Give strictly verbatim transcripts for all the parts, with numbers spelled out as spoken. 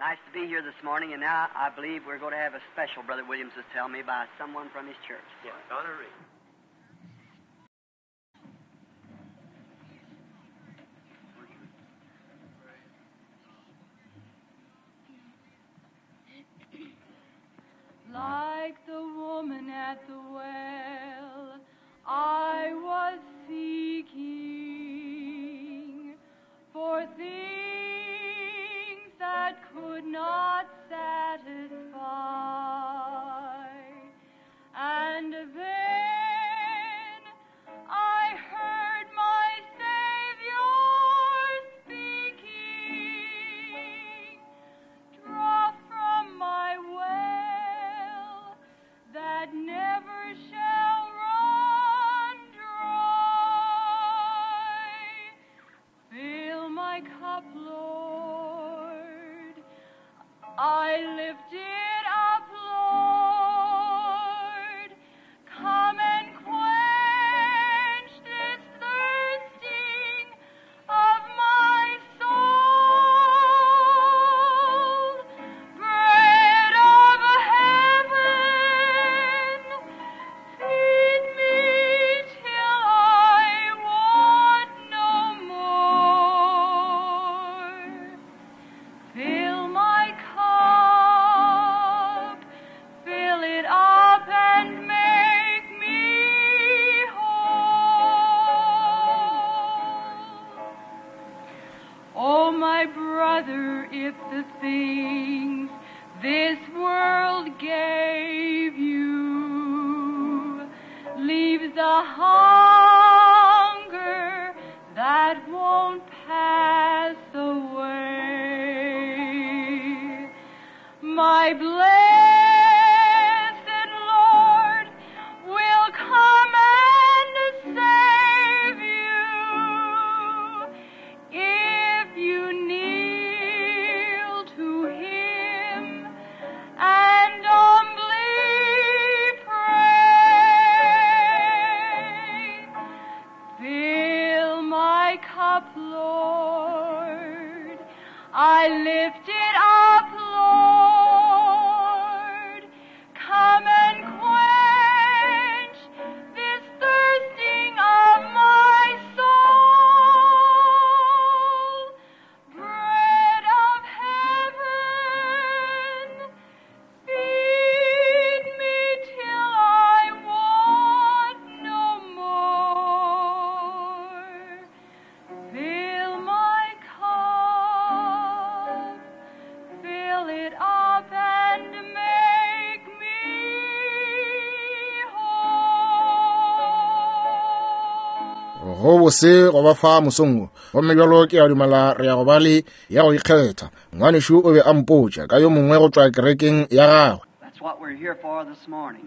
Nice to be here this morning, and now I believe we're going to have a special, Brother Williams was telling me, by someone from his church. Yeah, Donna Reed. Like the woman at the well, I was seeking for things that could not satisfy. And then I heard my Savior speaking, draw from my well that never shall run dry. Fill my cup, Lord, I lift it up, Lord. Come and quench this thirsting of my soul. Bread of heaven, feed me till I want no more. Fill my cup, fill it up and make me whole. Oh, my brother, if the things this world gave you leaves a hunger that won't pass away, my blessed Lord will come and save you if you kneel to him and humbly pray. Fill my cup, Lord, I lift it up, Lord. Come and quench this thirsting of my soul. Bread of heaven, feed me till I want no more. Fill my cup, fill it up and make me whole. Go bose go ba fa mosong wo. Gomme bjalo ke a dumela re ya go ba le ya go ikgetha. Ngwanešu o be a mpotša ka yo mongwe go tšwa kerekeng ya gagwe. That's what we're here for this morning.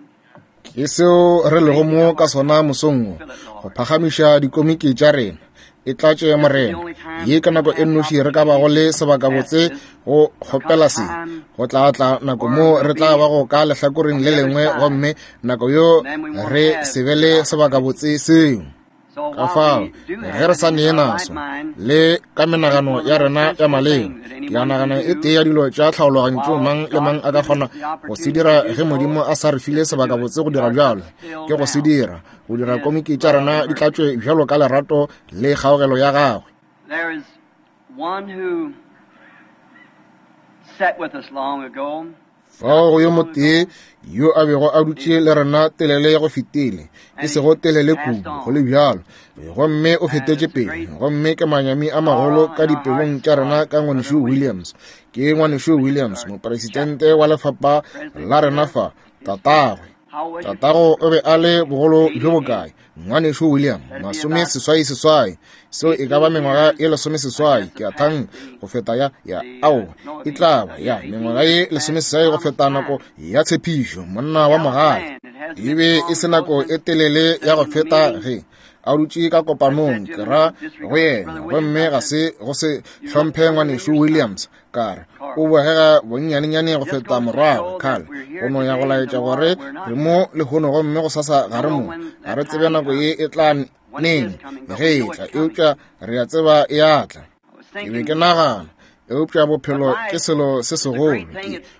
Ke seo re lego mo ka sona mosong wo, go phagamiša dikomiki tša rena. E tlatše Morena. Ye ka nako e nnoši re ka bago le sebakabotse go kgopela se. Go tla tla nako mo re tla bago ka lehlakoreng le lengwe, gomme nako yo re se be le sebakabotse seo. So Ka while fao, we do ge have re sa it nee in our right naso mind, le ka menagano ya rena ya maleba, ke a nagana e tee ya dilo tša tlhaologanyo tšeo mang le mang a ka kgona go se dira ge Modimo a sa re file sebakabotse go dira bjalo, ke go se dira, go dira komiki tša rena di tlatšwe bjalo ka lerato le kgaogelo ya gagwe. there is one who sat with us long ago. Fao go yo motee yo a bego a dutše le rena telele ya go fetile, e sego telele kudu, go le bjalo, gomme o fetetše pele. Gomme ke manyami a magolo ka dipelong tša rena ka ngwanešu Williams. Ke ngwanešu Williams, mopresidente wa lefapha la rena fa, tatagwe. How was your Tatago o be a le bogolo bjo bokae? Ngwanešu William, masome seswai seswai. Seo e ka ba mengwaga ye lesome seswai, ke a thang go feta ya, ya, ao, e tla ba, ya, mengwaga ye lesome seswai go feta nako ya tshepišo, monna wa mogale. E be e se nako e telele ya go feta ge a dutše ka kopanong, ke ra go yena, gomme ga se go se hlomphe ngwanešu Williams, ka re o bogega bonnyanenyane go feta morwagwe Carl. Go no ya go laetša gore re mo lehono gomme go sasa ga re mo. Ga re tsebe nako ye e tla neng ge e tla, eupša re a tseba e a tla. I was Ke be thinking ke nagana Eupša bophelo ke selo se segolo.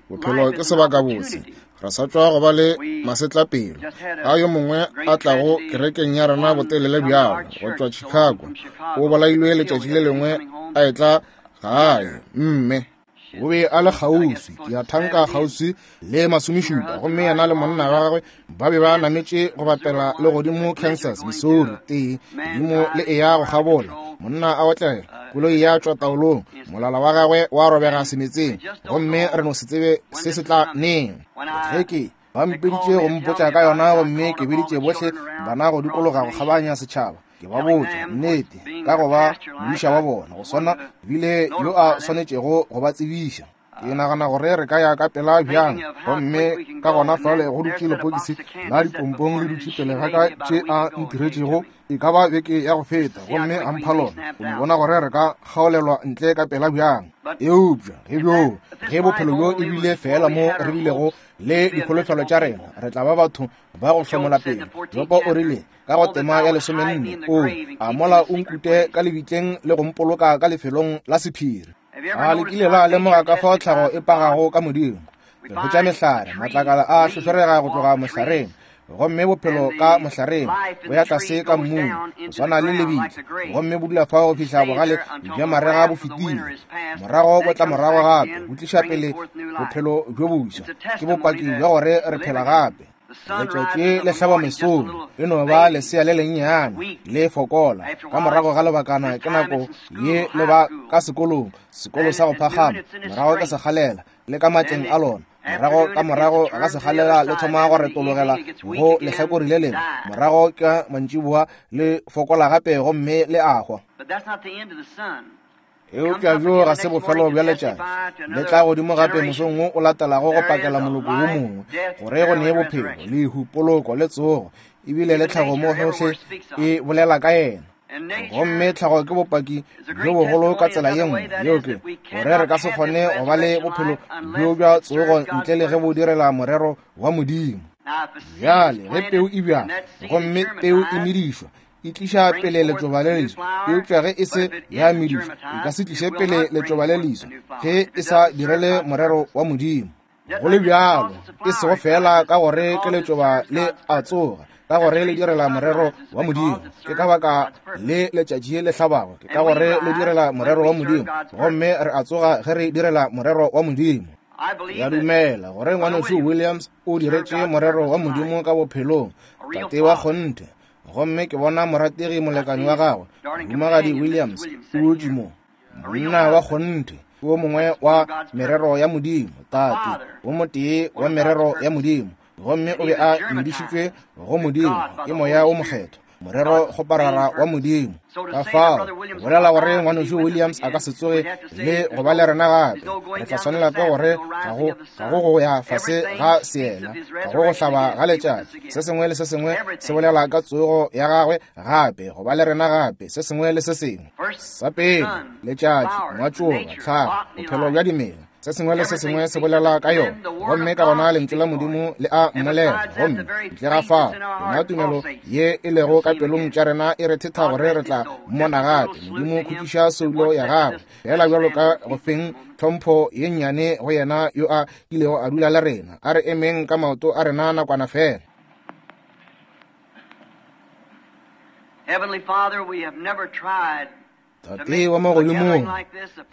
Bophelo ke sebakabotse. Re sa tšwa go ba le masetlapelo a yo mongwe a tlago kerekeng ya rena botelele bjalo go tšwa Chicago. O bolailwe letšatši le lengwe a etla gae, mme o be a le kgauswi, ke a thanka kgauswi le masomešupa, gomme yena le monna wa gagwe ba be ba nametše go bapela le godimo Kansas, Missouri, tee godimo le eya go kgabola. Monna a otlela, koloi ya tšwa taolong, molala wa gagwe wa robega semetseng, gomme re no se tsebe se se tla neng. Ge ke ba mpeditše go mpotša ka yona, gomme ke biditše bohle bana go dikologa go kgabanya setšhaba, ke ba botša nnete ka go ba modiša wa bona, go swana bile yo a swanetšego go ba tsebiša. Ke nagana gore re ka ya ka pela bjang, gomme ka gona fale go dutše lepokisi la dipompong le dutše pele ga ka tše a ntiretšego e ka ba beke ya go feta, gomme a mpha lona go no bona gore re ka kgaolelwa ntle ka pela bjang. Eupša ge bjo ge bophelo bjo e bile fela mo re bilego le dikholofelo tša rena, re tla ba batho ba go hlomola pelo. Jopo o rile ka go tema ya lesomenne, o a mola o nkute ka lebitleng le go mpoloka ka lefelong la sephiri. A le kile la lemoga ka fao tlhago e pagago ka Modimo? Re hwetša mehlare, matlakala a hlohlorega go tloga mohlareng, gomme bophelo ka mohlareng bo ya tlase ka mmung go swana le lebitla, gomme bo dula fao go fihla bogale bja marega bo fetile. Morago bo tla morago gape, bo tliša pele bophelo bjo boswa. Ke bopaki bja gore re phela gape. Letšatši le hlaba mesong, le no ba lesea le lennyane le fokola. Ka morago ga lebakana ke nako ye le ba ka sekolong, sekolo sa go phagama, morago ka segalela le ka matleng a lona. Morago ka morago ga segalela le thoma go retologela go lehlakore le lengwe, morago ka mantšiboa le fokola gape gomme le a hwa. Eupša bjo ga se bofelo bja letšatši, le tla godimo gape mosong wo o latelago go pakela moloko wo mongwe gore go nee bophelo, lehu, poloko le tsogo. Ebile le tlhago mo gohle e bolela ka yena, gomme tlhago ke bopaki bjo bogolo ka tsela ye nngwe, yeo ke gore re ka se kgone go ba le bophelo bjo bja tsogo ntle le ge bo direla morero wa Modimo. Bjale ge peu e bjala gomme peu e medišwa, e tliša pele letšoba le leswa. Eupša ge e se ya medišwa, e ka se tliše pele letšoba le leswa ge e sa direle morero wa Modimo. Go le bjalo, e sego fela ka gore ke letšoba le a tsoga, ka gore le direla morero wa Modimo. Ke ka baka le letšatši le hlabago, ke ka gore le direla morero wa Modimo, gomme re a tsoga ge re direla morero wa Modimo. Ya dumela gore ngwanešu Williams o diretše morero wa Modimo ka bophelong, tate wa kgonthe. Gomme ke bona morategi molekani wa gagwe, Mohumagadi Williams, o dutše mo, monna wa kgonthe, wo mongwe wa merero ya Modimo, tate wo motee wa merero ya Modimo, gomme o be a medišitšwe go Modimo ke Moya wo Mokgethwa, morero kgoparara wa Modimo. Ka fao bolela gore ngwanešu Williams a ka se tsoge le go ba le rena gape, re tla swanela ke gore ga go ga go go ya fase ga seela, ga go go hlaba ga letšatši. Se sengwe le se sengwe se bolela ka tsogo ya gagwe gape, go ba le rena gape, se sengwe le se sengwe. Sa pele, letšatši, ngwatšoba, tlhago, bophelo bja dimela, se sengwe le se sengwe se bolela ka yona, gomme ka gona lentšu la Modimo le a mmolela. Gomme ntle ga fao, yona tumelo ye e lego ka pelong tša rena e re thetha gore re tla mmona gape. Modimo khutšiša soulo ya gagwe, fela bjalo ka go feng tlhompho ye nnyane go yena yo a kilego a dula le rena. A re emeng ka maoto a rena nakwana fela. Heavenly Father, we have never tried Tate wa magodimong,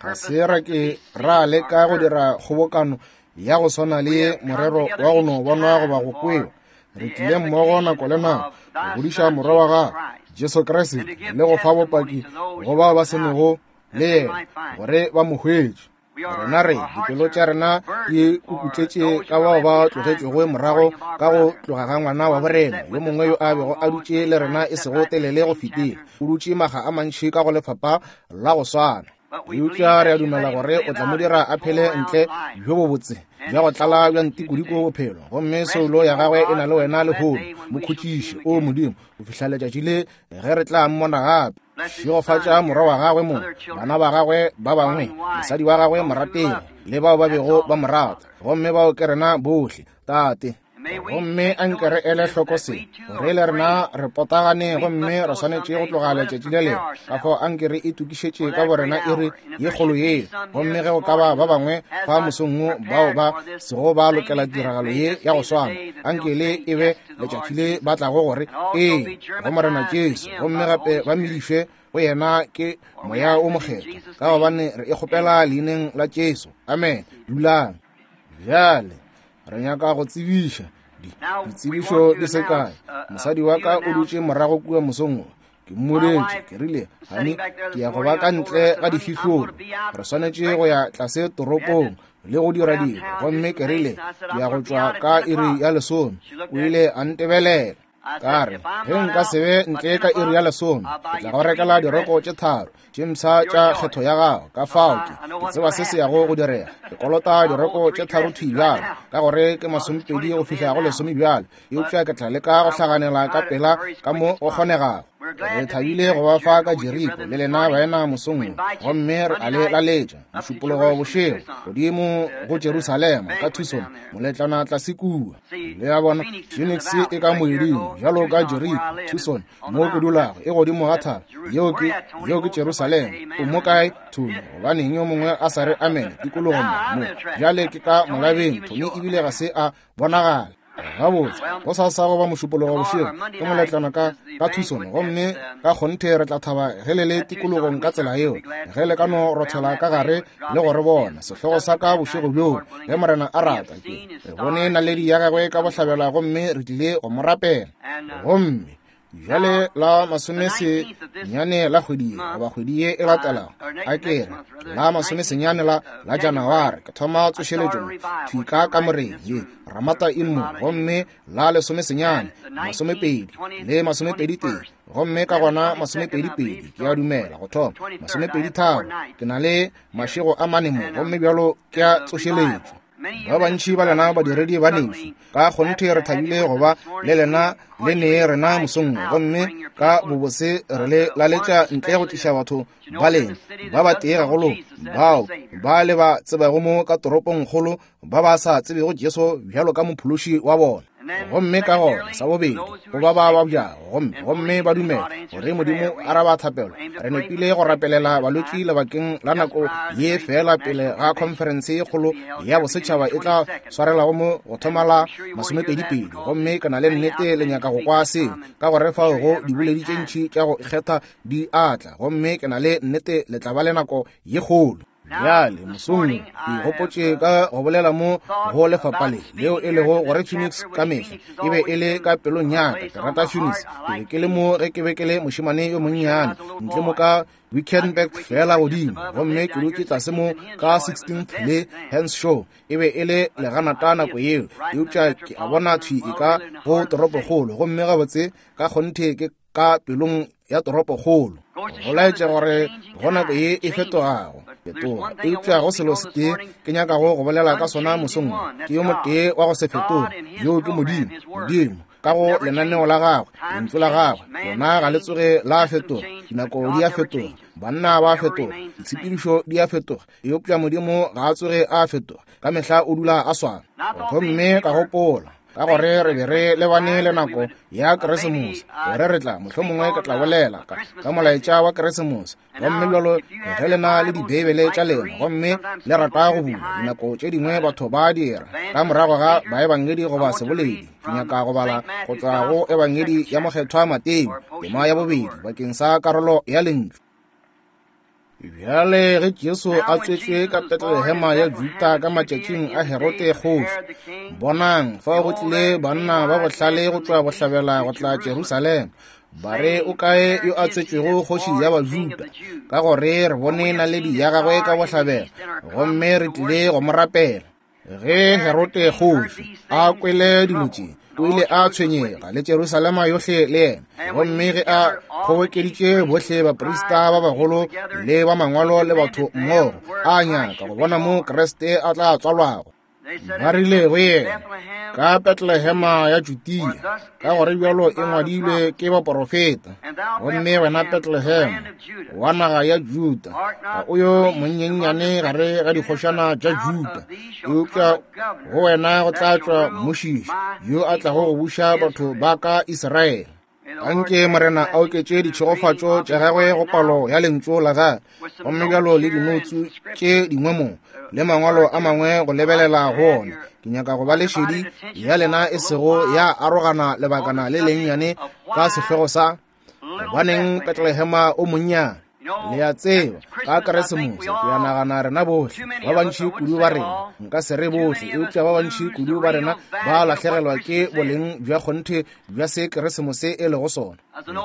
ga se ra ke ra leka go dira kgobokano ya go swana le morero wa go no bonwa goba go kwewa. Re tlile mmogo nako le nako go godiša morwa wa gagwe Jesu Kriste le go fa bopaki go bao ba senego le yena gore ba mo hwetše. Rena re dipelo tša rena di kukutletše ka bao ba tlogetšego morago ka go tloga ga ngwana wa borena yo mongwe yo a bego a dutše le rena e sego telele go fetile. O dutše maga a mantši ka go lefapha la go swana. Eupša re a dumela gore o tla mo dira a phele ntle bjo bobotse bja go tlala bja ntikodiko bophelo, gomme soulo ya gagwe e na le wena lehono. Mo khutšiše, o Modimo, go fihla letšatši le ge re tla mmona gape. Šegofatša morwa wa gagwe mo, bana ba gagwe ba bangwe, mosadi wa gagwe morategi, le bao ba bego ba mo rata, gomme bao ke rena bohle, Tate. Gomme a nke re ele hloko se, gore le rena re potagane gomme re swanetše go tloga letšatši le lengwe. Ka fao a nke re itokišetše ka borena iri ye kgolo ye. Gomme ge go ka ba ba bangwe fa mosong wo bao ba sego ba lokela tiragalo ye ya go swana, a nke le e be letšatši le ba tlago gore ee go Morena Jesu, gomme gape ba medišwe go yena ke Moya o Mokgethwa, ka gobane re e kgopela leineng la Jesu. Amen. Dulang. Bjale re nyaka go tsebiša ditsebišo di se kae. Mosadi wa ka o dutše morago kua mosong wo. Ke mmodetše, ke rile, honey, ke ya go ba ka ntle ga difihlolo. Re swanetše go ya tlase toropong le go dira dilo. Gomme ke rile, ke ya go tšwa ka iri ya lesome. O ile a ntebelela. Ka re, ge nka se be ntle ka iri ya lesome, ke tla go rekela diroko tše tharo tše mpsha tša kgetho ya gago. Ka fao ke ke tseba se se yago go direga. Ke kolota diroko tše tharo thwi bjalo, ka gore ke masomepedi go fihla go lesome bjalo, eupša ke tla leka go hlaganela ka pela ka mo go kgonegago. Re thabile go ba fa ka Jeriko le lena baena mosong wo, gomme re a le laletša mošupologo bošego godimo go Jerusalema ka Tucson, moletlwana tlase kua. Le a bona, Phoenix e ka moeding bjalo ka Jeriko, Tucson mo ke dulago e godimo ga thaba. Yeo ke yeo ke Jerusalema. O mo kae, Tony? Gobaneng yo mongwe a sa re amen tikologong mo? Bjale ke ka molabeng, Tony ebile ga se a bonagala. Gabotse, go sa sa go ba mošupologo bošego ke moletlwana ka ka Tucson, gomme ka kgonthe re tla thaba ge le le tikologong ka tsela yeo, ge le ka no rothela ka gare le go re bona. Sehlogo sa ka bošego bjoo, ge Morena a rata, ke re bone naledi ya gagwe ka bohlabela gomme re tlile go mo rapela. Gomme bjale la masomesenyane la kgwedi ye, goba kgwedi ye e latelago, a ke re la masomesenyane la la Janaware, ke thoma tsošeletšo thwi ka kamoreng ye Ramata Inn mo, gomme la lesomesenyane, masomepedi le masomepedi tee, gomme ka gona masomepedi pedi, ke a dumela go thoma masomepedi tharo. Ke na le mašego a mane mo, gomme bjalo ke a tsošeletšo. Ba bantši ba lena badiredi ba nešo, ka kgonthe re thabile go ba le lena le nee rena mosong wo, gomme ka bobose re le laletša ntle go tliša batho ba lena ba ba tee gagolo bao ba le ba tsebago mo ka toropongkgolo ba ba sa tsebego Jesu bjalo ka mophološi wa bona. Gomme ka gona sa bobedi go ba ba babjago gomme gomme ba dumela gore Modimo araba thapelo. Re nepile go rapelela balwetši lebakeng la nako ye fela pele ga khonferense ye kgolo ya bosetšhaba e tla swarelago mo go thoma la masomepedi pedi. Gomme ke na le nnete le nyaka go kwa seo, ka gore fao go diboledi tše ntši tša go ikgetha di atla, gomme ke na le nnete le tla ba le nako ye kgolo. Bjale mosong ke gopotše ka go bolela mo go lefapha le leo e lego gore Phoenix ka mehla e be e le ka pelong ya ka. Ke rata Phoenix. Ke be ke le mo ge ke be ke le mošemane yo monnyane ntle mo ka Wickenburg fela godimo, gomme ke dutše tlase mo ka sixteenth le Henshaw. E be e le leganata nako yeo, eupša ke a bona thwi e ka go toropokgolo, gomme gabotse ka kgonthe ke ka pelong ya toropokgolo. Go laetša gore go nako ye e fetogago fetoga, eupša go selo se tee ke nyakago go bolela ka sona mosong, ke yo motee wa go se fetoge, yoo ke Modimo. Modimo ka go lenaneo la gagwe, lentšu la gagwe, lona ga le tsoge la fetoga. Dinako di a fetoga, banna ba fetoga, ditshepedišo di a fetoga, eupša Modimo ga a tsoge a fetoga, ka mehla o dula a swana. Gomme ka gopola ka gore re be re lebane le nako ya Keresemose, gore re tla mohlomongwe ke tla bolela ka ka molaetša wa Keresemose. Gomme bjalo ge le na le dibeibele tša lena gomme le rata go bula, dinako tše dingwe batho ba dira ka morago ga baebangedi goba seboledi. Ke nyaka go bala go tšwa go Ebangedi ya Mokgethwa Mateo, tema ya bobedi, bakeng sa karolo ya lentšu. Bjale ge Jesu a tswetšwe ka Betlelehema ya Juda ka matšatšing a Herode kgoši, bonang, fao go tlile banna ba bohlale go tšwa bohlabela go tla Jerusalema, ba re, o kae yo a tswetšwego kgoši ya Bajuda? Ka gore re bone naledi ya gagwe ka bohlabela, gomme re tlile go mo rapela. Ge Herode kgoši a kwele dilo tše, o ile a tshwenyega le Jerusalema yohle le yena. Gomme ge a kgobokeditše bohle baprista ba bagolo le ba mangwalo le batho mmogo, a nyaka go bona mo Kriste a tla tswalwago. Ba rile go yena, ka Betlehema ya Judea, ka gore bjalo e ngwadilwe ke baporofeta. Gomme wena Betlehema wa naga ya Juda, ga o yo monyenyane gare ga dikgošana tša Juda, eupša go wena go tla tšwa mmušiši yo a tlago go buša batho ba ka Israele. Anke Morena a oketše ditšhegofatšo tša gagwe go palo ya lentšu la gagwe, gomme bjalo le dinotsu tše dingwe mo le mangwalo a mangwe go lebelela go ona. Ke nyaka go ba le šedi ya lena e sego ya arogana lebakana le lennyane ka sehlogo sa gobaneng Betlehema o monnyane. Le a tseba, ka Keresemose ke a nagana rena bohle ba bantši kudu ba rena, nka se re bohle, eupša ba bantši kudu ba rena ba lahlegelwa ke boleng bja kgonthe bja se Keresemose e lego sona.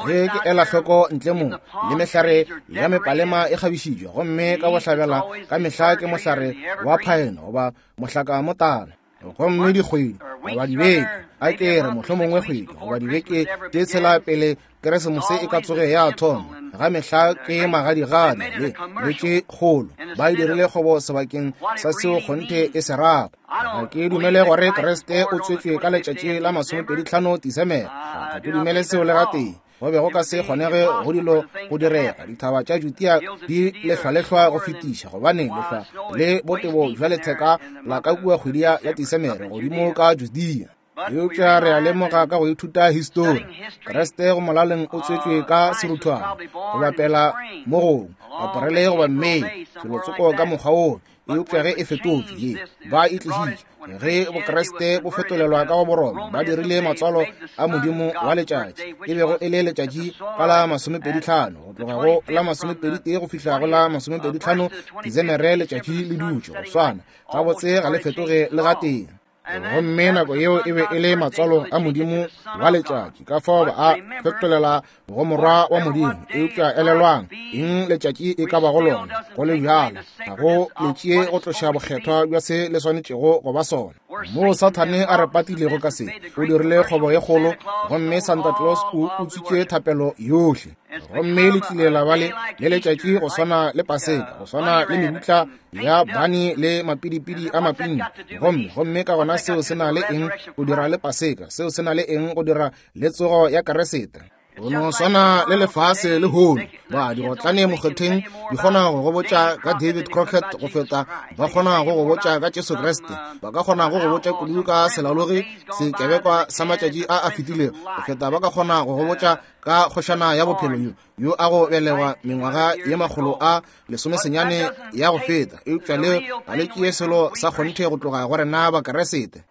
Ge ke ela hloko ntle mo, le mehlare ya mepalema e kgabišitšwe, gomme ka bohlabela ka mehla ke mohlare wa phaene goba mohlaka motala, gomme dikgwedi goba dibeke, a ke re mohlomongwe kgwedi goba dibeke tše tshela pele Keresemose e ka tsoge ya thoma, ga mehla ke magadigadi le le tše kgolo. Ba e dirile kgwebo sebakeng sa seo kgonthe e se rago. Ga ke dumele gore Kriste o tswetšwe ka letšatši la masomepedi tlhano Disemere. Ga ke dumele seo le gatee. Go be go ka se kgonege go dilo go direga. Dithaba tša Judea di lehlwalehlwa go fetiša, gobane lehlwa le botebo bja letheka la ka kua kgwedi ya Disemere godimo ka Judea. Eupša re a lemoga ka go ithuta histori, Kriste go molaleng o tswetšwe ka seruthwana, go bapela mo gongwe, Aparele goba Mei, felotsoko ka mokgwa woo. Eupša ge e fetotšwe ye, ba e tlišitše. Ge Bokriste bo fetolelwa ka go Boroma, ba dirile matswalo a modimo wa letšatši, e bego e le letšatši ka la masomepedi tlhano, go tloga go la masomepedi tee go fihla go la masomepedi tlhano Disemere letšatši le dutše go swana gabotse, ga le fetoge le gatee. Gomme nako yeo e be e le matswalo a modimo wa letšatši, ka fao ba a fetolela go morwa wa modimo. Eupša elelwang eng letšatši e ka bago lona, go le bjalo ga go le tšee go tloša bokgethwa bja se le swanetšego go ba sona. Moo Sathane a re patilego ka se, o dirile kgwebo ye kgolo, gomme Santa Claus o utswitše thapelo yohle. Gomme le tlile la ba le le letšatši go swana le Paseka, go swana le mebutla ya bani le mapidipidi a mapinki. Gomme gomme ka gona seo se na le eng go dira le Paseka? Seo se na le eng go dira le tsogo ya Keresete? Go no swana le lefase le hono, ba digotlane mokgetheng di kgona go go botša ka David Crockett go feta ba kgona go go botša ka Jesu Kriste. Ba ka kgona go go botša kudu ka selalogi sekebekwa sa matšatši a a fetilego go feta ba ka kgona go go botša ka kgošana ya bophelo yo yo a go belegwa mengwaga ye makgolo a lesomesenyane ya go feta. Eupša leo ga le tšee selo sa kgonthe go tloga go rena Bakeresete.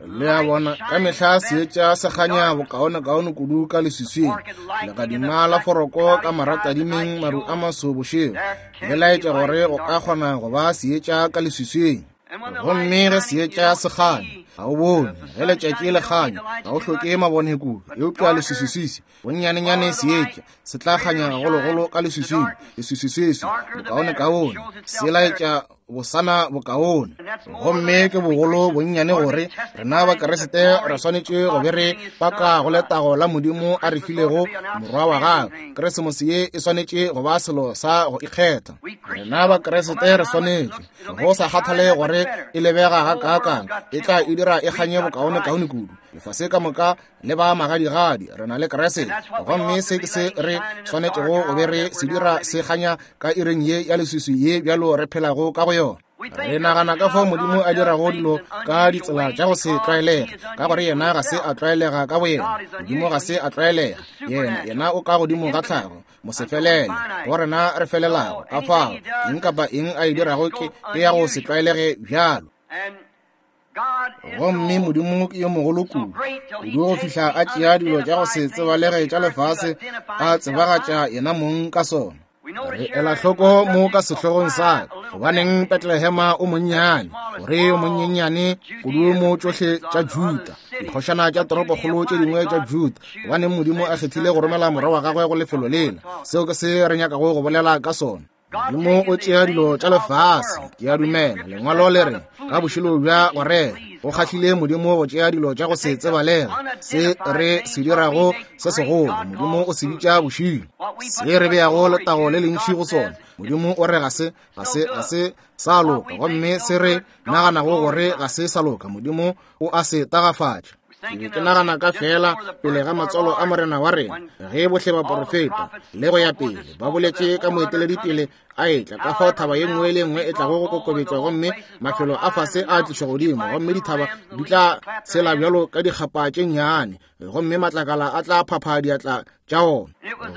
Le a bona, ka mehla seetša se kganya bokaonekaone kudu ka leswiswing. Legadima la foroko ka maratadimeng maru a maso bošego le laetša gore go ka kgona go ba seetša ka leswiswing. Gomme ge seetša se kganya, ga o bone. Ge letšatši le kganya, ga o hloke mabone kudu. Eupša leswiswiswi bonnyanenyane seetša se tla kganya gagologolo ka leswiswing. Leswiswiswi bokaonekaone se laetša bosana bokaone. Gomme ke bogolo bonnyane gore rena Bakeresete re swanetše go be re paka go letago la Modimo a re filego morwa wa gagwe. Keresemose ye e swanetše go ba selo sa go ikgetha. Rena Bakeresete re swanetše go sa kgathale gore e lebega gakaakang, e tla e dira e kganye bokaonekaone kudu. Lefase ka moka le ba magadigadi, re na le Keresete. Gomme se ke se re swanetšego go be re se dira se kganya ka iring ye ya leswiswi ye bjalo re phelago ka go yona. Re nagana ka fao Modimo a dirago dilo ka ditsela tša go se tlwaelege, ka gore yena ga se a tlwaelega ka boyena. Modimo ga se a tlwaelega, yena yena o ka godimo ga tlhago, mosefelele go rena re felelago. Ka fao eng kapa eng a e dirago ke ke ya go se tlwaelege bjalo. Gomme Modimo ke yo mogolo kudu, kudu go fihla a tšea dilo tša go se tsebalege tša lefase a tsebagatša yena mong ka sona. Re ela hloko mo ka sehlogong sa ka, gobaneng Betlehema o monnyane, gore o monyenyane kudu mo tšohle tša Juda, dikgošana tša toropokgolo tše dingwe tša Juda, gobaneng Modimo a kgethile go romela morwa wa gagwe go lefelo lela. Seo ke se re nyakago go bolela ka sona. Modimo o tšea dilo tša lefase, ke a dumela lengwalo le re ka bošilo bja go rera. Go kgahlile Modimo go tšea dilo tša go se tsebalega, se re se dirago se segolo, Modimo o se bitša bošilo. Se re beago letago le lentši go sona, Modimo o re ga se, ga se, ga se sa loka. Gomme se re naganago gore ga se sa loka, Modimo o a se tagafatša. Ke be ke nagana ka fela pele ga matswalo a Morena wa rena, ge bohle baporofeta le go ya pele ba boletše ka moeteledipele a etla, ka fao thaba ye nngwe le nngwe e tlago go kokobetšwa, gomme mafelo a fase a tlišwa godimo, gomme dithaba di tla tshela bjalo ka dikgapa tše nnyane, gomme matlakala a tla phapha diatla tša ona.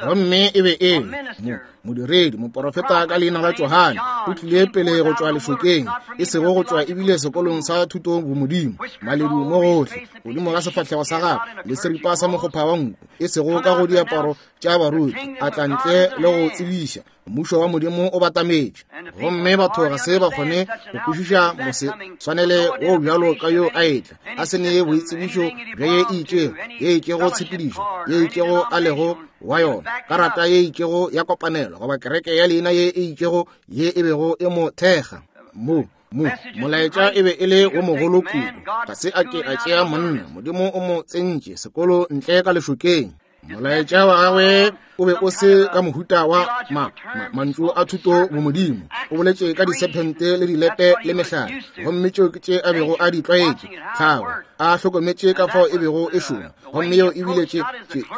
Gomme e be e le modiredi, moporofeta ka leina la Johane, o tlile pele go tšwa lešokeng, e sego go tšwa ebile sekolong sa thuto bomodimo, maledu mo gohle godimo ga sefahlego sa gagwe le seripa sa mokgopha wa nku, e sego ka go diaparo tša baruti, a tla ntle le go tsebiša mmušo wa Modimo o batametše. Gomme batho ga se ba kgone go kwešiša mose tshwanele wo bjalo ka yo a etla, a se ne boitsebišo bja ye e itšego, ye itšego tshepedišo, ye itšego a lego wa yona, karata ye itšego ya kopanelo, goba kereke ya leina ye e itšego ye e bego e mo thekga. Mo mo molaetša e be e le wo mogolo kudu, ga se a ke a tšea monna, Modimo o mo tsentše sekolo ntle ka lešokeng. Molaetša wa gagwe o be o se ka mohuta wa ma, ma, mantšu a thuto bomodimo. O boletše ka disephente le dilepe le mehlare, gomme tšeo ke tše a bego a di tlwaetše. Tlhago a hlokometše ka fao e bego e šoma, gomme yeo ebile tše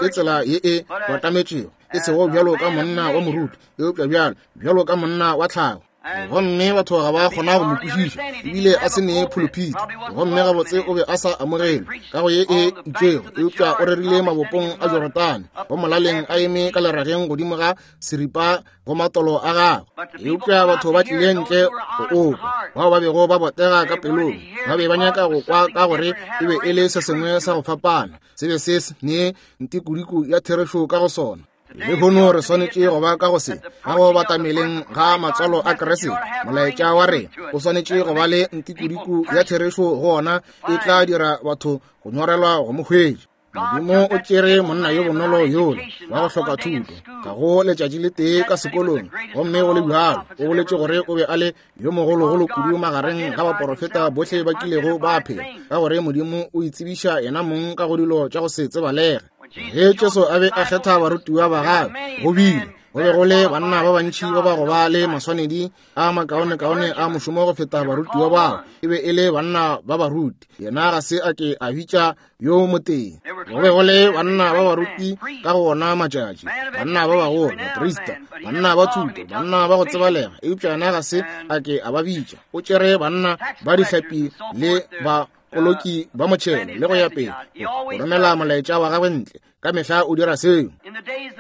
ke tsela ye e batametšego, e sego bjalo ka monna wa moruti, eupša bjalo bjalo ka monna wa tlhago. Gomme batho ga ba kgona go mo kwešiša, ebile a se ne phuluphiti, gomme gabotse o be a sa amogelwe ka go ye e itšego, eupša o rerile mabopong a Jorodane, go molaleng a eme ka lerageng godimo ga seripa go matolo a gagwe. Eupša batho ba tlile ntle go okwa, bao ba bego ba botega ka pelong, ba be ba nyaka go kwa ka gore e be e le se sengwe sa go fapana, se be se ne ntikudiku ya therešo ka go sona. Lehono re swanetše go ba ka go se, ka go batameleng ga matswalo a Kriste, molaetša wa rena o swanetše go ba le ntikudiku ya therešo go ona, e tla dira batho go nyorelwa go mo hwetša. Modimo o tšere monna yo bonolo yola wa go hloka thuto, ga go letšatši le tee ka sekolong, gomme go le bjalo o boletše gore o be a le yo mogologolo kudu magareng ga baporofeta bohle ba kilego ba phela, ka gore Modimo o itsebiša yena mong ka go dilo tša go se tsebalege. Ge Jesu a be a kgetha barutiwa ba gagwe, go bile go be go le banna ba bantši ba ba go ba le maswanedi a makaonekaone a mošomo go feta barutiwa bao, e be e le banna ba baruti. Yena ga se a ke a bitša yo motee. Go be go le banna ba baruti ka go ona matšatši, banna ba bagolo, baprista, banna ba thuto, banna ba go tsebalega, eupša yena ga se a ke a ba bitša. O tšere banna ba dihlapi le ba koloki ba motšhelo le go ya pele, go romela molaetša wa gagwe ntle. Ka mehla o dira seo.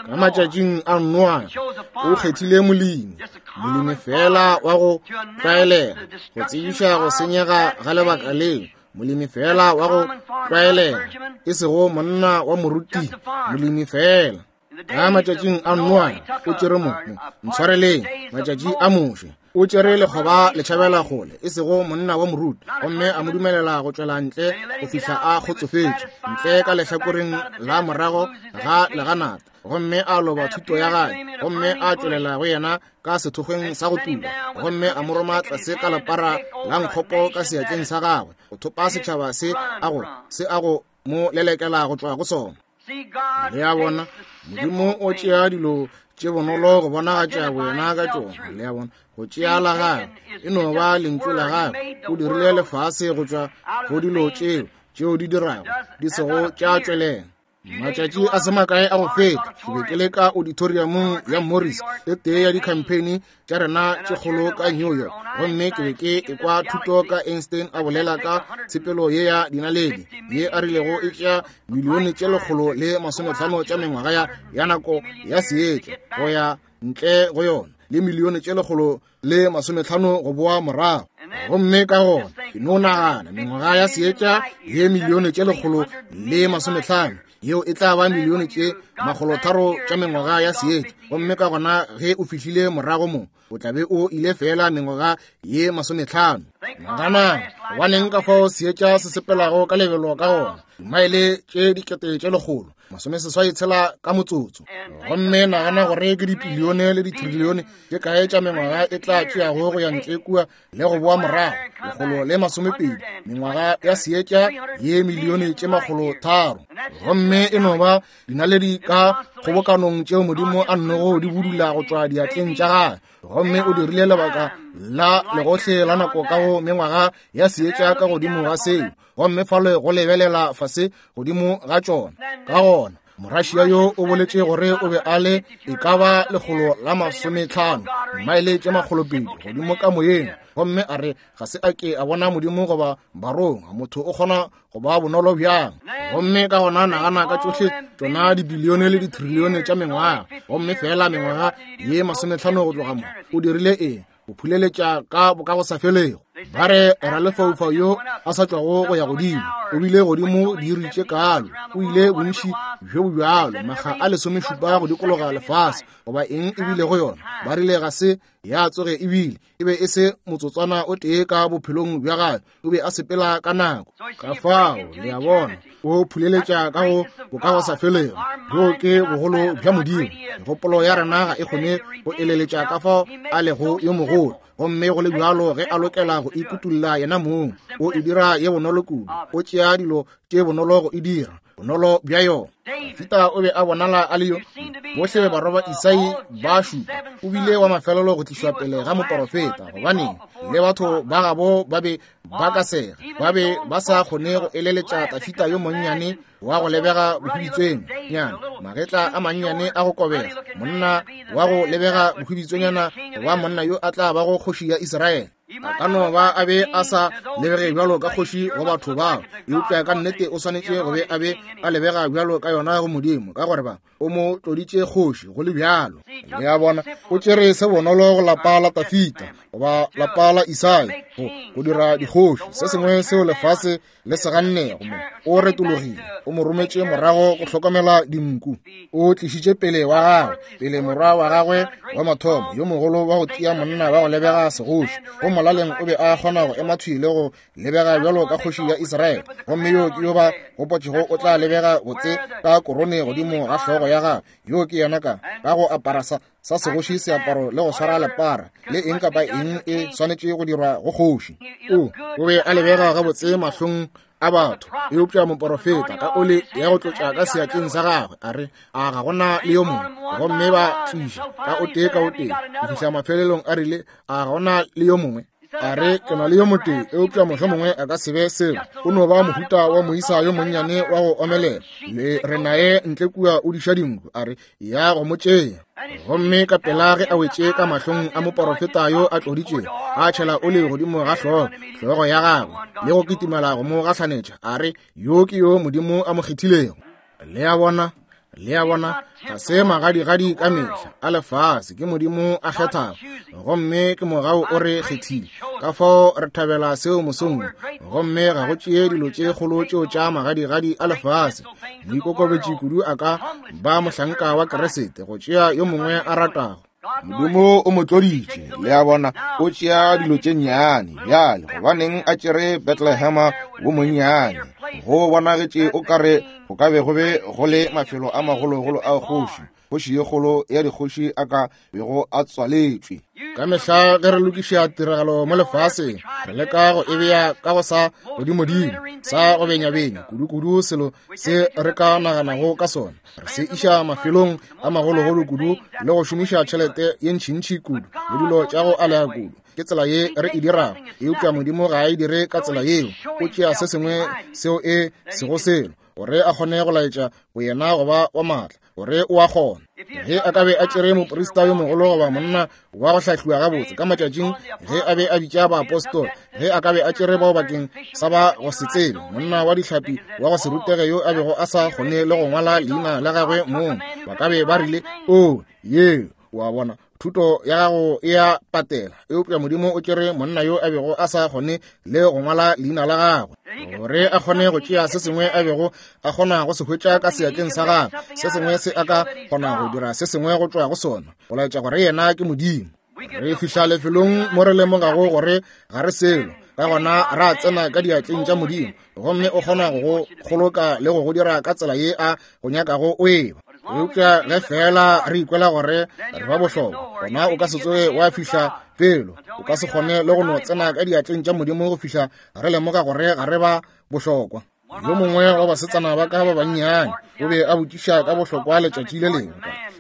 Ka matšatšing a Noa o kgethile molemi, molemi fela wa go tlwaelega, go tsebiša go senyega ga lebaka leo, molemi fela wa go tlwaelega, e sego monna wa moruti, molemi fela. Ka matšatšing a Noa o tšere mo, ntshwareleng, matšatši a Moshe o tšere lekgoba le tšhabela kgole, e sego monna wa moruti, gomme a mo dumelela go tšwela ntle go fihla a kgotsofetše, ntle ka lehlakoreng la morago ga leganata, gomme a loba thuto ya gagwe, gomme a tšwelela go yena ka sethokgweng sa go tuba, gomme a mo roma tlase ka lepara la nkgopo ka seatleng sa gagwe, go thopa setšhaba se a go se a go mo lelekela go tšwa go sona. Le a bona, Modimo o tšea dilo tše bonolo go bonagatša boyena ka tšona. Le a bona, go tšea la gagwe e no ba lentšu la gagwe. O dirile lefase go tšwa go dilo tšeo tšeo di dirago di sego tša tšwelela. Matšatši a se makae a go feta, ke be ke le ka auditoriumong ya Morris, e tee ya di-campaign tša rena tše kgolo ka New York, gomme ke be ke ekwa thuto ka Einstein a bolela ka tshepelo ye ya dinaledi ye a rilego e tšea milione tše lekgolo le masometlhano tša mengwaga ya, ya nako ya seetša go ya ntle go yona, le milione tše lekgolo le masometlhano go boa morago. Gomme ka gona ke no nagana mengwaga ya seetša ye milione tše lekgolo le masometlhano, yeo e tla ba milione tše makgolotharo tša mengwaga ya seetša. Gomme ka gona ge o fihlile morago mo, o tla be o ile fela mengwaga ye masometlhano. Naganang, gobaneng ka fao seetša se sepelago ka lebelo ka gona, dimaele tše dikete tše lekgolo masomeseswai tshela ka motsotso. Gomme nagana gore ke dipilione le ditrilione tše kae tša mengwaga e tla tšeago go ya ntle kua le go boa morago, lekgolo le masomepedi mengwaga ya seetša ye milione tše makgolo tharo. Gomme e no ba dinaledi ka kgobokanong tšeo Modimo a nnogo di budula go tšwa diatleng tša gagwe. Gomme o dirile lebaka la legohle la nako ka go mengwaga ya seetša ka godimo ga seo, gomme fale go lebelela fase godimo ga tšona. Ka gona Morašia yo o boletše gore o be a le e ka ba lekgolo la masometlhano maele tše makgolopedi godimo ka moyeng, gomme a re ga se a ke a bona Modimo goba barongwa. Motho o kgona go ba bonolo bjang? Gomme ka gona nagana ka tšohle tšona dibilione le ditrilione tša mengwaga, gomme fela mengwaga ye masometlhano go tloga mo o dirile eng? O phuleletša ka bokagosafelego. Ba re ralefaufau yo a sa tšwago go ya godimo o bile godimo diiri tše kalo, o ile bontši bjo bo bjalo makga a lesomešupa go dikologa lefase, goba eng e bile go yona. Ba rile ga se ya tsoge ebile e be e se motsotswana o tee ka bophelong bja gagwe, o be a sepela ka nako. Ka fao le a bona, o phuleletša ka go bokagosafelego. Bjo ke bogolo bja Modimo. Megopolo ya rena ga e kgone go eleletša ka fao a lego yo mogolo, gomme go le bjalo ge a lokela go ikutulla yena mong, o e dira ye bonolo kudu. O tšea dilo tše bonolo go e dira bonolo bja yona. Dafida o be a bonala a le yo bohle barwa ba Isai ba šupa, o bile wa mafelelo go tlišwa pele ga moporofeta, gobaneng le batho ba gabo ba be ba ka sega, ba be ba sa kgone go eleletša Dafida yo monnyane wa go lebega bohwibitsweng nyana, magetla a mannyane a go kobega, monna wa go lebega bohwibitswenyana goba monna yo a tla bago kgoši ya Israele. A ka no ba a be a sa lebege bjalo ka kgoši go batho bao, eupša ka nnete o swanetše go be a be a lebega bjalo ka yona go Modimo, ka gore ba o mo tloditše kgoši go le bjalo. Le a bona, o tšere se bonolo go lapa la Dafida goba lapa la Isai go go dira dikgoši, se sengwe seo lefase le se gannego. Mo o retologile, o mo rometše morago go hlokomela dinku. O tlišitše pele wa gagwe, pele morwa wa gagwe wa mathomo yo mogolo wa go tia, monna wa go lebega segoši. Go molaleng o be a kgona go ema thwi le go lebega bjalo ka kgoši ya Israele, gomme yo ke yo ba gopotšego o tla lebega botse ka korone godimo ga hlogo ya gagwe. Yo ke yena ka ka go apara sa sa segoši seaparo le go swara lepara le eng kapa eng e swanetše go dirwa go kgoši. O o be a lebega gabotse mahlong a batho, eupša moporofeta ka ole ya go tlotša ka seatleng sa gagwe a re, a ga gona le yo mongwe. Gomme ba tliša ka o tee ka o tee go fihla mafelelong a rile, a ga gona le yo mongwe. A re, ke na le yo motee, eupša mohlomongwe a ka se be selo. O no ba mohuta wa moisa yo monnyane wa go omelela, le re naye ntle kua o diša dinku. A re, ya go mo tšea. Gomme ka pela ge a wetše ka mahlong a moporofeta yo a tloditšego, a tšhela ole godimo ga hlogo hlogo ya gagwe le go kitimela go mo gahlanetša. A re, yo ke yo Modimo a mo kgethilego. Le a bona, le a bona, ga se magadigadi ka mehla a lefase, ke Modimo a kgethago, gomme ke mogau o re kgethile. Ka fao re thabela seo mosong, gomme ga go tšee dilo tše kgolo tšeo tša magadigadi a lefase. Moikokobetši kudu a ka ba mohlanka wa Keresete go tšea yo mongwe a ratago. Modimo o mo tloditše, le a bona, o tšea dilo tše nnyane. Bjale gobaneng a tšere Bethlehema wo monnyane? Go bonagetše o kare go ka be go be go le mafelo a magologolo a kgoši, kgoši ye kgolo ya dikgoši a ka bego a tswaletšwe. Ka mehla ge re lokiša tiragalo mo lefaseng, re leka go e bea ka go sa godimodimo, sa go benyabenya kudu-kudu selo se re ka naganago ka sona. Re se iša mafelong a magologolo kudu le go šomiša tšhelete ye ntšhintšhi kudu le dilo tša go alega kudu. Ke tsela ye re e dirago, eupša Modimo ga a e dire ka tsela yeo. O tšea se sengwe seo e sego selo gore a kgone go laetša go yena go ba wa maatla, gore o a kgona. Ge a ka be a tšere moprista yo mogolo goba monna wa go hlahliwa gabotse ka matšatšing ge a be a bitša baapostola, ge a ka be a tšere bao bakeng sa ba go se tsebe, monna wa dihlapi wa go se rutege yo a bego a sa kgone le go ngwala leina la gagwe mong, ba ka be ba rile, o ye wa bona, thuto ya gago e a patela. Eupša Modimo o tšere monna yo a bego a sa kgone le go ngwala leina la gagwe, gore a kgone go tšea se sengwe a bego a kgona go se hwetša ka seatleng sa gagwe, se sengwe se a ka kgona go dira se sengwe go tšwa go sona, go laetša gore yena ke Modimo. Re fihla lefelong mo re lemogago gore ga re selo, Ka gona ra tsena ka diatleng tša Modimo, gomme o kgona go go kgoloka le go go dira ka tsela ye a go nyakago o eba. Eupša ge fela re ikwela gore re ba bohlokwa, gona o ka se tsoge wa fihla pelo. O ka se kgone le go no tsena ka diatleng tša Modimo go fihla re lemoga gore ga re ba bohlokwa. Yo mongwe wa basetsana ba ka ba bannyane o be a botšiša ka bohlokwa letšatši le lengwe.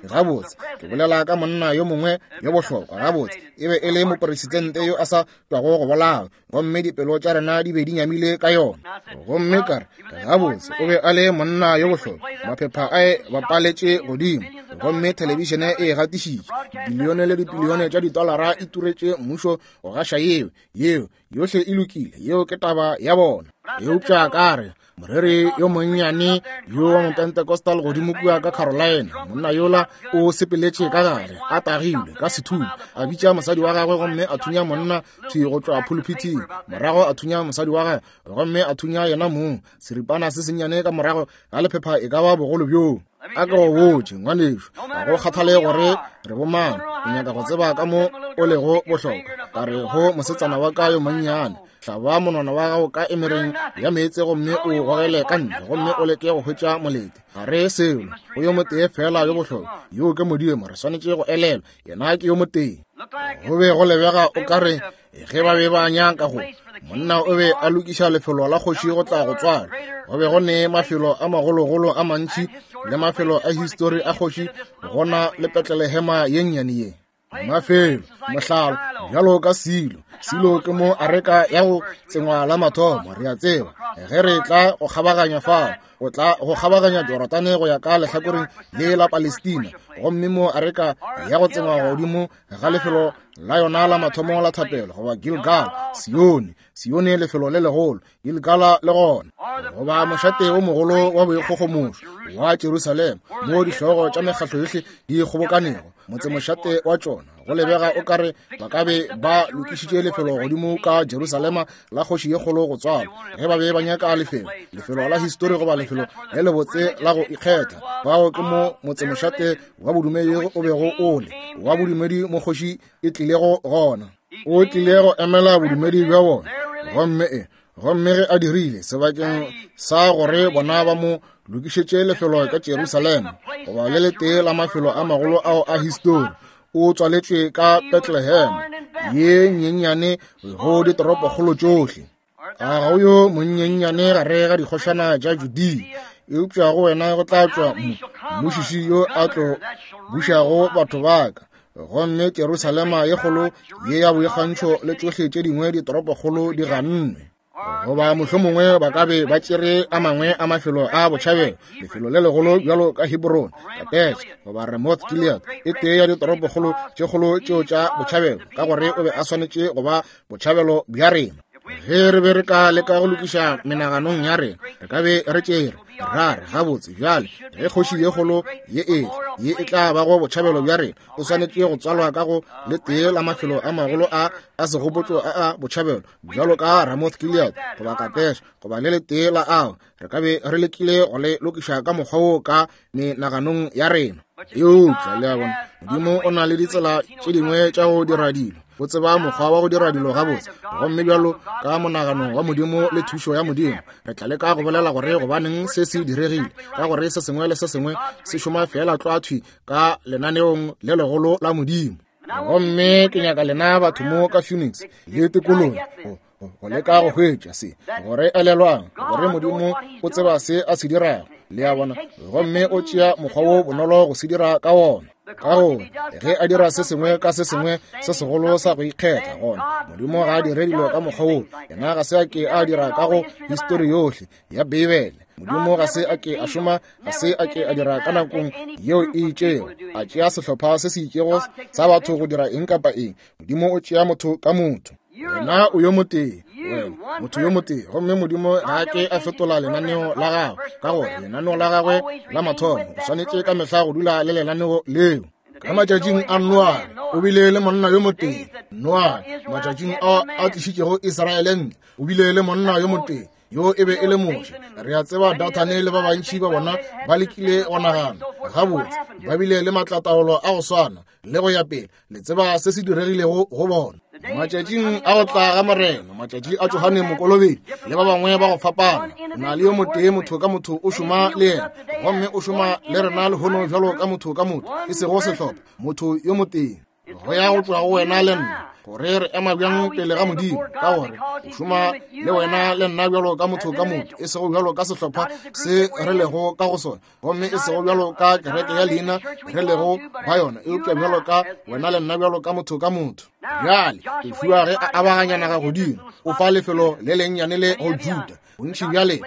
Gabotse, ke bolela ka monna yo mongwe yo bohlokwa. Gabotse, e be e le mopresidente yo a sa tšwago go bolawa, gomme dipelo tša rena di be di nyamile ka yona. Gomme ka re, gabotse, o be a le monna yo bohlokwa. Maphepha a e bapaletše godimo, gomme thelebišene e gatišitše. Dibilione le dibilione tša ditolara e turetše mmušo go gaša yeo. Yeo yohle e lokile, yeo ke taba ya bona. Eupša ka re, moreri yo monnyane yo wa Mopentecostal godimo kua ka Carolina, monna yola o sepeletše ka gare a tagilwe ka sethunya, a bitša mosadi wa gagwe gomme a thunya monna thwi go tšwa pulpithing, morago a thunya mosadi wa gagwe gomme a thunya yena mong, seripana se sennyane ka morago ga lephepha e ka ba bogolo bjoo. A ke go botše, ngwanešu, ga go kgathale gore re bomang, o nyaka go tseba ka mo o lego bohlokwa. Ka re go mosetsana wa ka yo monnyane, hlaba monwana wa gago ka emereng ya meetse gomme o gogele ka ntle gomme o leke go hwetša molete. Ga re selo, go yo motee fela yo bohlokwa, yoo ke Modimo. Re swanetše go elelwa, yena ke yo motee. Go be go lebega o ka re ge ba be ba nyaka go, monna o be a lokiša lefelo la kgoši go tla go tswalwa. Go be go ne mafelo a magologolo a mantši le mafelo a histori a kgoši gona le Betlelehema ye nnyane ye. Mafelo, mohlala, bjalo ka Silo. Silo ke mo areka ya go tsengwa la mathomo, re a tseba. Ge re tla go kgabaganya fao, o tla go kgabaganya Jorodane go ya ka lehlakoreng le la Palestina, gomme mo areka ya go tsengwa godimo ga lefelo la yona la mathomo la thapelo, goba Gilgal, Sione. Sione lefelo le legolo, Gilgala le gona, goba mošate o mogolo wa boikgogomošo wa Jerusalema, mo dihlogo tša mekgatlo yohle di kgobokanego, motsemošate wa tšona. Go lebega o ka re ba ka be ba lokišitše lefelo godimo ka Jerusalema la kgoši ye kgolo go tswalwa, ge ba be ba nyaka lefelo, lefelo la histori goba lefelo le lebotse la go ikgetha. Bao ke mo motsemošate wa bodumedi o bego o le, wa bodumedi mo kgoši e tlilego gona. O tlile go emela bodumedi bja bona, gomme e gomme ge a dirile, sebakeng sa gore bona ba mo lokišetše lefelo ka Jerusalema goba le letee la mafelo a magolo ao a histori, o tswaletšwe ka Bethlehem ye nyenyane go ditoropokgolo tšohle. A ga o yo monyenyane gare ga dikgošana tša Judea, eupša go wena go tla tšwa mmušiši yo a tlo bušago batho ba ka. Gomme Jerusalema ye kgolo ye ya boikgantšho le tšohle tše dingwe ditoropokgolo di gannwe. Goba mohlomongwe ba ka be ba tšere a mangwe a mafelo a botšhabelo, lefelo le legolo bjalo ka Hebron, Kadesh goba Ramoth Gilead, e tee ya ditoropokgolo tše kgolo tšeo tša botšhabelo, ka gore o be a swanetše go ba botšhabelo bja rena. Ge re be re ka leka go lokiša menaganong ya rena, re ka be re tšere ra re, gabotse bjale ge kgoši ye kgolo ye e ye e tla bago botšhabelo bja rena, o swanetše go tswalwa ka go le tee la mafelo a magolo a a segopotšo a a botšhabelo bjalo ka Ramoth Gilead goba Kadesh goba le letee la ao. Re ka be re lekile go le lokiša ka mokgwa wo ka menaganong ya rena. Eupša le a bona, Modimo o na le ditsela tše dingwe tša go dira dilo. O tseba mokgwa wa go dira dilo gabotse, gomme bjalo ka monagano wa Modimo le thušo ya Modimo, re tla leka go bolela gore gobaneng se se diregile, ka gore se sengwe le se sengwe se šoma fela tlwa thwi ka lenaneong le legolo la Modimo. Gomme ke nyaka lena batho mo ka Phoenix le tikolong go leka go hwetša se, gore elelwang gore Modimo o tseba se a se dirago, le a bona, gomme o tšea mokgwa wo bonolo go se dira ka wona. Ka gore ge a dira se sengwe ka se sengwe se segolo sa go ikgetha, gona Modimo ga a dire dilo ka mokgwa wo. Yena ga se a ke a dira ka go histori yohle ya Beibele. Modimo ga se a ke a šoma, ga se a ke a dira ka nakong yeo e itšego, a tšea sehlopha se se itšego sa batho go dira eng kapa eng. Modimo o tšea motho ka motho. Wena o yo motee, wena motho yo motee, gomme Modimo ga a ke a fetola lenaneo la gagwe, ka gore lenaneo la gagwe la mathomo o swanetše ka mehla go dula le lenaneo leo. Ka matšatšing a Noa, o bile le monna yo motee. Noa, matšatšing ao a tlišitšego Israele ntle, o bile le monna yo motee. Yo e be e le Moshe. Re a tseba Dathane le ba bantši ba bona ba lekile go nagana gabotse, ba bile le maatlataolo a go swana le go ya pele. Le tseba se se diregilego go bona. Matšatšing a go tla ga Morena, matšatši a Johane Mokolobedi le ba bangwe ba go fapana, o na le yo motee motho ka motho o šoma le yena, gomme o šoma le rena lehono bjalo ka motho ka motho, e sego sehlopha, motho yo motee. Go ya go tšwa go wena le nna gore re ema bjang pele ga Modimo, ka gore o šoma le wena le nna bjalo ka motho ka motho, e sego bjalo ka sehlopha se re lego ka go sona, gomme e sego bjalo ka kereke ya leina re lego ba yona, eupša bjalo ka wena le nna bjalo ka motho ka motho. Bjale Joshua ge a abaganya naga godimo, o fa lefelo le lennyane le go Juda. Bontši bjale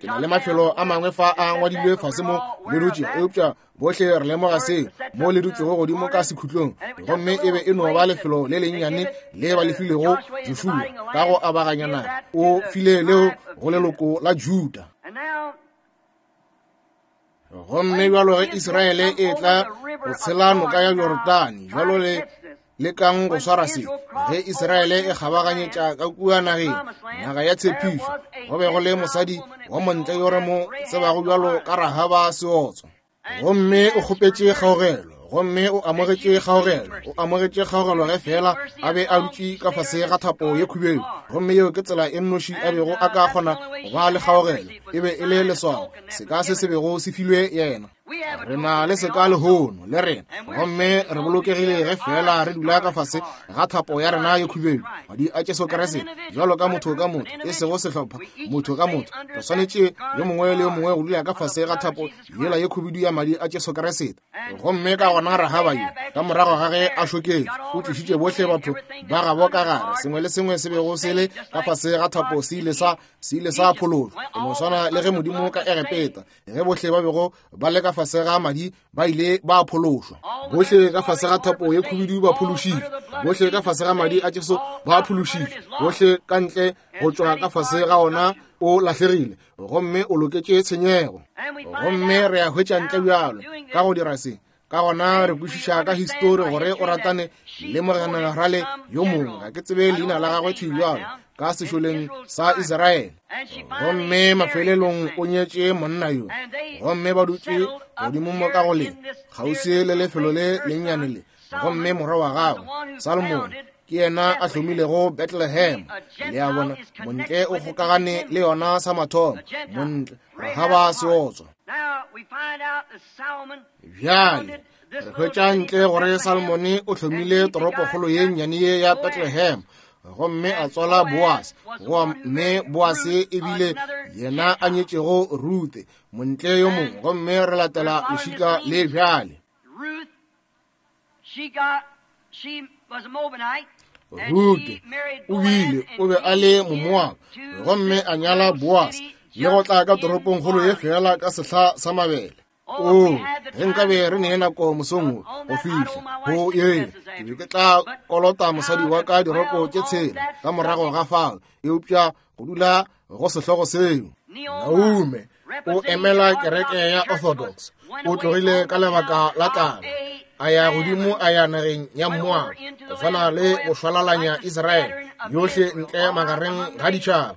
ke na le mafelo a mangwe fa a ngwadilwe fase mo le dutše, eupša bohle re lemoga seo mo le dutšego godimo ka sekhutlong, gomme e be e no ba lefelo le lennyane le ba le filego Joshua ka go abaganya naga. O file leo go leloko la Juda. Gomme bjalo ge Israele e tla go tshela noka ya Jorodane, bjalo le lekang go swara se, ge Israele e kgabaganyetša ka kua nageng, naga ya tshepišo, go be go le mosadi wa montle yo re mo tsebago bjalo ka Rahaba seotswa. Gomme o kgopetše kgaogelo, gomme o amogetše kgaogelo, o amogetše kgaogelo ge fela a be a dutše ka fase ga thapo ye khubedu. Gomme yeo ke tsela e nnoši a bego a ka kgona go ba le kgaogelo, e be e le leswao, seka se se bego se filwe yena. Re na le seka lehono le rena, gomme re bolokegile ge fela re dula ka fase ga thapo ya rena ye khubedu, madi a Jesu Kriste, bjalo ka motho ka motho, e sego sehlopha, motho ka motho. Re swanetše yo mongwe le yo mongwe go dula ka fase ga thapo yela ye khubedu ya madi a Jesu Kriste. Gomme ka gona Rahaba yo, ka morago ga ge a šoketše, o tlišitše bohle batho ba gabo ka gare. Sengwe le sengwe se bego se le ka fase ga thapo se ile sa se ile sa phološwa, go no swana le ge Modimo ka Egepeta, ge bohle ba bego ba le ka fase ga madi ba ile ba phološwa. Bohle ka fase ga thapo ye khubedu ba phološitšwe, bohle ka fase ga madi a Jesu ba phološitšwe, bohle ka ntle go tšwa ka fase ga ona o lahlegile, gomme o loketše tshenyego. Gomme re a hwetša ntle bjalo ka go dira se. Ka gona re kwešiša ka histori gore o ratane le mogenerale yo mongwe, ga ke tsebe leina la gagwe thwi bjalo, ka sešoleng sa Israele. Gomme mafelelong o nyetše monna yo, gomme ba dutše godimo mo ka go le kgauswi le lefelo le lennyane le. Gomme morwa wa gagwe Salomone ke yena a hlomilego Bethlehem. Le a bona, montle o kgokagane le yona sa mathomo, montle Rahaba seotswa. Bjale re hwetša ntle gore Salomone o hlomile toropokgolo ye nnyane ye ya Bethlehem, gomme a tswala Boase, gomme Boase ebile yena a nyetšego Ruthe, montle yo mongwe. Gomme re latela lešika le bjale. Ruthe o bile o be a le Momoaba, gomme a nyala Boase le go tla ka toropongkgolo ye fela ka sehla sa mabele. O, ge nkabe re ne nako mosong wo go fihla go ye, ke be ke tla kolota mosadi wa ka diroko tše tshela ka morago ga fao, eupša go dula go sehlogo seo. Naume o emela kereke ya Orthodox, o tlogile ka lebaka la tlala, a ya godimo a ya nageng ya Moaba, go swana le go šwalalanya Israele yohle ntle magareng ga ditšhaba.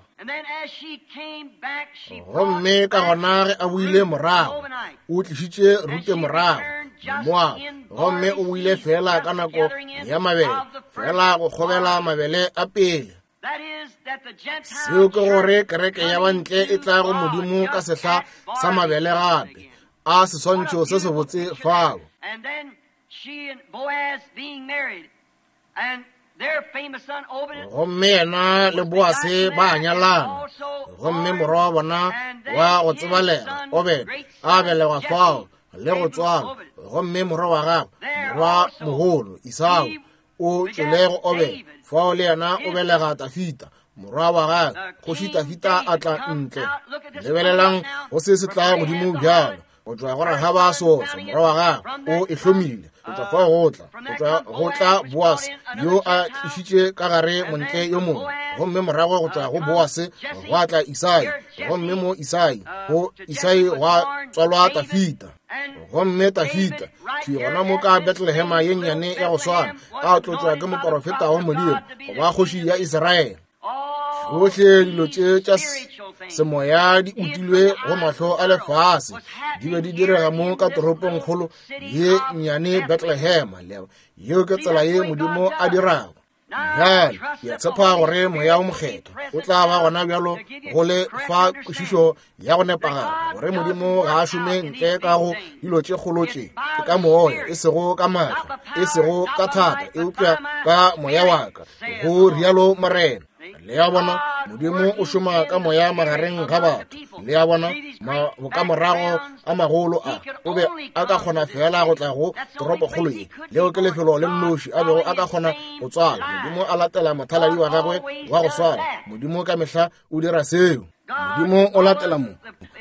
Gomme ka gona ge a boile morago, o tlišitše Rute morago Moaba, gomme o boile fela ka nako ya mabele, fela go kgobela mabele a pele. Seo ke gore kereke ya bantle e tla go Modimo ka sehla sa mabele gape, a seswantšho se sebotse fao. Gomme yena le Boase ba nyalana, gomme morwa wa bona wa go tsebalega Obed a belegwa fao le go tswalwa. Gomme morwa wa gagwe, morwa mogolo Esau, o tšwele go Obed fao, le yena o belega Tafita morwa wa gagwe. Kgoši Tafita a tla ntle. Lebelelang go se se tla godimo bjalo go tšwa go Rahaba seotswa, morwa wa gagwe o e hlomile. Go tšwa fao go tla go tšwa go tla Boase yo a tlišitše ka gare montle yo mongwe, gomme morago go tšwa go Boase gwa tla Isai, gomme mo Isai go Isai gwa tswalwa Tafita. Gomme Tafita thwi gona mo ka Bethlehema ye nnyane ya go swana, a tlotšwa ke moporofeta wa Modimo go ba kgoši ya Israele. Tšohle dilo tše tša semoya di utilwe go mahlo a lefase, di be di direga mo ka toropongkgolo ye nnyane Bethlehema. Yeo ke tsela ye Modimo a dirago. Bjale ke a tshepa gore Moya o Mokgethwa o tla ba gona bjalo go le fa kwešišo ya go nepagala, gore Modimo ga a šome ntle ka go dilo tše kgolo tše. Ke ka moya, e sego ka maatla, e sego ka thata, eupša ka moya wa ka, go rialo Morena. Le a bona, Modimo o šoma ka moya magareng ga batho. Le a bona, bokamorago a magolo a o be a ka kgona fela go tla go toropokgolo ye. Leo ke lefelo le nnoši a bego a ka kgona go tswala. Modimo a latela mothaladi wa gagwe wa go swara. Modimo ka mehla o dira seo. Modimo o latela mo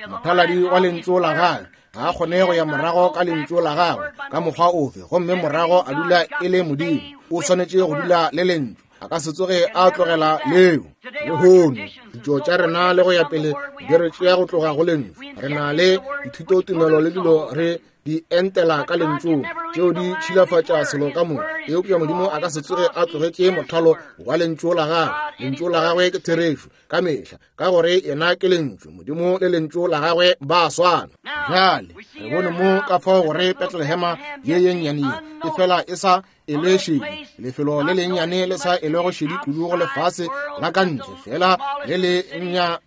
mothaladi wa lentšu la gagwe. Ga a kgone go ya morago ka lentšu la gagwe ka mokgwa ofe, gomme morago a dula e le Modimo. O swanetše go dula le lentšu. A ka se tsoge a tlogela leo. Lehono ditšo tša rena le go ya pele di re tšea go tloga go lentšu. Re na le dithutotumelo le dilo re di entela ka lentšung, tšeo di tšhilafatša selo ka moka. Eupša Modimo a ka se tsoge a tlogetše mothalo wa lentšu la gagwe. Lentšu la gagwe ke therešo ka mehla, ka gore yena ke lentšu. Modimo le lentšu la gagwe ba swana. Bjale re bone mo ka fao gore Betlehema ye ye nnyane ye e fela e sa e le šedi, lefelo le lennyane le sa e lego šedi kudu go lefase la ka ntle, fela le le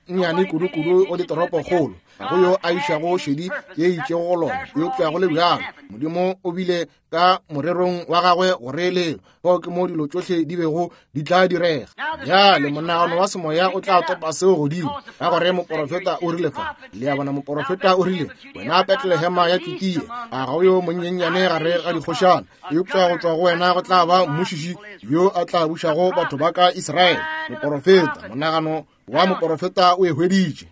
nnyane kudu-kudu go ditoropokgolo. Ga go yo a išago šedi ye itšego go lona, eupša go le bjalo Modimo o bile ka morerong wa gagwe gore leo fao ke mo dilo tšohle di bego di tla direga. Bjale monagano wa semoya o tla topa seo godimo, ka gore moporofeta o rile fa. Le a bona, moporofeta o rile, wena Betlehema ya Judea, a ga o yo monyenyane gare ga dikgošana, eupša go tšwa go wena go tla ba mmušiši yo a tla bušago batho ba ka Israele. Moporofeta, monagano wa moporofeta o e hweditše.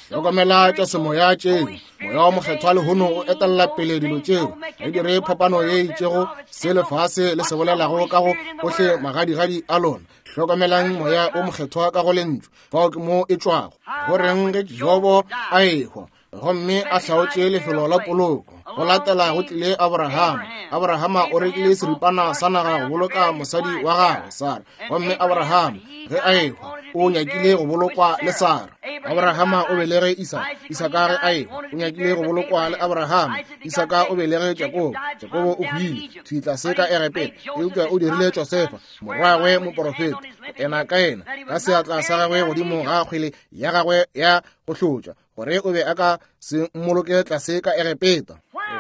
Hlokomela tša semoya tšeo. Moya wa Mokgethwa lehono o etella pele dilo tšeo. Ga dire phapano ye itšego se lefase le se bolelago ka go ohle magadigadi a lona. Hlokomelang Moya o Mokgethwa ka go lentšu. Fao ke mo e tšwago. Go reng ge Jobo a ehwa gomme a hlaotše lefelo la poloko? Go latela go tlile Abrahama. Abrahama o rekile seripana sa naga go boloka mosadi wa gagwe Sara, gomme Abrahama ge a ehwa o nyakile go bolokwa le Sara. Abrahama o belege Isaka. Isaka ge a ehwa o nyakile go bolokwa le Abrahama. Isaka o belege Jakobo. Jakobo o hwile thwi tlase ka Egepeta, eupša o dirile Josefa morwagwe moporofeta ena ka ena ka seatla sa gagwe godimo ga kgwele ya gagwe ya go hlotša, gore o be a ka se mmoloke tlase ka Egepeta.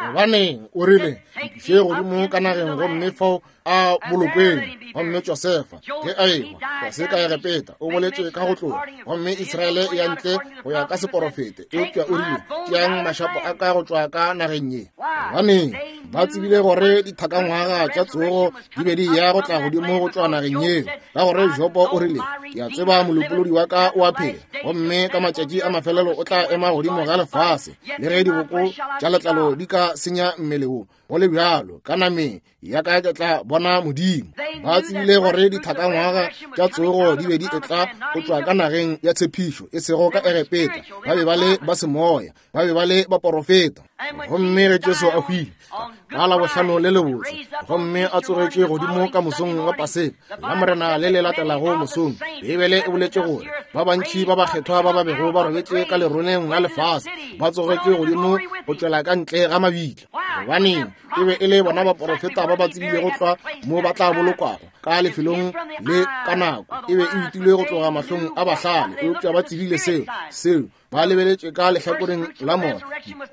Gobaneng o rile, nkiše godimo ka nageng gomme fao a bolokweng. Gomme Josefa ge a ehwa tlase ka Egepeta o boletše ka go tloga, gomme Israele e ya ntle go ya ka seporofete, eupša o rile, tšeang mašapo a ka go tšwa ka nageng ye. Gobaneng ba tsebile gore dithakangwaga tša tsogo di be di ya go tla godimo go tšwa nageng yeo, ka gore Jobo o rile, ke a tseba molopolodi wa ka o a phela, gomme ka matšatši a mafelelo o tla ema godimo ga lefase, le ge diboko tša letlalo di ka senya mmele wo, go le bjalo ka nameng ya ka ke tla bona Modimo. Ba tsebile gore dithakangwaga tša tsogo di be di etla go tšwa ka nageng ya tshepišo, e sego ka Egepeta. Ba be ba le ba semoya, ba be ba le baporofeta. Gomme ge Jesu a hwile ka Labohlano le lebotse, gomme a tsogetše godimo ka mosong wa Paseka la Morena le le latelago mosong, Beibele e boletše gore ba bantši ba bakgethwa ba ba bego ba robetše ka leroleng la lefase ba tsogetše godimo go tšwela ka ntle ga mabitla. Gobaneng e be e le bona baporofeta ba ba tsebilego tlwa mo ba tla bolokwago ka lefelong le ka nako. E be e utilwe go tloga mahlong a bahlale, eupša ba tsebile seo seo ba lebeletše ka lehlakoreng la moya.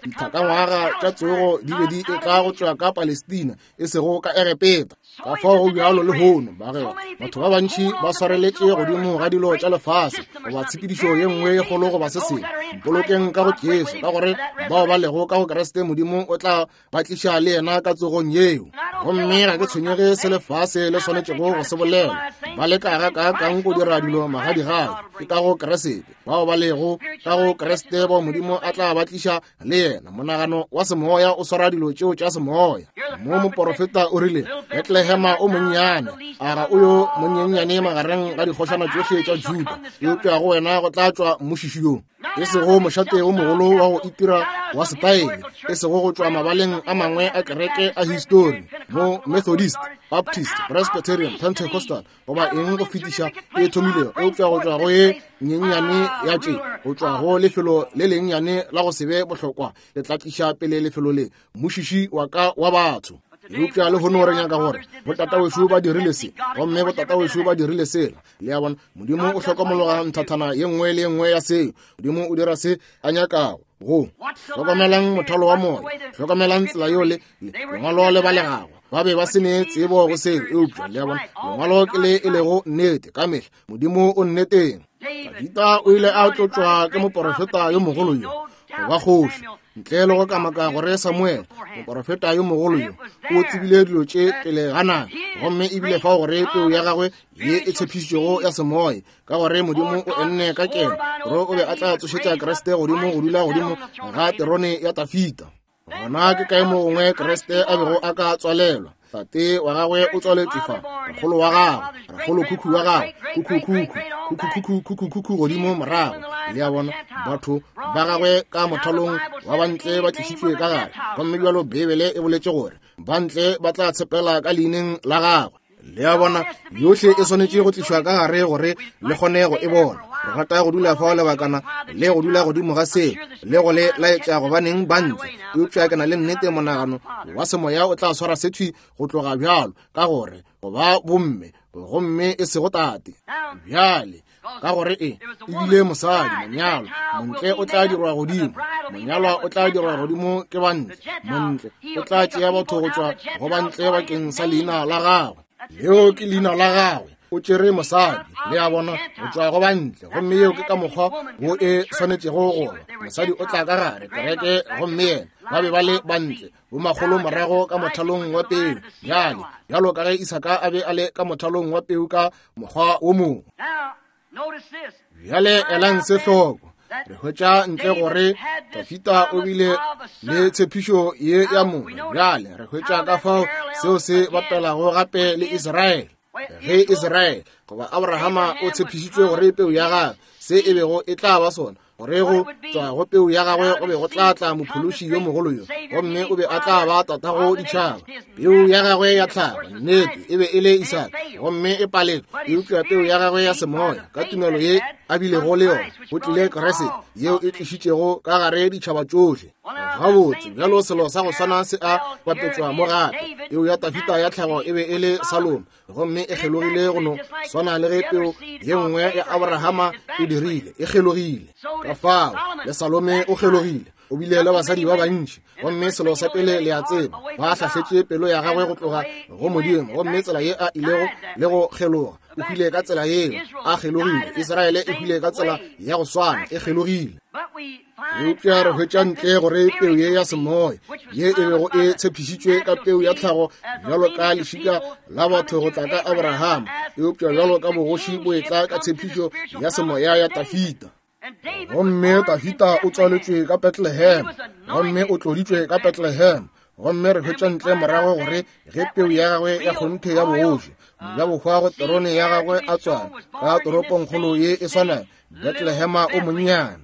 Dithakangwaga tša tsogo di be di etla go tšwa ka Palestina, e sego ka Egepeta. Ka fao go bjalo lehono, bagwera, batho ba bantši ba swareletše godimo ga dilo tša lefase goba tshepedišo ye nngwe ye kgolo goba se sengwe. Mpolokeng ka go Jesu, ka gore bao ba lego ka go Kriste Modimo o tla ba tliša le yena ka tsogong yeo. Gomme ga ke tshwenyege se lefase le swanetšego go se bolela. Ba leka ga kaakang go dira dilo magadigadi, ke ka go Kriste. Bao ba lego ka go Kriste bao Modimo a tla ba tliša le yena. Monagano wa semoya o swara dilo tšeo tša semoya. Mo moporofeta o rile, Betlehema o monnyane, a ga o yo monyenyane magareng ga dikgošana tšohle tša Juda, eupša go wena go tla tšwa mmušiši yo, e sego mošate o mogolo wa go itira wa setaele, e sego go tšwa mabaleng a mangwe a kereke a histori, mo Methodist, Baptist, Presbyterian, Pentecostal goba eng go fetiša e thomilego, eupša go tšwa go ye nyenyane ya tše, go tšwa go lefelo le lennyane la go se be bohlokwa, le tla tliša pele lefelo le mmušiši wa ka wa batho. Eupša lehono re nyaka gore botatawešo ba dirile se, gomme botatawešo ba dirile sela. Le a bona, Modimo o hlokomologa nthathana ye nngwe le ye nngwe ya seo. Modimo o dira se a nyakago. Go hlokomelang mothalo wa moya, hlokomelang tsela yeo le lengwalo le balegago. Ba be ba se ne tsebo go seo, eupša le a bona, lengwalo ke le e lego nnete ka mehla. Modimo o nneteng. Dafida o ile a tlotšwa ke moporofeta yo mogolo yo go ba kgoši, ntle le go kamaka gore Samuel, moporofeta yo mogolo yo, o tsebile dilo tše pele ga nako, gomme ebile fao gore peu ya gagwe ye e tshepišitšwego ya semoya, ka gore Modimo o enne ka keno gore o be a tla tsošetša Kriste godimo go dula godimo ga terone ya Dafida. Gona ke kae mo gongwe Kriste a bego a ka tswalelwa? Tate wa gagwe o tswaletšwe fa, rakgolo wa gagwe, rakgolo khukhu wa gagwe, khukhu khukhu, khukhu khukhu godimo morago. Le a bona, batho ba gagwe ka mothalong wa bantle ba tlišitšwe ka gare, gomme bjalo Beibele e boletše gore bantle ba tla tshepela ka leineng la gagwe. Le a bona, yohle e swanetše go tlišwa ka gare gore le kgone go e bona. Re rata go dula fao lebakana le go dula godimo ga seo le go le laetša gobaneng bantle, eupša ke na le nnete monagano wa semoya o tla swara sethwi go tloga bjalo, ka gore go ba bomme gomme e sego tate. Bjale ka gore e ebile mosadi monyalwa, montle o tla dirwa godimo, monyalwa o tla dirwa godimo ke bantle, montle o tla tšea batho go tšwa go bantle bakeng sa leina la gagwe. Leo ke leina la gagwe. O tšere mosadi, le a bona, go tšwa go bantle, gomme yeo ke ka mokgwa wo e swanetšego go ba. Mosadi o tla ka gare kereke, gomme yena ba be ba le bantle bomakgolo morago ka mothalong wa peu. Bjale bjalo ka ge Isaka a be a le ka mothalong wa peu ka mokgwa wo mongwe. Bjale elang se hloko. Re hwetša ntle gore Dafida o bile le tshepišo ye ya mongwe. Bjale re hwetša ka fao seo se bapelago gape le Israele. Ge Israele goba Abrahama o tshepišitšwe gore peu ya gagwe se e bego e tla ba sona, gore go tšwa go peu ya gagwe go be go tla tla mophološi yo mogolo yo, gomme o be a tla ba tatago ditšhaba. Peu ya gagwe ya tlhago nnete e be e le Isaka, gomme e paletšwe, eupša peu ya gagwe ya semoya ka tumelo ye a bilego le yona go tlile Kriste, yeo e tlišitšego ka gare ditšhaba tšohle. Gabotse bjalo selo sa go swana se a bapetšwa mo gape. Peu ya Dafida ya tlhago e be e le Salomo, gomme e kgelogile go no swana le ge peu ye nngwe ya Abrahama e dirile, e kgelogile. Ka fao le Salome o kgelogile, o bile le basadi ba bantši, gomme selo sa pele le a tseba, ba hlahletše pelo ya gagwe go tloga go Modimo, gomme tsela ye a ilego le go kgeloga, o hwile ka tsela yeo, a kgelogile. Israele e hwile ka tsela ya go swana, e kgelogile. Eupša re hwetša ntle gore peu ye ya semoya ye e bego e tshepišitšwe ka peu ya tlhago bjalo ka lešika la batho go tla ka Abrahama, eupša bjalo ka bogoši bo etla ka tshepišo ya semoya ya Dafida. Gomme Dafida o tswaletšwe ka Bethlehem, gomme o tloditšwe ka Bethlehem, gomme re hwetša ntle morago gore ge peu ya gagwe ya kgonthe ya bogoši, mojabohwa go terone ya gagwe a tswala ka toropongkgolo ye e swanago, Bethlehema o monnyane,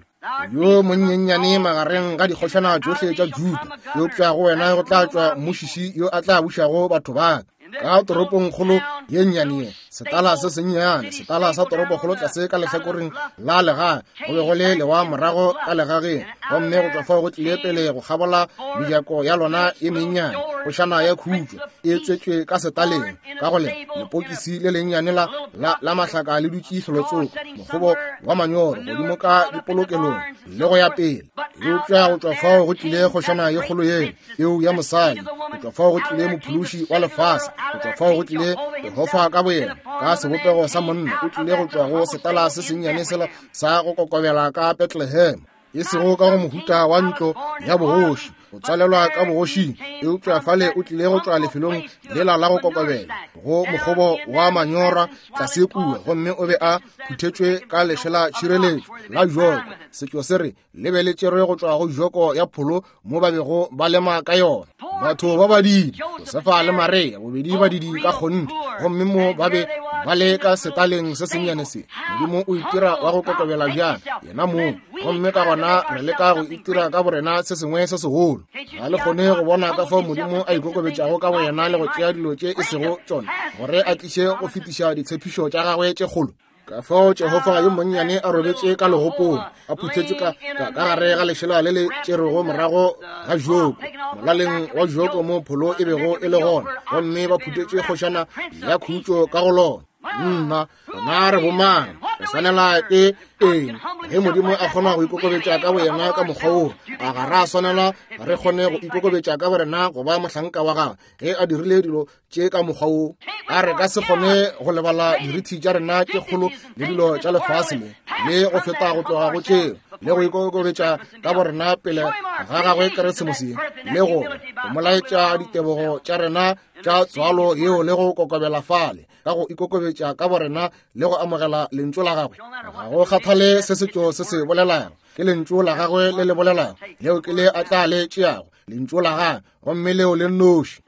yo monyenyane magareng ga dikgošana tšohle tša Juda, eupša go wena go tla tšwa mmušiši yo a tla bušago batho ba ka. Ka toropongkgolo ye nnyane ye, setala se sennyane, setala sa toropokgolo tlase ka lehlakoreng la legae, go be go le lewa morago ka legageng, gomme go tšwa fao go tlile pele go kgabola mejako ya lona ye mennyane, kgošana ya khutšo e tswetšwe ka setaleng, ka go le lepokisi le lennyane la, la, la mahlaka le dutše hlolotsoko, mokgobo wa manyoro godimo ka dipolokelong le go ya pele. Eupša go tšwa fao go tlile kgošana ye kgolo yeo, eo ya mosadi, go tšwa fao go tlile mophološi wa lefase, go tšwa fao go tlile Jehofa ka boyena ka sebopego sa monna, o tlile go tšwa go setala se sennyane sela sa go kokobela ka Bethlehem, e sego ka go mohuta wa ntlo ya bogoši, go tswalelwa ka bogošing, eupša fale o tlile go tšwa lefelong lela la go kokobela go mokgobo wa manyora tlase kua, gomme o be a phuthetšwe ka lešela tšhireletšo la joko. Setšo se re le be le tšerwe go tšwa go joko ya pholo mo ba bego ba lema ka yona. Batho ba badidi, Josefa le Maria, bobedi badidi ka kgonthe, gomme mo ba be ba le ka setaleng se sennyane se. Modimo o itira wa go kokobela bjang yena mong, gomme ka gona re leka go itira ka borena se sengwe se segolo. Ga le kgone go bona ka fao Modimo a ikokobetšago ka boyena le go tšea dilo tše e sego tšona gore a tliše go fetiša ditshepišo tša gagwe tše kgolo. Ka fao Jehofa yo monnyane a robetše ka legopong, a phuthetšwe ka ka gare ga lešela le le tšerwego morago ga joko, molaleng wa joko mo pholo e bego e le gona, gomme ba phuthetše kgošana ya khutšo ka go lona. Nna, rena re bomang? Re swanela ke eng? Ge Modimo a kgona go ikokobetša ka boyena ka mokgwa woo, a ga ra swanela re kgone go ikokobetša ka borena go ba mohlanka wa gagwe ge a dirile dilo tše ka mokgwa woo? A re ka se kgone go lebala dirithi tša rena tše kgolo le dilo tša lefase le, le go feta go tloga go tšeo, le go ikokobetša ka borena pele ga gagwe Keresemose, le go go mo laetša ditebogo tša rena tša tswalo yeo le go kokobela fale ka go ikokobetša ka borena le go amogela lentšu la gagwe. Ga go kgathale se setšo se se bolelago, ke lentšu la gagwe le le bolelago, leo ke le a tla le tšeago, lentšu la gagwe, gomme leo le nnoši.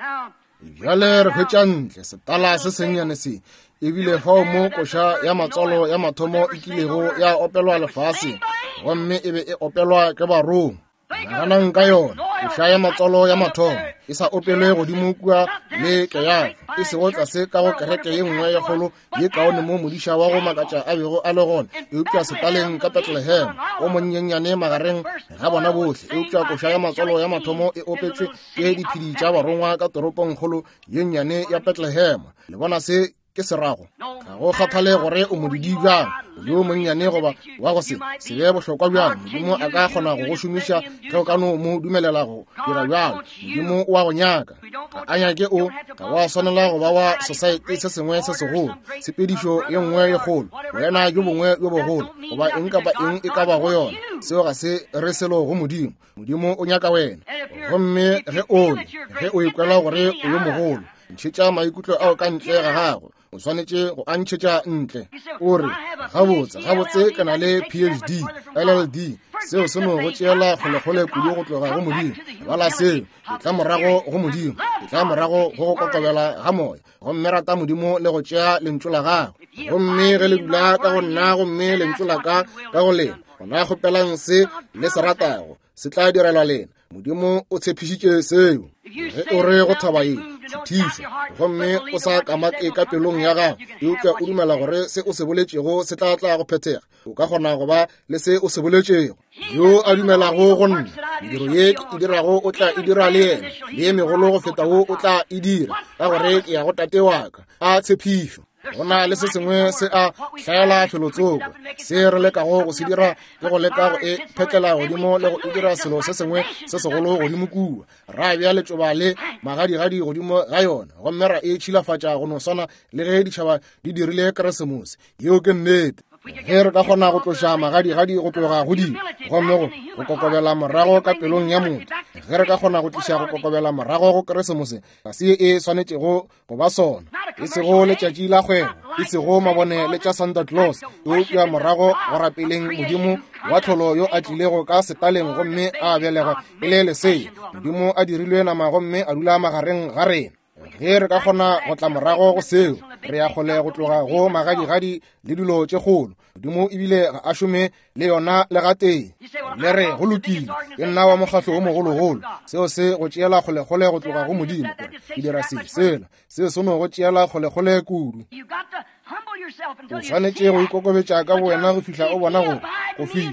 Bjale re hwetša ntle setala se sennyane se, ebile fao mo koša ya matswalo ya mathomo e kilego ya opelwa lefaseng, gomme e be e opelwa ke barongwa. Naganang ka yona, koša ya matswalo ya mathomo e sa opelwe godimo kua le Keyafa, e sego tlase ka go kereke ye nngwe ye kgolo ye kaone mo modiša wa go makatša a bego a le gona, eupša setaleng ka Bethlehem, o monyenyane magareng ga bona bohle. Eupša koša ya matswalo ya mathomo e opetšwe ke diphedi tša barongwa ka toropongkgolo ye nnyane ya Bethlehem. Le bona se ke se rago? Ga go kgathale gore o modidi bjang, yo monnyane goba wa go se se be bohlokwa bjang, Modimo a ka kgona go go šomiša ge o ka no mo dumelela go dira bjalo. Modimo o a go nyaka. Ga a nyake o, ga wa swanela go ba wa society se sengwe se segolo, tshepedišo ye nngwe ye kgolo, boena bjo bongwe bjo bogolo, goba eng kapa eng e ka bago yona. Seo ga se re selo go Modimo. Modimo o nyaka wena. Gomme ge o le, ge o ikwela gore o yo mogolo, ntšhetša maikutlo ao ka ntle ga gago. O swanetše go a ntšhetša ntle. O re, gabotse, gabotse ke na le P H D, L L D. Seo se no go tšeela kgolekgole kudu go tloga go Modimo. Bala seo, e tla morago go Modimo, e tla morago go go kokobela ga moya, gomme rata Modimo le go tšea lentšu la gagwe. Gomme ge le dula ka go nna, gomme lentšu la ka ka go lena, gona kgopelang se le se ratago, se tla direlwa lena. Modimo o tshepišitše seo. Ge o re go thaba ye, šuthišwa, gomme o sa kamake ka pelong ya gago, eupša o dumela gore se o se boletšego se tla tla go phethega, o ka kgona go ba le se o se boletšego. Yo a dumelago go nna, mediro ye ke e dirago o tla e dira le yena, le ye megolo go feta wo o tla e dira, ka gore ke ya go Tate wa ka. A tshepišo. Go na le se sengwe se a hlaela felotsoko. Se re lekago go se dira ke go leka go e phetlela godimo le go e dira selo se sengwe se segolo godimo kua. Ra bea letšoba le magadigadi godimo ga yona, gomme ra e tšhilafatša go no swana le ge ditšhaba di dirile Keresemose. Yeo ke nnete. Ge re ka kgona go tloša magadigadi go tloga go dilo, gomme go go kokobela morago ka pelong ya motho, ge re ka kgona go tliša go kokobela morago go Keresemose, ga se e swanetšego go ba sona, e sego letšatši la kgwebo, e sego mabone le tša Santa Claus, eupša morago go rapeleng Modimo wa tlholo yo a tlilego ka setaleng gomme a belegwa e le lesea. Modimo a dirilwe nama gomme a dula magareng ga rena. Ge re ka kgona go tla morago go seo, re ya kgole go tloga go magadigadi le dilo tše kgolo. Modimo ebile ga a šome le yona le gatee. Le re go lokile, ke nna wa mokgahlo o mogologolo. Seo se go tšeela kgolekgole go tloga go Modimo, gore ke dira se sela. Seo se no go tšeela kgolekgole kudu. O swanetše go ikokobetša ka bowena go fihla o bona gore go fihla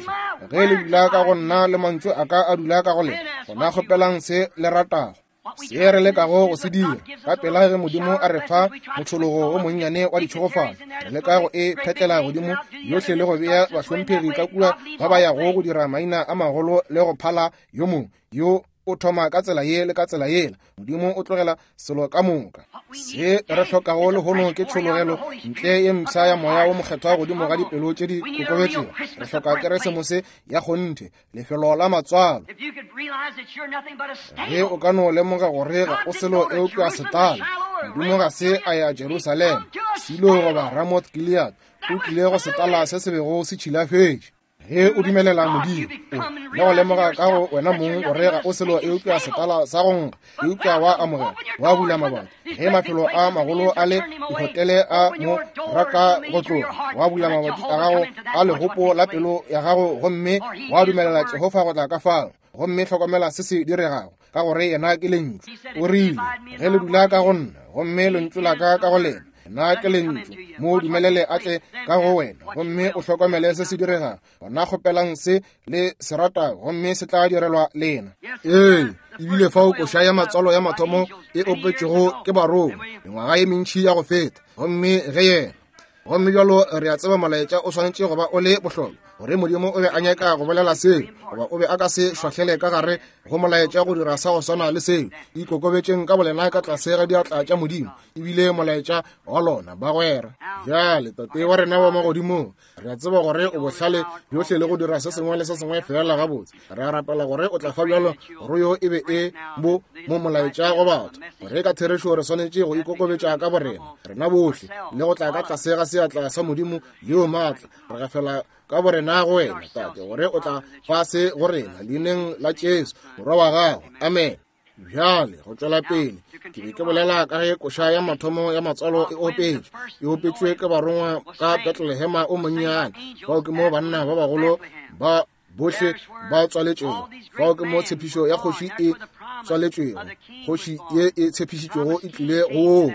ge le dula ka go nna le mantšu a ka a dula ka go lena, gona kgopelang se le ratago. Se re lekago go se dira ka pela ge Modimo a re fa motšhologo o monnyane wa ditšhogofalo, re leka go e phetlela godimo yohle le go bea bahlomphegi ka kua ba ba yago go dira maina a magolo le go phala yo mongwe yo o thoma ka tsela ye le ka tsela yela. Modimo o tlogela selo ka moka. Se re hlokago lehono ke tšhologelo ntle ye mpsha ya moya wo mokgethwa godimo ga dipelo tše di kokobetšego. Re hloka Keresemose ya kgonthe, lefelo la matswalo. Ge o ka no lemoga gore ga o selo eupša setala, Modimo ga se a ya Jerusalema, Silo goba Ramoth Gilead, o tlile go setala se se bego se tšhilafetše. Ge o dumelela Modimo le go lemoga ka go wena mong gore ga o selo eupša setala sa go nkga, eupša wa amogela, wa bula mabati. Ge mafelo a magolo a le dihotele a mo raka go tloga, wa bula mabati a gago a legopo la pelo ya gago gomme wa dumelela Jehofa go tla ka fao. Gomme hlokomela se se diregago, ka gore yena ke lentšu. O rile, ge le dula ka go nna gomme lentšu la ka ka go lena, Nna ke lentšu, mo dumelele a tle ka go wena, gomme o hlokomele se se diregago. Gona kgopelang se le se ratago, gomme se tla direlwa lena. Ee, ebile fao koša ya matswalo ya mathomo e opetšwego ke barongwa mengwaga ye mentši ya go feta, gomme ge yena gomme bjalo re a tseba molaetša o swanetše go ba o le bohlokwa, gore Modimo o be a nyaka go bolela seo, goba o be a ka se šwahlele ka gare go molaetša go dira sa go swana le seo. Ikokobetšeng ka bolena ka tlase ga diatla tša Modimo, ebile molaetša wa lona bagwera. Bjale Tate wa rena wa magodimong, re a tseba gore o bohlale bjohle le go dira se sengwe le se sengwe fela gabotse. Re a rapela gore o tla fa bjalo gore yo e be e bo mo molaetša go batho, gore ka therešo re swanetše go ikokobetša ka borena rena bohle le go tla ka tlase ga seatla sa Modimo leo maatla. Re gafela ka borena go wena Tate, gore o tla fa se go rena leineng la Jesu morwa wa gago. Amen. Bjale go tšwela pele, ke be ke bolela ka ge koša ya mathomo ya matswalo e opetšwe, e opetšwe ke barongwa ka Bethlehema o monnyane. Fao ke mo banna ba bagolo ba bohle ba tswaletšwego, fao ke mo tshepišo ya kgoši e tswaletšwego, kgoši ye e tshepišitšwego e tlile go.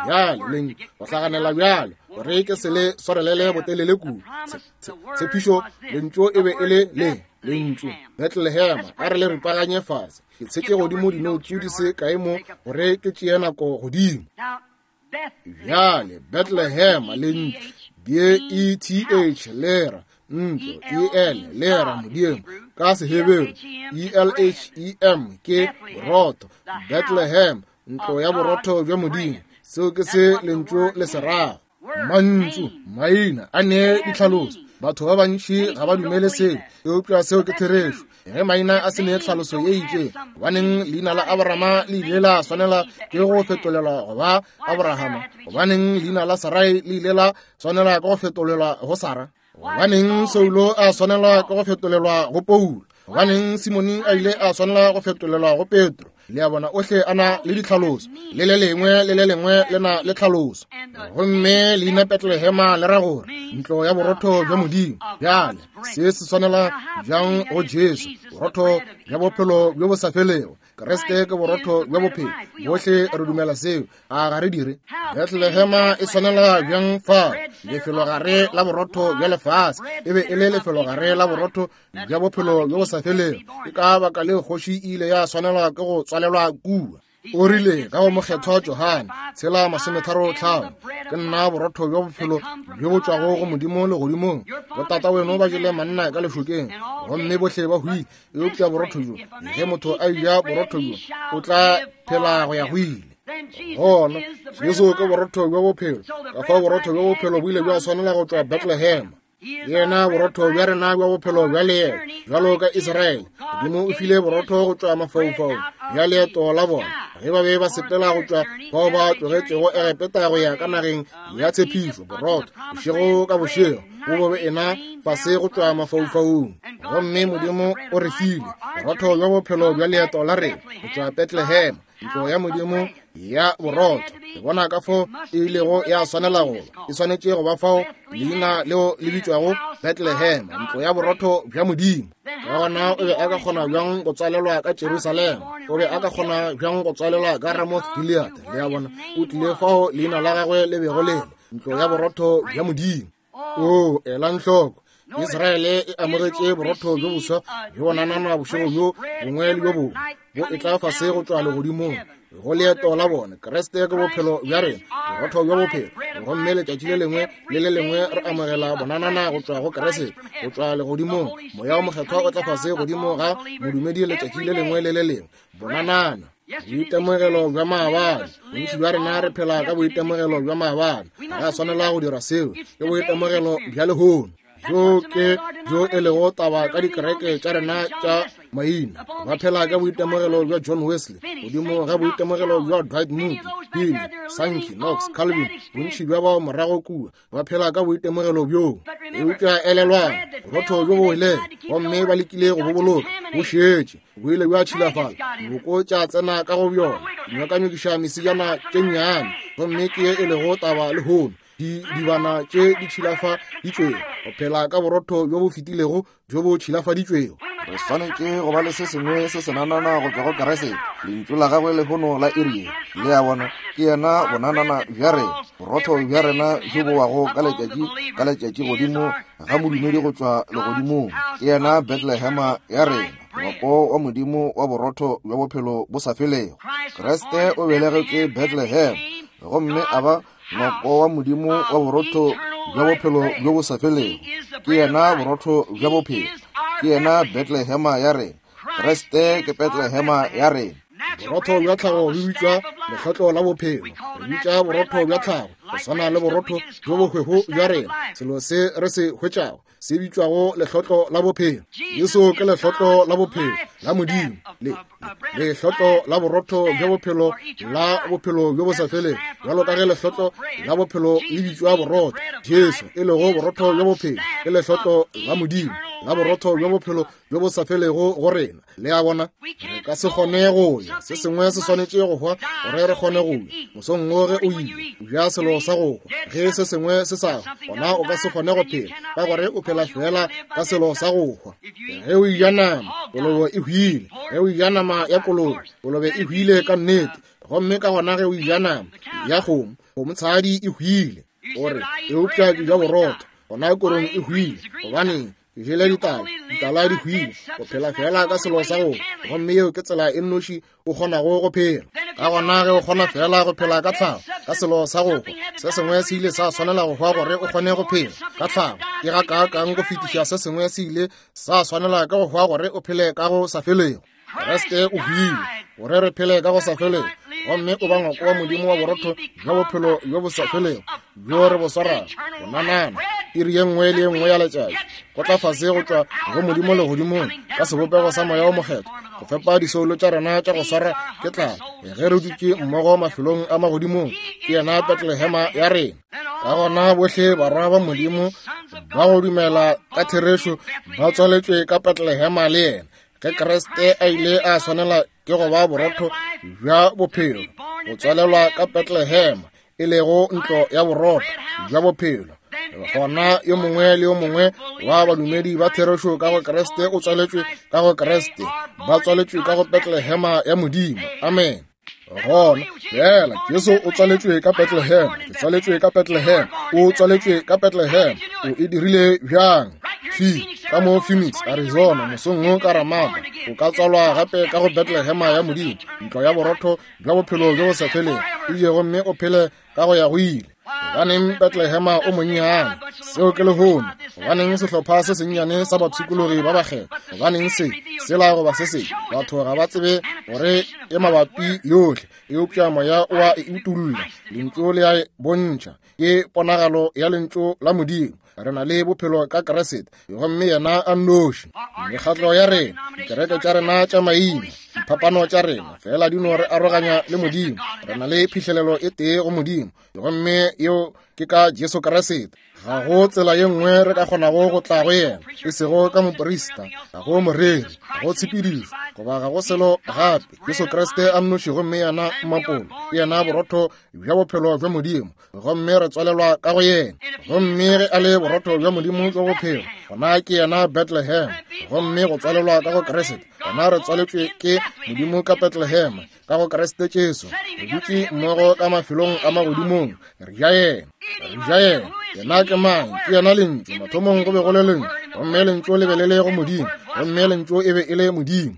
Bjale leng go hlaganela bjalo gore ke se le swarelele botelele kudu. Tshepišo lentšu e be e le le lentšu Bethlehema. A re le ripaganye fase, ke tshetše godimo dinoutsu di se kae mo gore ke tšee nako godimo. Bjale Bethlehema lentšu B E T H lera ntlo, E L lera Modimo ka Seheberu, E L H E M ke borotho. Bethlehem ntlo ya borotho bja Modimo. Seo ke se lentšu le se rago. Mantšu maina a ne ditlhaloso. Batho ba bantši ga ba dumele seo, eupša seo ke therešo. Ge maina a se ne tlhaloso ye itšeng, gobaneng leina la Abrahama le ile la swanela ke go fetolelwa go ba Abrahama? Gobaneng leina la Sarai le ile la swanela ke go fetolelwa go Sara? Gobaneng Saulo a swanela ke go fetolelwa go Paulo? Gobaneng Simone a ile a swanela go fetolelwa go Petro? Le a bona, ohle a na le ditlhaloso, le le lengwe le le lengwe le na le tlhaloso. Gomme leina Bethlehema le ra gore ntlo ya borotho bja Modimo. Bjale se se swanela bjang go Jesu, borotho bja bophelo bjo bo sa felego. Kriste ke borotho bja bophelo, bohle re dumela seo, a ga re dire? Bethlehema e swanela bjang fa lefelogare la borotho bja lefase? E be e le lefelogare la borotho bja bophelo bjo bo sa felego. Ke ka baka leo kgoši e ile ya swanelwa ke go tswalelwa kua. O rile ka go mokgethwa Johane tshela masometharo tlhano, ke nna borotho bja bophelo bjo bo tšwago go Modimo legodimong. Botata weno ba jele manna ka lešokeng, gomme bohle ba hwile, eupša borotho bjo, ge motho a eja borotho bjo, o tla phela go ya go ile. Gona Jesu ke borotho bja bophelo. Ka fao borotho bja bophelo bo ile bja swanela go tšwa Bethlehema. Yena borotho bja rena bja bophelo bja leeto, bjalo ka Israele, Modimo o file borotho go tšwa mafaufaung bja leeto la bona ge ba be ba sepela go tšwa bao ba tlogetšego Egepeta go ya ka nageng ya tshepišo. Borotho bošego ka bošego bo be ena fase go tšwa mafaufaung, gomme Modimo o re file borotho bja bophelo bja leeto la rena go tšwa Bethlehema, ntlo ya Modimo ya borotho. Re bona ka fao e ilego ya swanela go e swanetše go ba fao leina leo le bitšwago Bethlehema, ntlo ya borotho bja Modimo. Ka gona o be a ka kgona bjang go tswalelwa ka Jerusalema? O be a ka kgona bjang go tswalelwa ka Ramoth Gilead? Le a bona, o tlile fao leina la gagwe le bego le le ntlo ya borotho bja Modimo. O elang hloko, Israele e amogetše borotho bjo boswa bjo bonanana bošego bjo bongwe le bjo bongwe bo e tla fase go tšwa legodimong go leeto la bona. Kriste ke bophelo bja rena, borotho bja bophelo, gomme letšatši le lengwe le le lengwe re amogela bonanana go tšwa go Kriste, go tšwa legodimong. Moya o mokgethwa o tla fase godimo ga modumedi letšatši le lengwe le le lengwe, bonanana. Boitemogelo bja maabane. Bontši bja rena re phela ka boitemogelo bja maabane. Ga a swanela go dira seo, ke boitemogelo bja lehono. Jo ke jo e lego taba ka dikereke tša rena tša maina. Ba phela ka boitemogelo bja John Wesley, godimo ga boitemogelo bja Dwight Moody, Finney, Sankey, Knox, Calvin. Bontši bja bao morago kua ba phela ka boitemogelo bjoo. Eupša elelwang, borotho bjo bo wele, gomme ba lekile go bo boloka, bo šetše bo ile bja tšhilafala, diboko tša tsena ka go bjona, dinyokanyokiša mesijana tše nnyane. Gomme ke ye e lego taba lehono, di dibana tše di tšhilafaditšwego, go phela ka borotho bjo bo fetilego bjo bo tšhilafaditšwego. Re swanetše go ba le se sengwe se senanana go tšwa go Kriste, lentšu la gagwe lehono la iri ye. Le a bona, ke yena bonanana bja rena, borotho bja rena bjo bo wago ka letšatši ka letšatši godimo ga modumedi go tšwa legodimong. Ke yena Bethlehema ya rena, ngwako wa Modimo wa borotho bja bophelo bo sa felego. Kriste o belegetšwe Bethlehem, gomme a ba ngwako wa Modimo wa borotho bja bophelo bjo bo sa felego. Ke yena borotho bja bophelo, ke yena Bethlehema ya rena. Kriste ke Bethlehema ya rena. Borotho bja tlhago bo bitšwa lehlotlo la bophelo. Re bitša borotho bja tlhago go swana le borotho bjo bo hwego bja rena, selo se re se hwetšago se bitšwago lehlotlo la bophelo. Jesu ke lehlotlo la bophelo la Modimo, le lehlotlo la borotho bja bophelo la bophelo bjo bo sa felego. Bjalo ka ge lehlotlo la bophelo le bitšwa borotho, Jesu e lego borotho bja bophelo ke lehlotlo la Modimo la borotho bja bophelo bjo bo sa felego go rena. Le a bona, re ka se kgone go ya, se sengwe se swanetše go hwa gore re kgone go ya. Mosong wo ge o ile o ja selo sa go hwa, ge se sengwe se sa hwa, gona o ka se kgone go phela, ka gore o phela fela ka selo sa go hwa. Ge o ja nama, kolobe e hwile. Ge o ja nama ya kolobe, kolobe e hwile ka nnete. Gomme ka gona ge o ja nama ya kgomo, kgomotshadi e hwile. O re, eupša ke ja borotho, gona korong e hwile. Gobaneng? Ke jele ditala, ditala di hwile. O phela fela ka selo sa go, gomme yeo ke tsela e nnoši o kgonago go phela. Ka gona ge o kgona fela go phela ka tlhago, ka selo sa go hwa, se sengwe se ile sa swanela go hwa gore o kgone go phela ka tlhago. Ke ga kaakang go fetiša se sengwe se ile sa swanela ka go hwa gore o phele ka go sa felego. Kriste o hwile gore re phele ka go sa felego, gomme o ba ngwako wa Modimo wa borotho bja bophelo bjo bo sa felego bjo re bo swarago bonanana iri ye nngwe le ye nngwe ya letšatši, go tla fase go tšwa go Modimo legodimong ka sebopego sa Moya o Mokgethwa go fepa disoulo tša rena tša go swara ke tlala ge re dutše mmogo mafelong a magodimong. Ke yena Bethlehema ya rena. Ka gona bohle barwa ba Modimo ba go dumela ka therešo ba tswaletšwe ka Bethlehema le yena. Ge Kriste a ile a swanela ke go ba borotho bja bophelo, go tswalelwa ka Bethlehema e lego ntlo ya borotho bja bophelo, gona yo mongwe le yo mongwe wa badumedi ba therešo ka go Kriste o tswaletšwe ka go Kriste, ba tswaletšwe ka go Bethlehema ya Modimo. Amen. Gona fela Jesu o tswaletšwe ka Bethlehem, ke tswaletšwe ka Bethlehem, o tswaletšwe ka Bethlehem. O e dirile bjang? Fi ka mo Phoenix, Arizona, mosong wo ka Ramada, o ka tswalwa gape ka go Bethlehema ya Modimo, ntlo ya borotho bja bophelo bjo bo sa felego, o je gomme o phele ka go ya go ile. Gobaneng Bethlehema o monnyane? Seo ke lehono. Gobaneng sehlopha se sennyane sa bapshikologi ba bakgethwa? Gobaneng se sela goba se se? Batho ga ba tsebe gore e mabapi yohle, eupša moya o a e utolla. Lentšu le a e bontšha, ke ponagalo ya lentšu la Modimo. Re na le bophelo ka Kriste, gomme yena a nnoši. Mekgatlo ya rena, dikereke tša rena tša maina, diphapano tša rena fela di no re aroganya le Modimo. Re na le phihlelelo e tee go Modimo, gomme yeo ke ka Jesu Kriste. Ga go tsela ye nngwe re ka kgonago go tla go yena, e sego ka moprista, ga go moreri, ga go tshepedišo, goba ga go selo gape. Jesu Kriste a nnoši, gomme yena mmapolo, ke yena borotho bja bophelo bja Modimo, gomme re tswalelwa ka go yena. Gomme ge a le borotho bja Modimo bja bophelo, gona ke yena Bethlehem. Gomme go tswalelwa ka go Kriste, gona re tswaletšwe ke Modimo ka Bethlehem, ka go Kriste Jesu. Re dutše mmogo ka mafelong a magodimong, re ja yena, re ja yena. Yena ke mang? Ke yena Lentšu. Mathomong go be go le Lentšu, gomme Lentšu le be le le go Modimo, gomme Lentšu e be e le Modimo.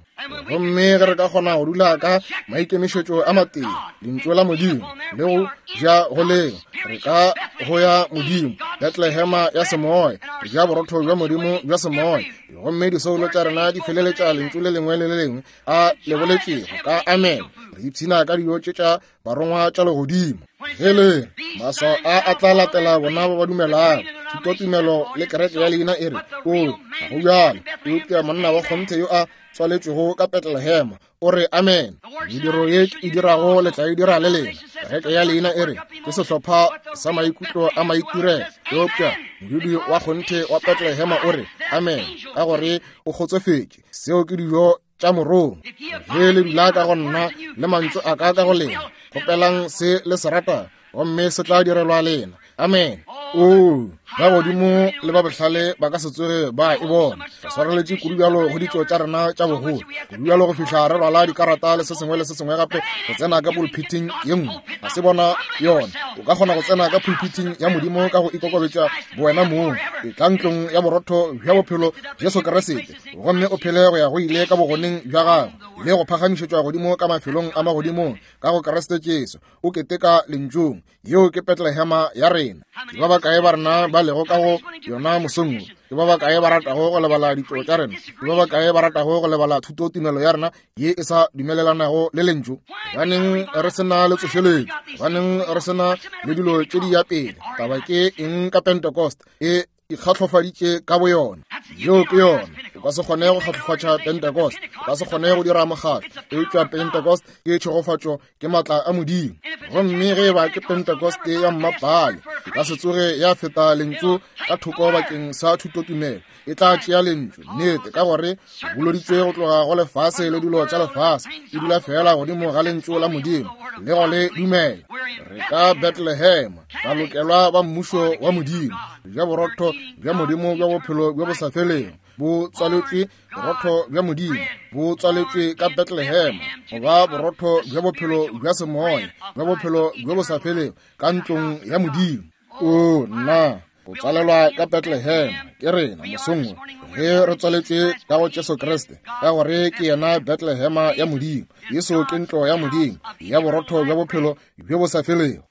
Gomme ge re ka kgona go dula ka maikemišetšo a matee, Lentšu la Modimo le go ja go leo, re ka go ya Modimo, Bethlehema ya semoya, re ja borotho bja Modimo bja semoya, gomme disoulo tša rena di feleletša lentšu le lengwe le le lengwe a le boletšego ka amen. Re ipshina ka dijo tše tša barongwa tša legodimo. Ge le maswao a a tla latela bona ba ba dumelago. Thutotumelo le kereke ya leina e re, o ga go bjalo, eupša monna wa kgonthe yo a tswaletšwego ka Bethlehema o re amen. Mediro ye e dirago le tla e dira le lena. Kereke ya leina e re ke sehlopha sa maikutlo a maitirelo, eupša modudi wa kgonthe wa Bethlehema o re amen, ka gore o kgotsofetše. Seo ke dijo tša morongwa. Ge le dula ka go nna le mantšu a ka ka go lena, kgopelang se le se ratago, gomme se tla direlwa lena. Amen. Oo, ba godimo le ba bohlale ba ka se tsoge ba e bona. Re swareletše kudu bjalo go ditšo tša rena tša bogolo, kudu bjalo go fihla re rwala dikarata le se sengwe le se sengwe gape go tsena ka pulpiting ye nngwe. Ga se bona yona. O ka kgona go tsena ka pulpiting ya Modimo ka go ikokobetša bowena mong. Etla ntlong ya borotho bja bophelo Jesu Kriste, gomme o phele go ya go ile ka bogoneng bja gagwe le go phagamišetšwa godimo ka mafelong a magodimong ka go Kriste Jesu. O keteka lentšung. Yeo ke Betlehema ya rena. Ke ba bakae ba rena ba lego ka go yona mosong wo? Ke ba bakae ba ratago go lebala ditšo tša rena? Ke ba bakae ba ratago go lebala thutotumelo ya rena ye e sa dumelelanago le lentšu? Gobaneng re se na le tsošeletšo? Gobaneng re se na le dilo tše di ya pele? Taba ke eng ka Pentecost? E ikgahlofaditše ka boyona. Yeo ke yona. O ka se kgone go kgahlofatša Pentecost, o ka se kgone go dira mokgatlo, eupša Pentecost ke tšhegofatšo, ke maatla a Modimo. Gomme ge e ba ke Pentecost ya mmapale, e ka se tsoge ya feta lentšu ka thoko bakeng sa thutotumelo. E tla tšea lentšu, nnete, ka gore boloditswe go tloga go lefase le dilo tša lefase, e dula fela godimo ga lentšu la Modimo le go le dumela. Re ka Bethlehem, ba lokelwa ba mmušo wa Modimo, bja borotho bja Modimo bja bophelo bjo bo sa felego bo tswaletšwe. Borotho bja Modimo bo tswaletšwe ka Bethlehem, goba borotho bja bophelo bja semoya bja bophelo bjo bo sa felego ka ntlong ya Modimo. O nna, go tswalelwa ka Bethlehem ke rena mosong wo, ge re tswaletšwe ka go Jesu Kriste, ka gore ke yena Bethlehema ya Modimo. Jesu ke ntlo ya Modimo ya borotho bja bophelo bjo bo sa felego.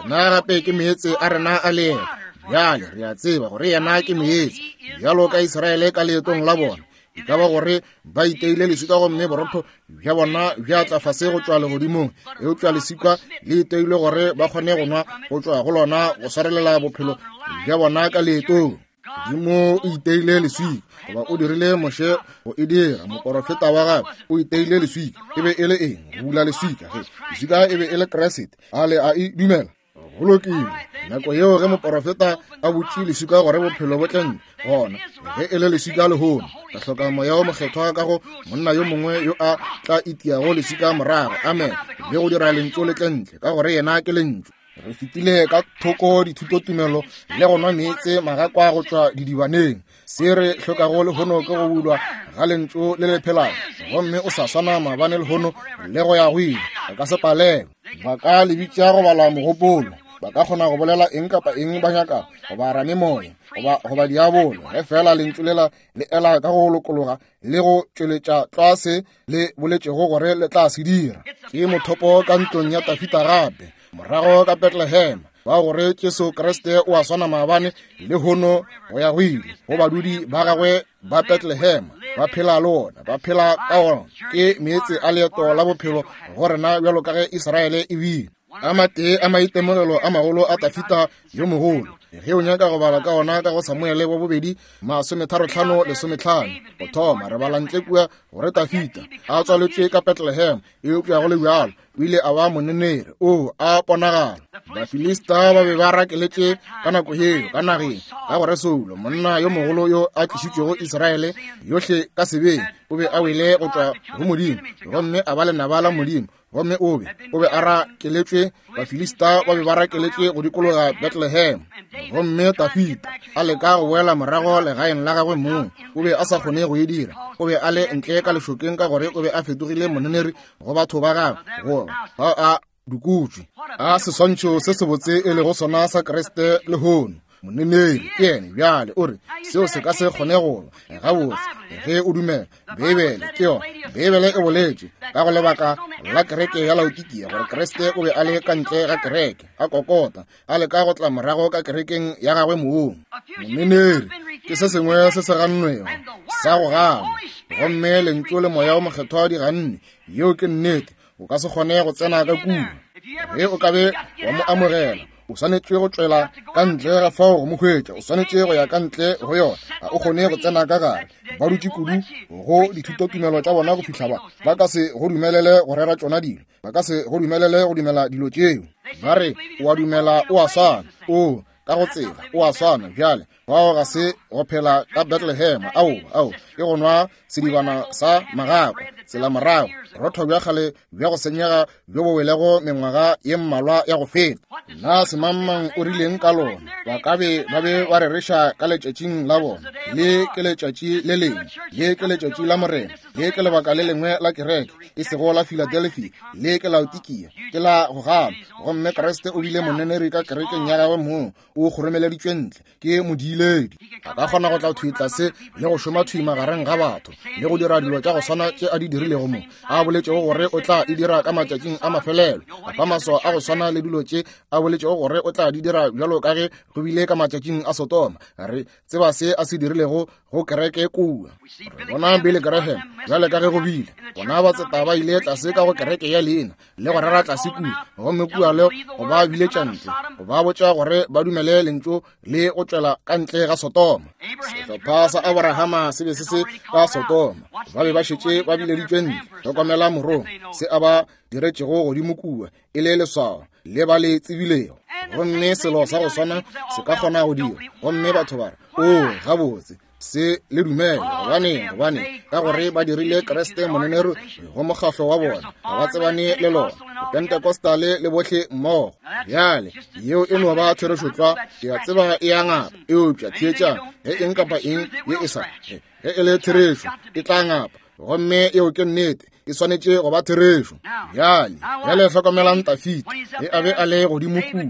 Yena gape ke meetse a rena a leeto. Bjale re a tseba gore yena ke meetse, bjalo ka Israele ka leetong la bona. E ka ba gore ba iteile leswika gomme borotho bja bona bja tla fase go tšwa legodimong, eupša leswika le iteilwe gore ba kgone go nwa go tšwa go lona go swarelela bophelo bja bona ka leetong. Modimo o iteile leswika, goba o dirile Moshe go e dira, moporofeta wa gagwe o iteile leswika. E be e le eng? Go bula leswika. Ge leswika e be e le Kriste, a le a e dumela? Go lokile. Nako yeo ge moporofeta a butše leswika gore bophelo bo tle ntle, gona ge e le leswika lehono, re hloka moya o mokgethwa ka go monna yo mongwe yo a tla itiago leswika morago, amen, le go dira lentšu le tle ntle, ka gore yena ke lentšu. Re fetile ka thoko dithutotumelo le go nwa meetse magakwa go tšwa didibaneng. Se re hlokago lehono ke go bulwa ga lentšu le le phelago, gomme o sa swana maabane lehono le go ya go ile. Re ka se palelwe. Ba ka le bitša go bala mogopolo, ba ka kgona go bolela eng kapa eng ba nyakago, goba ramemoya, goba goba diabolo, ge fela lentšu lela le ela ka go lokologa le go tšweletša tlwa se le boletšego gore le tla se dira. Ke mothopo ka ntlong ya Tafita gape, morago ka Bethlehem, ba gore Jesu Kriste o a swana maabane lehono go ya go ile. Go badudi ba gagwe ba Bethlehem ba phela le ona, ba phela ka ona. Ke meetse a leeto la bophelo go rena bjalo ka ge Israele e bile. A matee a maitemogelo a magolo a Tafita yo mogolo, ge o nyaka go bala ka ona ka go Samuele wa bobedi masometharo-hlano lesometlhano, go thoma re bala ntle kua gore Tafita a tswaletšwe ka Bethlehem, eupša go le bjalo o ile a ba moneneri o a ponagala. Bafilista ba be ba rakeletše ka nako yeo ka nageng, ka gore Saulo, monna yo mogolo yo a tlišitšwego Israele yohle ka sebeng, o be a wele go tšwa go Modimo gomme a ba lenaba la Modimo. Gomme o be o be a rakeletšwe, Bafilista ba be ba rakeletšwe go dikologa Bethlehem. Gomme Tafita a leka go boela morago legaeng la gagwe mong, o be a sa kgone go e dira. O be a le ntle ka lešokeng ka gore o be a fetogile moneneri go batho ba gagwe, go ba a dukutšwe. A seswantšho se sebotse e lego sona sa Kriste lehono. Moneneri ke yene. Bjale o re seo se ka se kgone go ba gabotse ge o dumela Beibele. Ke yona Beibele e boletše ka go lebaka la kereke ya Laodikia gore Kriste o be a le ka ntle ga kereke, a kokota, a leka go tla morago ka kerekeng ya gagwe mong. Moneneri ke se sengwe se se gannwego sa go gana, gomme lentšu le moya o mokgethwa di ganne. Yeo ke nnete. O ka se kgone go tsena ka kua. Ge o ka be wa mo amogela, o swanetše go tšwela ka ntle ga fao go mo hwetša. O swanetše go ya ka ntle go yona. Ga o kgone go tsena ka gare. Ba dutše kudu go dithutotumelo tša bona go fihla ba ba ka se go dumelele go rera tšona dilo, ba ka se go dumelele go dumela dilo tšeo. Ba re o a dumela o a swana, o ka go tsela o a swana. Bjale Fao ga se go phela ka Bethlehem, ao, ao, ke go nwa sedibana sa magakwa, tsela morago, rotho bja kgale bja go senyega bjo bo welego mengwaga ye mmalwa ya go feta. Na semangmang o rileng ka lona? Ba ka be ba be ba rereša ka letšatšing la bona. Le ke letšatši le lengwe, le ke letšatši la Morena, le ke lebaka le lengwe la kereke, e sego la Philadelphia, le ke Laodikia, ke la go gana. Gomme Kriste o bile moneneri ka kerekeng ya gagwe mong, o kgoromeleditšwe ntle ke modiiledi. A ka kgona go tla thwi tlase le go šoma thwi magareng ga batho le go dira dilo tša go swana tše a di dirilego mo, a boletšego gore o tla e dira ka matšatšing a mafelelo, a fa maswao a go swana le dilo tše a boletšego gore o tla di dira bjalo ka ge go bile ka matšatšing a Sodoma. Re tseba se a se dirilego go kereke kua. Re bona Billy Graham bjale ka ge go bile bona batseta ba ile tlase ka go kereke ya leina le go rera tlase kua, gomme kua le go ba biletša ntle, go ba botša gore ba dumele lentšu le go tšwela ka ntle ga Sodoma. Sehlopha sa Abrahama se be se se ka Sodoma, ba be ba šetše ba bileditšwe ntle. Hlokomela morong se a ba diretšego godimo kua e le leswao le ba le tsebilego. Gomme selo sa go swana se ka kgona go dira, gomme batho ba re, o gabotse, se le dumele. Gobane, gobane ka gore ba dirile Kriste moneneri go mokgahlo wa bona, ga ba tsebane le lona, Pentecostal le bohle mmogo. Bjale yeo e no ba therešo tlwa, ke a tseba e a ngapa, eupša theetšang, ge eng kapa eng ye e sa, ge e le therešo e tla ngapa, gomme eo ke nnete, e swanetše go ba therešo. Bjale, bjale hlokomelang Dafita ge a be a le godimo kua.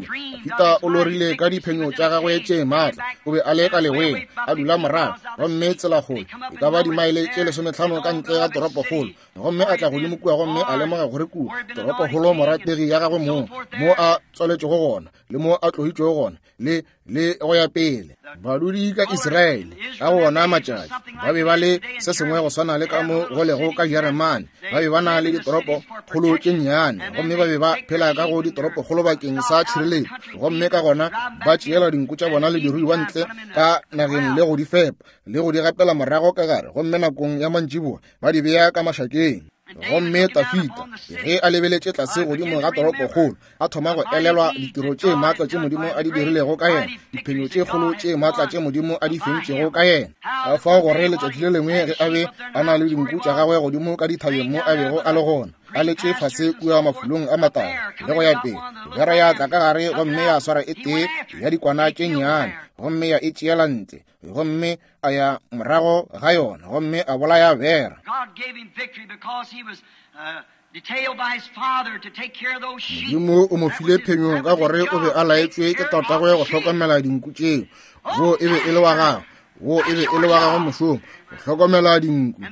Dafita o lorile ka diphenyo tša gagwe tše maatla, o be a le ka leweng, a dula morago, gomme tselakgolo e ka ba dimaele tše lesometlhano ka ntle ga toropokgolo, gomme a tla godimo kua gomme a lemoga gore kua toropokgolo morategi ya gagwe moo mo a tswaletšego gona le mo a tlohitšego gona le le go ya pele. Badudi ka Israele ka go ona matšatši ba be ba le se sengwe go swana le ka mo go lego ka Jeremane. Ba be ba na le ditoropokgolo tše nnyane, gomme ba be ba phela ka go ditoropokgolo bakeng sa tšhireletšo, gomme ka gona ba tšeela dinku tša bona le diruiwa ntle ka nageng le go di fepa le go di gapela morago ka gare, gomme nakong ya mantšiboa ba di bea ka mašakeng. Gomme Dafita ge a lebeletše tlase godimo ga toropokgolo, a thoma go elelwa ditiro tše maatla tše Modimo a di dirilego ka yena, diphenyo tše kgolo tše maatla tše Modimo a di fentšego ka yena. Ka fao gore letšatši le lengwe ge a be a na le dinku tša gagwe godimo ka dithabeng mo a bego a le gona, a letše fase kua mafulong a matala le go ya pele, bera ya tla ka gare gomme ya swara e tee ya dikwana tše nnyane, gomme ya e tšeela ntle, gomme a ya morago ga yona, gomme a bolaya bera. Modimo o mo file phenyo ka gore o be a laetšwe ke tatagwe go hlokomela dinku tšeo. Wo e be e le wa gagwe, wo e be e le wa gagwe mošomo, go hlokomela dinku,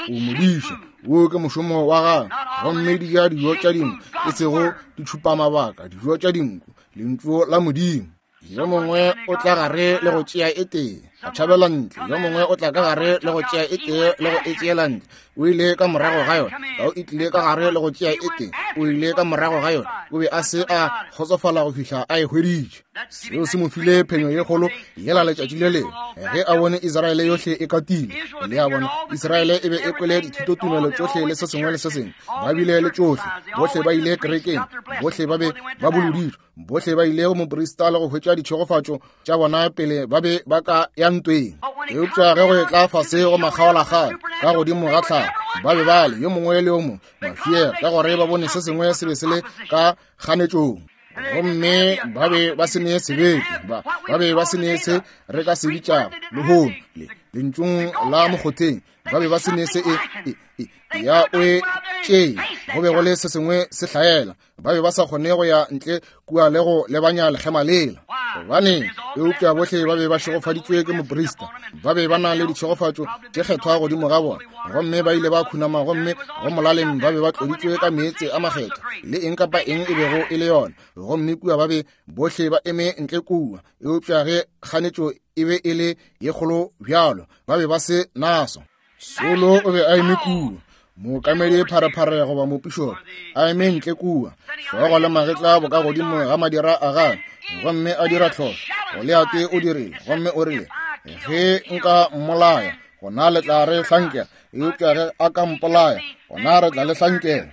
o modiša, wo ke mošomo wa gagwe. Gomme di ja dijo tša dinku, e sego ditšhupamabaka, dijo tša dinku, lentšu la Modimo. Yo mongwe o tla gare le go tšea e tee, a tšhabela ntle. Yo mongwe o tla ka gare le go tšea e tee le go e tšeela ntle. O ile ka morago ga yona. Tau e tlile ka gare le go tšea e tee, o ile ka morago ga yona. O be a se a kgotsofala go fihla a e hweditše. Seo se mo file phenyo ye kgolo yela letšatši le lengwe ge a bone Israele yohle e katile. Le a bona, Israele e be e kwele dithutotumelo tšohle le se sengwe le se sengwe, ba bile le tšohle, bohle ba ile kerekeng, bohle ba be ba boloditšwe, bohle ba ile go moprista le go hwetša ditšhegofatšo tša bona pele ba be ba ka ya ntweng. Eupša ge go e tla fase go makgaolakgang ka godimo ga tlhago, ba be ba le yo mongwe le yo mongwe mafiela, ka gore ba bone se sengwe se be se le ka kganetšong. Gomme ba be ba se ne sebete, ba ba be ba se ne se re ka se bitšago lehono le lentšung la mokgotheng, ba be ba se ne se e, e, e ya o e tšee, go be go le se sengwe se hlaela. Ba be ba sa kgone go ya ntle kua le go lebanya lekgema lela. Gobane eupša bohle ba be ba šegofaditšwe ke moprista, ba be ba na le ditšhegofatšo tše kgethwa godimo ga bona, gomme ba ile ba khunama, gomme go molaleng ba be ba tloditšwe ka meetse a makgethwa le eng kapa eng e bego e le yona. Gomme kua ba be bohle ba eme ntle kua, eupša ge kganetšo e be e le ye kgolo bjalo, ba be ba se naso. Solo o be a eme kua, mookamedi pharephare goba mopišopo a eme ntle kua, hlogo le magetla bo ka godimo ga madira a gagwe, gomme a dira tlhohlo. Goliate o dirile, gomme o rile, ge nka mmolaya gona le tla re hlankela, eupša ge a ka mpolaya gona re tla le hlankela.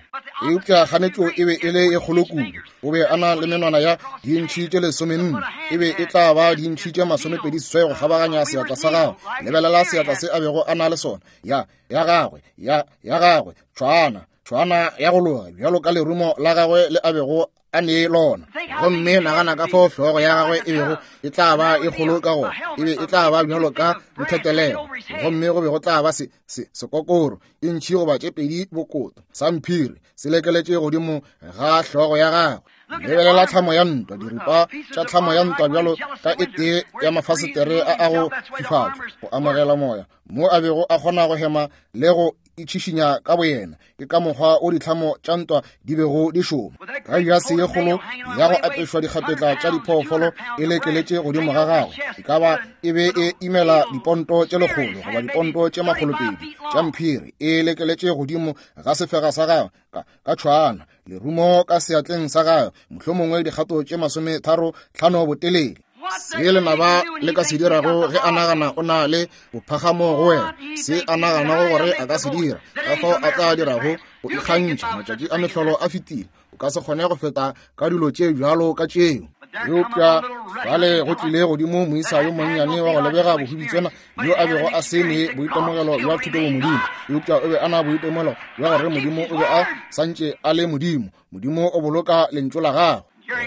Eupša kganetšo e be e le e kgolo kudu. O be a na le menwana ya dintšhi tše lesomenne, e be e tla ba dintšhi tše masomepedi seswai go kgabaganya seatla sa gagwe. Lebelela seatla se a bego a na le sona, ya ya gagwe, ya ya gagwe, tšhwana tšhwana ya go loga bjalo ka lerumo la gagwe le a bego a ne lona. Gomme nagana ka fao hlogo ya gagwe e bego e tla ba e kgolo ka gona, e be e tla ba bjalo ka nthetelego. Gomme go be go tla ba se, se, sekokoro e ntšhi goba tše pedi bokoto sa mphiri se lekeletše godimo ga hlogo ya gagwe. Lebelela tlhamo ya ntwa, diripa tša tlhamo ya ntwa bjalo ka e tee ya mafasetere a a go fifatšwa go amogela moya, mo a bego a kgona go hema le go itšhišinya ka boyena. Ke ka mokgwa o ditlhamo tša ntwa di bego di šoma. Ka jase ye kgolo ya go apešwa dikgapetla tša diphoofolo e lekeletše godimo ga gagwe, e ka ba e be e imela diponto tše lekgolo goba diponto tše makgolopedi tša mphiri e lekeletše godimo ga sefega sa gagwe ka, ka tšhwana, lerumo ka seatleng sa gagwe, mohlomongwe dikgato tše masometharo tlhano botelele. Se lenaba le ka se dirago ge a nagana o na le bophagamo go wena, se a naganago gore a ka se dira, ka fao a tla dirago go ikgantšha. Matšatši a mehlolo a fetile, o ka se kgone go feta ka dilo tše bjalo ka tšeo. Eupša fale go tlile godimo moisa yo monnyane wa go lebega bohubitswana yo a bego a se ne boitemogelo bja thuto bo Modimo, eupša o be a na boitemogelo bja gore Modimo o be a santše a le Modimo. Modimo o boloka lentšu la gagwe.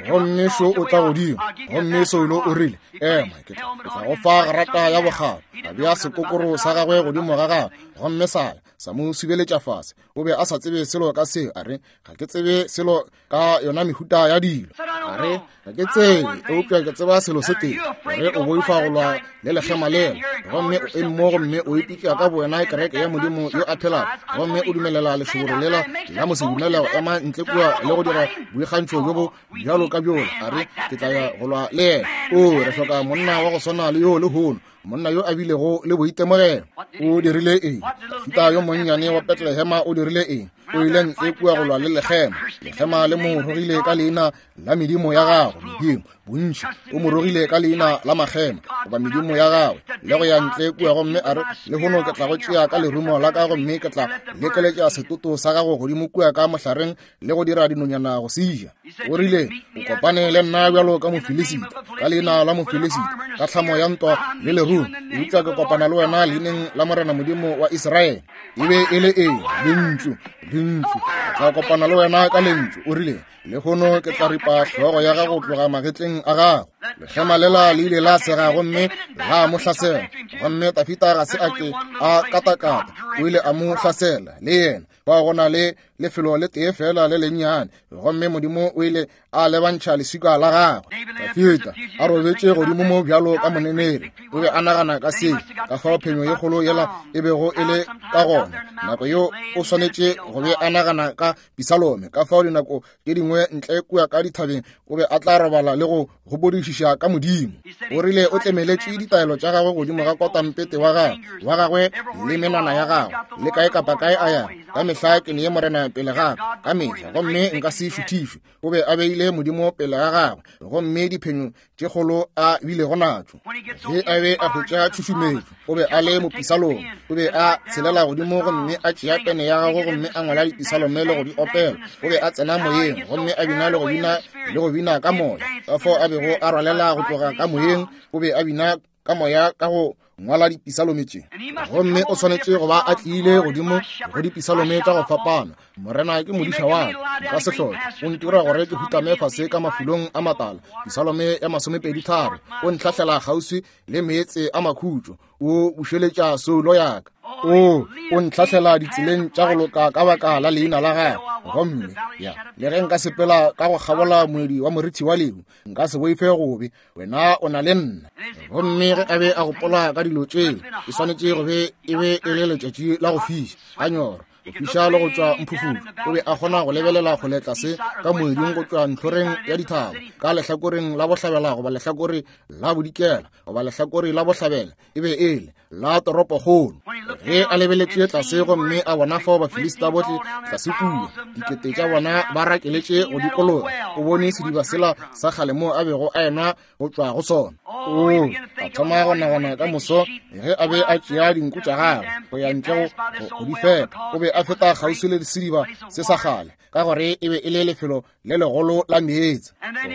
Gomme šo o tla godimo, gomme Saulo o rile, ema, ke tla go fa grata ya bokgabo. A bea sekokoro sa gagwe godimo ga gagwe, gomme sa sa mo subeletša fase. O be a sa tsebe selo ka seo. A re, ga ke tsebe selo ka yona mehuta ya dilo. A re, ga ke tsebe, eupša ke tseba selo se tee, gore o boifa go lwa le lekgema lela, gomme o eme mo gomme o ipitša ka bowena kereke ya Modimo yo a phelago, gomme o dumelela lešoboro lela la mosedumele go ema ntle kua le go dira boikgantšho bjo bo bjalo ka bjola. A re, ke tla ya go lwa le yena. O, re hloka monna wa go swana le yo lehono, monna yo a bilego le boitemogelo. O dirile eng? Dafida yo monnyane wa Bethlehema o dirile eng? O ile ntle kua go lwa le lekgema. Lekgema le mo rogile ka leina la medimo ya gagwe, medimo bontši. O mo rogile ka leina la makgema goba medimo ya gagwe, le go ya ntle kua gomme a re, lehono ke tla go tšea ka lerumo la ka gomme ke tla lekeletša setoto sa gago godimo kua ka mohlareng le go dira dinonyana go se ja. O rile, o kopane le nna bjalo ka Mofilisita, ka leina la Mofilisita, ka tlhamo ya ntwa le lerumo, eupša ke kopana le wena leineng la Morena Modimo wa Israele. E be e le eng? Lentšu, lentšu. Ke tla kopana le wena ka lentšu. O rile, lehono ke tla ripa hlogo ya gago tloga magetleng a gago. Lekgema lela le ile la sega gomme la mo hlasela, gomme Dafida ga se a ke a katakata, o ile a mo hlasela le yena. Fao go na le lefelo le tee fela le lennyane, gomme Modimo o ile a lebantšha leswika la gagwe. Dafida a robetše godimo mo bjalo ka moneneri, o be a nagana ka seo, ka fao phenyo ye kgolo yela e bego e le ka gona. Nako yeo o swanetše go be a nagana ka Pisalome, ka fao dinako tše dingwe ntle kua ka dithabeng o be a tla robala le go gopodišiša ka Modimo. O rile o tlemeletše ditaelo tša gagwe godimo ga kotampete wa gagwe wa gagwe le menwana ya gagwe, le kae kapa kae a yago. Ka mehla ke nee Morena pele ga ka, ka mehla, gomme nka se šuthišwe. O be a beile Modimo pele ga gagwe, gomme diphenyo tše kgolo a bilego natšo. Ge a be a hwetša tšhušumetšo, o be a le mopisalome. O be a tshelela godimo gomme a tšea pene ya gagwe gomme a ngwala dipisalome le go di opela. O be a tsena moyeng gomme a bina le go bina le go bina ka moya. Ka fao a bego a rwalela go tloga ka moyeng, o be a bina ka moya ka go ngwala dipisalome tše. Gomme o swanetše go ba a tlile godimo go dipisalome tša go fapana. Morena ke modiša wa ka, nka se hloke. O ntira gore ke hutame fase ka mafulong a matala. Pisalome ya masomepedi tharo. O ntlhahlela kgauswi le meetse a makhutšo, o bušeletša soulo ya ka. O o ntlhahlela ditseleng tša go loka ka baka la leina la gagwe. Gomme ya le ge nka sepela ka go kgabola moedi wa morithi wa lehu, nka se boife gobe, wena o na le nna. Gomme ge a be a gopola ka dilo tšeo, e swanetše go be e be e le letšatši la go fiša, a nyorwa, go fiša le go tšwa mphufutšo. O be a kgona go lebelela kgole tlase ka moeding go tšwa ntlhoreng ya dithaba, ka lehlakoreng la bohlabela goba lehlakore la bodikela goba lehlakore la bohlabela, e be e le la toropokgolo. Ge a lebeletše tlase gomme a bona fao Bafilista bohle tlase kua, dikete tša bona ba rakeletše go dikologa, o bone sediba sela sa kgale moo a bego a enwa go tšwa go sona. O a thoma go nagana ka moso ge a be a tšea dinku tša gagwe go ya ntle go di fepa. O be a feta kgauswi le sediba se sa kgale, ka gore e be e le lefelo le legolo la meetse.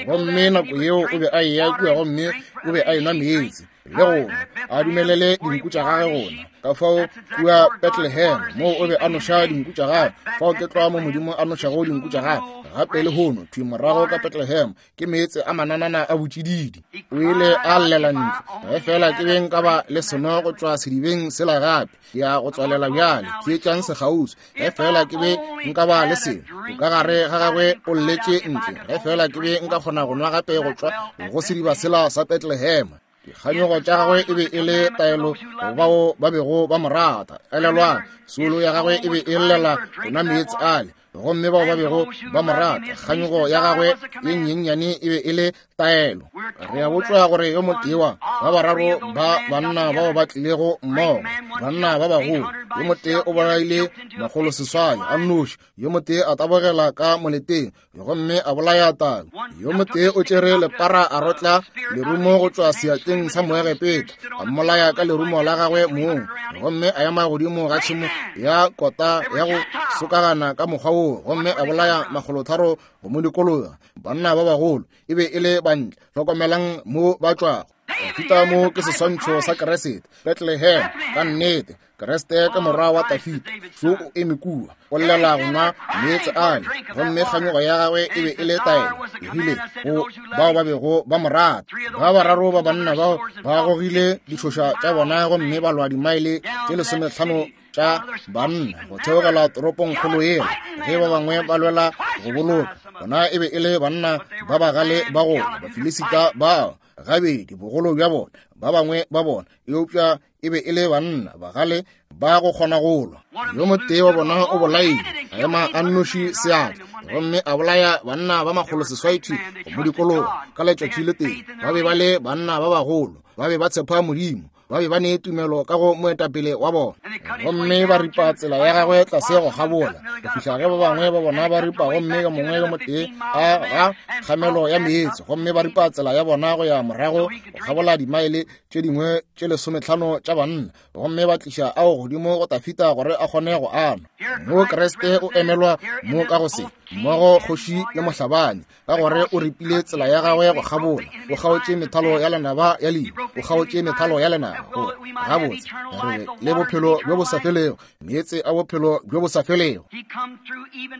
Gomme nako yeo o be a eya kua gomme o be a enwa meetse le gona a dumelele dinku tša gagwe gona. Ka fao kua Bethlehem moo o be a noša dinku tša gagwe, fao ke tlwa mo Modimo a nošago dinku tša gagwe gape le hono thwi morago ka Bethlehem ke meetse a mananana a botšididi. O ile a llela ntle, ge fela ke beng ka ba le seno go tšwa sedibeng sela gape, ke ya go tswalela bjale, theetšang sekgauswi. Ge fela ke be nka ba le seno ka gare ga gagwe o lletše ntle, ge fela ke be nka kgona go nwa gape go tšwa go sediba sela sa Bethlehem. Dikganyogo tša gagwe e be e le taelo go bao ba bego ba mo rata. Elelwang, soulo ya gagwe e be e llela go nwa meetse ale, gomme bao ba bego ba mo rata, kganyogo ya gagwe ye nyenyane e be e le taelo. Re a botšwa gore yo motee wa ba bararo ba banna bao ba tlilego mmogo, banna ba bagolo, yo motee o bolaile makgolo seswai a nnoši, yo motee a tabogela ka moleteng gomme a bolaya tau, yo motee o tšere lepara a rotla lerumo go tšwa seatleng sa Moegepeta, a mmolaya ka lerumo la gagwe mong, gomme a ema godimo ga tšhemo ya kota ya go sokagana ka mokgwa woo, gomme a bolaya makgolotharo go mo dikologa. Banna ba bagolo e be e le bantle. Hlokomelang mo ba tšwago. Dafita mo ke seswantšho sa Kriste. Bethlehem ka nnete, Kriste ke morwa wa Dafita. So o eme kua, o llela go nwa meetse ale, gomme kganyogo ya gagwe e be e le taelo. E rile go bao ba bego ba mo rata. Ba bararo ba banna bao ba gogile ditšhoša tša bona gomme ba lwa dimaele tše lesometlhano tša banna go theogela toropongkgolo yela, ge ba bangwe ba lwela go boloka. Bona e be e le banna ba bagale ba go Bafilisita bao gabedi bogolo bja bona, ba bangwe ba bona, eupša e be e le banna bagale ba go kgona go lwa. Yo motee wa bona o bolaile, a ema a nnoši seatla, gomme a bolaya banna ba makgolo seswai thwi go mo dikologa ka letšatši le tee. Ba be ba le banna ba bagolo, ba be ba tshepa Modimo, ba be ba ne tumelo ka go moetapele wa bona, gomme ba ripa tsela ya gagwe tlase go kgabola go fihla ge ba bangwe ba bona ba ripa, gomme yo mongwe yo motee a ga kgamelo ya meetse, gomme ba ripa tsela ya bona go ya morago go kgabola dimaele tše dingwe tše lesometlhano tša banna, gomme ba tliša ao godimo go Dafita gore a kgone go anwa. Mo Kriste o emelwa mo ka go se mmogo kgoši le mohlabani, ka gore o ripile tsela ya gagwe go kgabola, o kgaotše methalo ya lenaba ya lehu, o kgaotše methalo ya lenaba gore gabotse re be le bophelo bjo bo sa felego, meetse a bophelo bjo bo sa felego.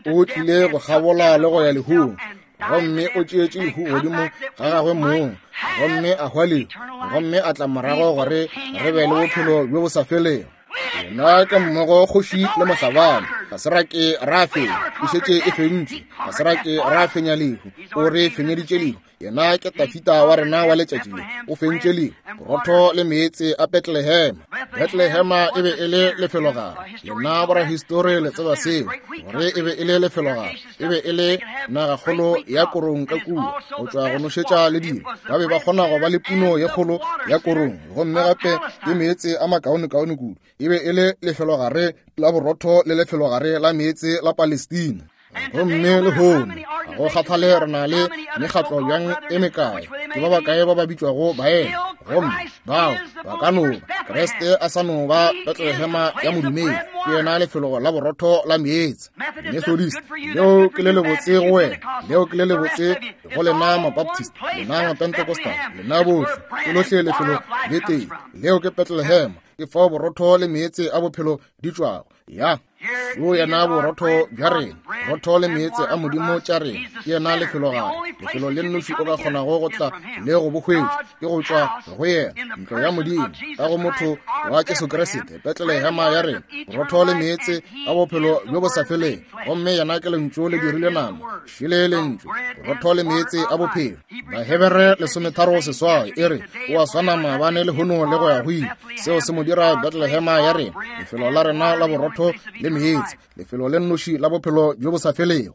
O tlile go kgabola le go ya lehung, gomme o tšeetše lehu godimo ga gagwe mong, gomme a hwa lehu, gomme a tla morago gore re be le bophelo bjo bo sa felego. Yena ke mmogo kgoši le mohlabani. Ga se ra ke ra fenya, e šetše e fentšwe. Ga se ra ke ra fenya lehu, o re fenyeditše lehu. Yena ke Dafita wa rena wa letšatši le, o fentše lehu. Borotho le meetse a Bethlehem. Bethlehema e be e le lefelogare. Lena borahistori le tseba seo, gore e be e le lefelogare. E be e le nagakgolo ya korong ka kua, go tšwa go nošetša le dilo. Ba be ba kgona go ba le puno ye kgolo ya korong, gomme gape le meetse a makaonekaone kudu. E be e le lefelogare la borotho le lefelogare la meetse la Palestina. Gomme lehono ga go kgathale re na le mekgatlo bjang e mekae, ke ba bakae ba ba bitšwago baena, gomme bao ba ka no ba Kriste a sa no ba Bethlehema ya modumedi, ke yena lefelo la borotho la meetse. Methodist, leo ke le lebotse go wena, leo ke le lebotse go lena Mabaptist, lena Mapentecostal, lena bohle, ke lohle lefelo le tee, leo ke Bethlehem, ke fao borotho le meetse a bophelo di tšwago. Ya yo yena borotho bja rena, borotho le meetse a Modimo tša rena, ke yena lefelogare, lefelo le nnoši o ka kgonago go tla le go bo hwetša, ke go tšwa go yena, ntlo ya Modimo ka go motho wa Jesu Kriste, Bethlehema ya rena, borotho le meetse a bophelo bjo bo sa feleng. Gomme yena ke lentšu le dirile nama, šele lentšu, borotho le meetse a bophelo. Bahebere lesometharo seswai e re o a swana maabane lehono le go ya go ile. Seo se mo dira Bethlehema ya rena, lefelo la rena la borotho le meetse, lefelo le nnoši la bophelo bjo bo sa felego.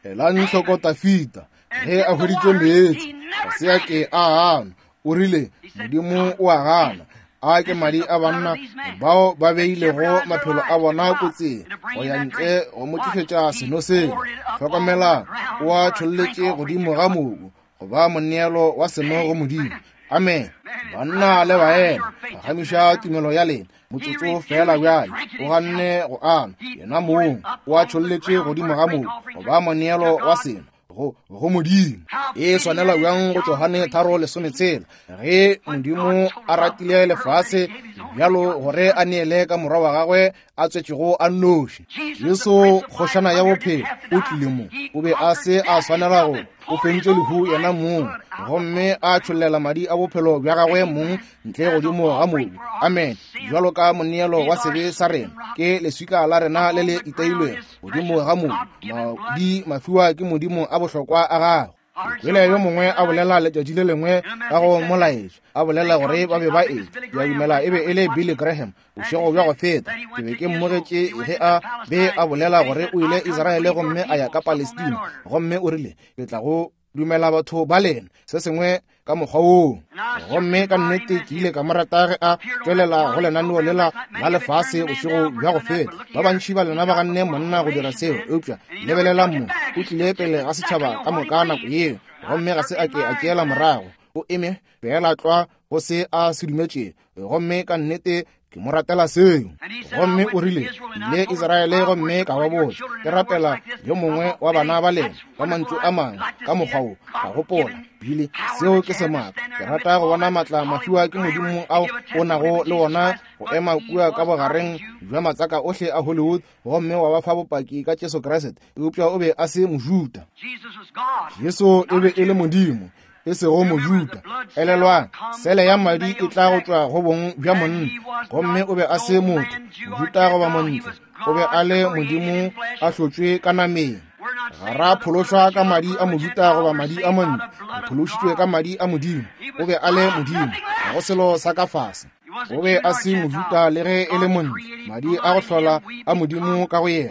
Elang hloko Dafita ge a hweditše meetse, ga se a ke a anwa. O rile Modimo o a gana, A ke madi a banna bao ba beilego maphelo a bona kotsing go ya ntle go mo tlišetša seno seo. Hlokomela, o a tšholletše godimo ga mobu go ba moneelo wa seno go Modimo. Amen. Banna le baena, phagamiša tumelo ya lena motsotso fela bjale. O ganne go ana yena mong, o a tšholletše godimo ga mobu go ba moneelo wa seno go go Modimo. E swanela bjang go Johane tharo lesometshela, ge Modimo a ratile lefase bjalo gore a neele ka morwa wa gagwe a tswetšego a nnoši. Jesu kgošana ya bophelo o tlile mo, o be a se a swanela go, o fentše lehu yena mong, gomme a tšhollela madi a bophelo bja gagwe mong ntle godimo ga mobu. Amen. Bjalo ka moneelo wa sebe sa rena, ke leswika la rena le le itailwego godimo ga mobu, madi mafiwa ke Modimo a bohlokwa a gagwe. Kwele yo mongwe a bolela letšatši le lengwe ka go molaetša, a bolela gore ba be ba e ke a dumela e be e le Billy Graham bošego bja go feta. Ke be ke mmogetše ge a be a bolela gore o ile Israele gomme a ya ka Palestina, gomme o rile, ke tla go dumela batho ba lena se sengwe ka mokgwa woo. Gomme ka nnete ke ile ka mo rata ge a tšwelela go lenaneo lela la lefase bošego bja go feta. Ba bantši ba lena ba ganne monna go dira seo, eupša lebelelang mo, o tlile pele ga setšhaba ka moka nako yeo, gomme ga se a ke a tšeela morago. O eme fela tlwa go se a se dumetšego, gomme ka nnete ke mo ratela seo. Gomme o rile, ile Israele gomme ka ba botša, ke rapela yo mongwe wa bana ba lena ka mantšu a mangwe ka mokgwa wo. Ka gopola, Billy, seo ke semaka. Ke rata go bona matla mafiwa ke Modimo ao o nago le wona go ema kua ka bogareng bja matsaka ohle a Hollywood gomme wa ba fa bopaki ka Jesu Kriste. Eupša o be a se Mojuda. Jesu e be e le Modimo, e sego Mojuda. Elelwang, sele ya madi e tla go tšwa go bong bja monna, gomme o be a se motho, Mojuda goba montle. O be a le Modimo a hlotšwe ka nameng. Ga ra phološwa ka madi a Mojuda goba madi a montle, re phološitšwe ka madi a Modimo. O be a le Modimo, ga go selo sa ka fase. O be a se Mojuda le ge e le montle, madi a go hlola a Modimo ka go yena.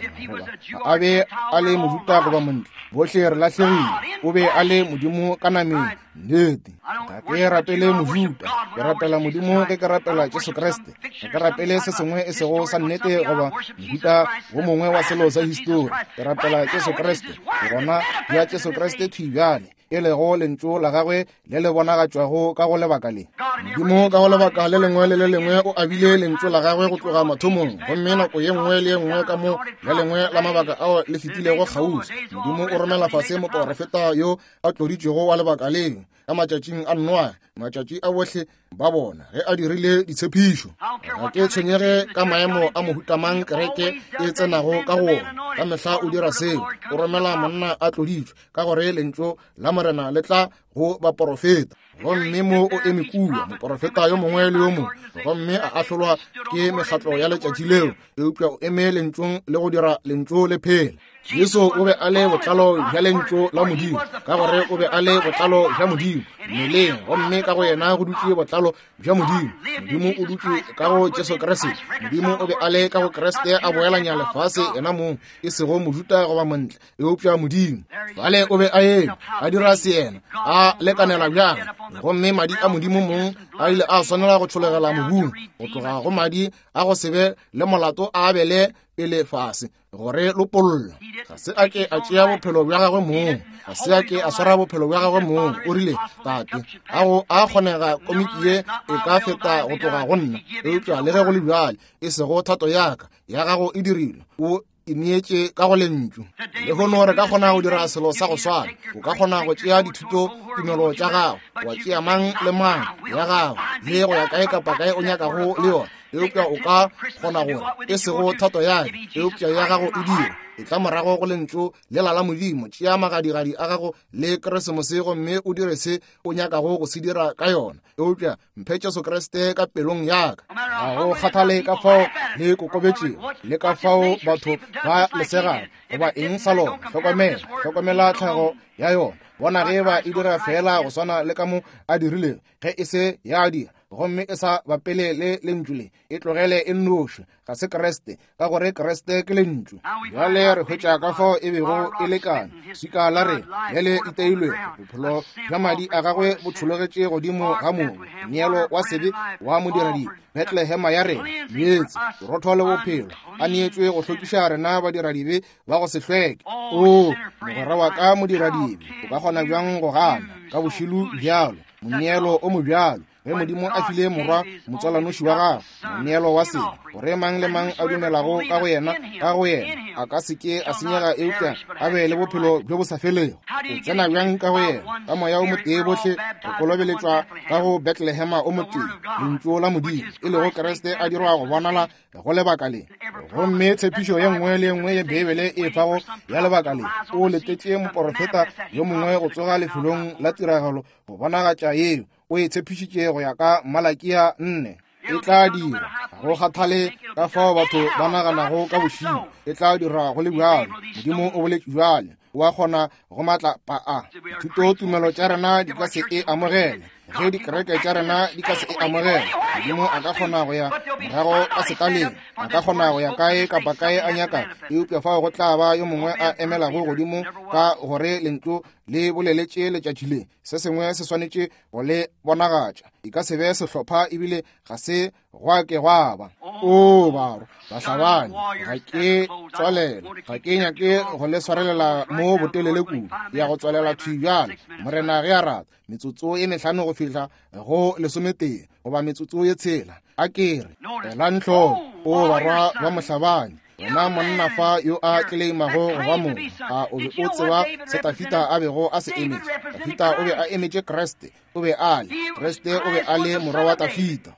Goba a be a le Mojuda goba montle, bohle re lahlegile. O be a le Modimo ka nameng. Nnete. Ga ke rapele Mojuda, ke rapela Modimo ge ke rapela Jesu Kriste. Ga ke rapele se sengwe e sego sa nnete goba mohuta wo mongwe wa selo sa histori. Ke rapela Jesu Kriste. Gona bja Jesu Kriste thwi bjale, e lego lentšu la gagwe le le bonagatšwago ka go lebaka le. Modimo ka go lebaka le lengwe le le lengwe o abile lentšu la gagwe go tloga mathomong, gomme nako ye nngwe le ye nngwe ka mo le lengwe la mabaka ao le fetilego kgauswi, Modimo o romela fase moporofeta yo a tloditšwego wa lebaka leo. Ka matšatšing a Noa, matšatši a bohle ba bona ge a dirile ditshepišo. Ga ke tshwenyege ka maemo a mohutamang kereke e tsenago ka go ona, ka mehla o dira seo, o romela monna a tloditšwe, ka gore lentšu la Morena le tla go baporofeta. Gomme mo o eme kua moporofeta yo mongwe le yo mongwe, gomme a ahlolwa ke mekgatlo ya letšatši leo, eupša o eme lentšong le go dira lentšu le phela. Jesu o be a le botlalo bja lentšu la Modimo, ka gore o be a le botlalo bja Modimo mmeleng, gomme ka go yena go dutše botlalo bja Modimo. Modimo o dutše ka go Jesu Kriste. Modimo o be a le ka go Kriste a boelanya lefase yena mong, e sego Mojuda goba montle, eupša Modimo. Fale o be a eme a dira seyena, a lekanela bjang, gomme madi a Modimo mong a ile a swanela go tšholegela mobung, go tloga go madi a go se be le molato a abele pele fase gore lopolla. Ga se a ke a tšea bophelo bja gagwe mong, ga se a ke a swara bophelo bja gagwe mong. O rile, Tate, a go a kgonega komiki ye e ka feta go tloga go nna, eupša le ge go le bjale, e sego thato ya ka, ya gago e dirilwe. O ineetše ka go lentšu. Lehono re ka kgona go dira selo sa go swana. O ka kgona go tšea dithuto tumelo tša gago, wa tšea mang le mang ya gago, le go ya kae kapa kae o nyakago le yona, eupša o ka kgona gore e sego thato ya ka, eupša ya gago e dire. E tla morago go lentšu lela la Modimo. Tšea magadigadi a gago le Keresemose gomme o dire se o nyakago go se dira ka yona, eupša mphe Jesu Kriste ka pelong ya ka. Ga go kgathale ka fao le kokobetšego le ka fao batho ba lesegago goba eng sa lona. Hlokomela, hlokomela tlhago ya yona. Bona ge ba e dira fela go swana le ka mo a dirilego. Ge e se ya dira, gomme e sa bapele le lentšu le, e tlogele e nnoši. Ga se Kriste, ka gore Kriste ke lentšu. Bjale re hwetša ka fao e bego e lekane. Swika la re le le iteilwego, bophelo bja madi a gagwe bo tšhologetše godimo ga mobu, neelo wa sebe wa modiradibe. Bethlehema ya rena, meetse, borotho le bophelo, a neetšwe go hlwekiša rena badiradibe ba go se hlweke. O mogwera wa ka modiradibe, o ka kgona bjang go gana ka bošilo bjalo, moneelo o mobjalo, ge Modimo a file morwa motswalanoši wa gagwe moneelo wa sebe, gore mang le mang a dumelago ka go yena, ka go yena a ka se ke a senyega, eupša a be le bophelo bjo bo sa felego. O tsena bjang ka go yena? Ka moya o motee bohle re kolobeletšwa ka go Bethlehema o motee, lentšu la Modimo, e lego Kriste a dirwa go bonala go lebaka le. Gomme tshepišo ye nngwe le ye nngwe ye Beibele e fago ya lebaka le, o letetše moporofeta yo mongwe go tsoga lefelong la tiragalo go bonagatša yeo o e tshepišitše go ya ka Malakia nne. E tla dira, ga go kgathale ka fao batho ba naganago ka bošilo, e tla dira go le bjalo. Modimo o boletše bjale, o a kgona go matlapa a. Dithutotumelo tša rena di ka se e amogele, ge dikereke tša rena di ka se e amogele. Modimo a ka kgona go ya morago ka setaleng, a ka kgona go ya kae kapa kae a nyaka, eupša fao go tla ba yo mongwe a emelago godimo ka gore lentšu le boleletše letšatši le. Se sengwe se swanetše go le bonagatša. E ka se be sehlopha, ebile ga se gwa ke gwa ba. O barwa bahlabani, ga ke tswalela, ga ke nyake go le swarelela mo botelele kudu, ya go tswalela thwi bjale. Morena ge a rata, metsotso e mehlano go fihla go lesometee goba metsotso ye tshela. A ke re elang hloko, o barwa ba mohlabani, wena monna fa yo a tleleimago go ba mongwe, a o be o tseba se Tafita a bego a se emetše? Tafita o be a emetše Kriste, o be a le Kriste, o be a le morwa wa Tafita.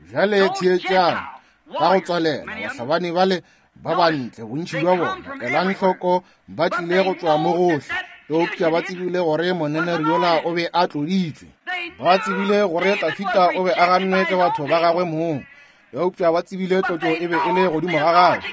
Bjale theetšang ka go tswalela, bahlabani bale ba bantle, bontši bja bona, elang hloko, ba tlile go tšwa mo gohle, eupša ba tsebile gore moneneri yola o be a tloditšwe. Ba tsebile gore Tafita o be a gannwe ke batho ba gagwe mong, eupša ba tsebile tlotšo e be e le godimo ga gagwe.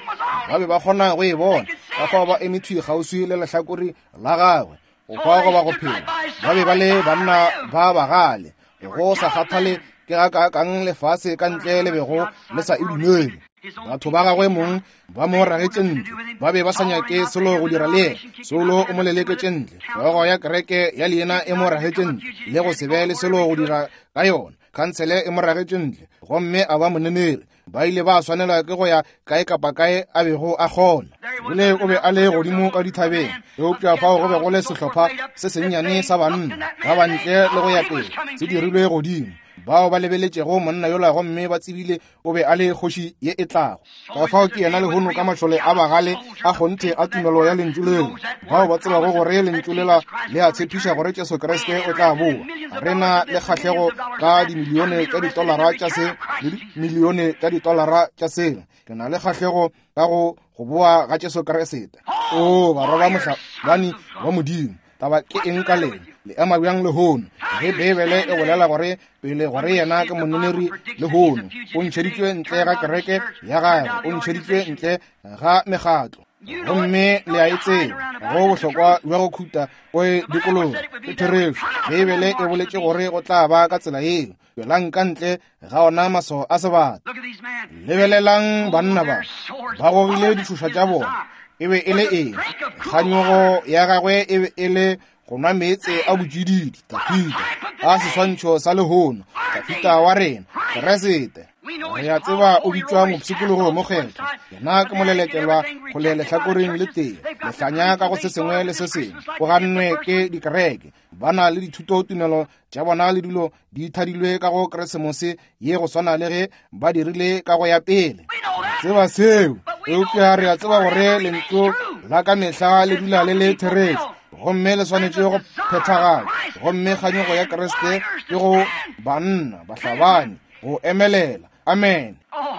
Ba be ba kgona go e bona, ka fao ba eme thwi kgauswi le lehlakore la gagwe, go hwa goba go phela. Ba be ba le banna ba bagale, go sa kgathale ke ga kaakang lefase ka ntle le bego le sa e dumele. Batho ba gagwe mong ba mo ragetše ntle, ba be ba sa nyake selo go dira le yena. Saulo o mo leleketše ntle, hlogo ya kereke ya leina e mo ragetše ntle, le go se be le selo go dira ka yona. Khansele e mo ragetše ntle, gomme a ba moneneri. Ba ile ba swanelwa ke go ya kae kapa kae a bego a kgona. Bile o be a le godimo ka dithabeng, eupša fao go be go le sehlopha se sennyane sa banna ba bantle le go ya pele, se dirilwe godimo, bao ba lebeletšego monna yola gomme ba tsebile o be a le kgoši ye e tlago. Ka fao ke yena lehono ka mašole a bagale a kgonthe a tumelo ya lentšu leo, bao ba tsebago gore lentšu lela le a tshepiša gore Jesu Kriste o tla boa. Re na le kgahlego ka dimilione tša ditolara tša se le dimilione tša ditolara tša sela. Ke na le kgahlego ka go go boa ga Jesu Kriste. O barwa ba mohlabani wa Modimo, taba ke eng ka lena? Le ema bjang lehono ge Beibele e bolela gore pele gore yena ke moneneri lehono? O ntšheditšwe ntle ga kereke ya gagwe, o ntšheditšwe ntle ga mekgatlo, gomme le a e tseba go bohlokwa bja go khuta go e dikologa. Ke therešo, Beibele e boletše gore go tla ba ka tsela yeo. Tšwelang ka ntle ga ona maswao a sebata. Lebelelang banna ba, ba gogile ditšhoša tša bona. E be e le eng? Kganyogo ya gagwe e be e le go nwa meetse a botšididi. Tafita a seswantšho sa lehono, Tafita wa rena, Keresete. Re a tseba o bitšwa mopshikologo mokgethwa. Yena ke molelekelwa go le lehlakoreng le tee, lehlanya ka go se sengwe le se sengwe. O gannwe ke dikereke, ba na le dithutotumelo tša bona le dilo di thadilwe ka go Keresemose ye go swana le ge ba dirile ka go ya pele. Tseba seo, eupša re a tseba gore lentšu la ka mehla le dula le le therešo, gomme le swanetše go phethagala. Gomme kganyogo ya Kriste ke go banna bahlabani go emelela. Amen.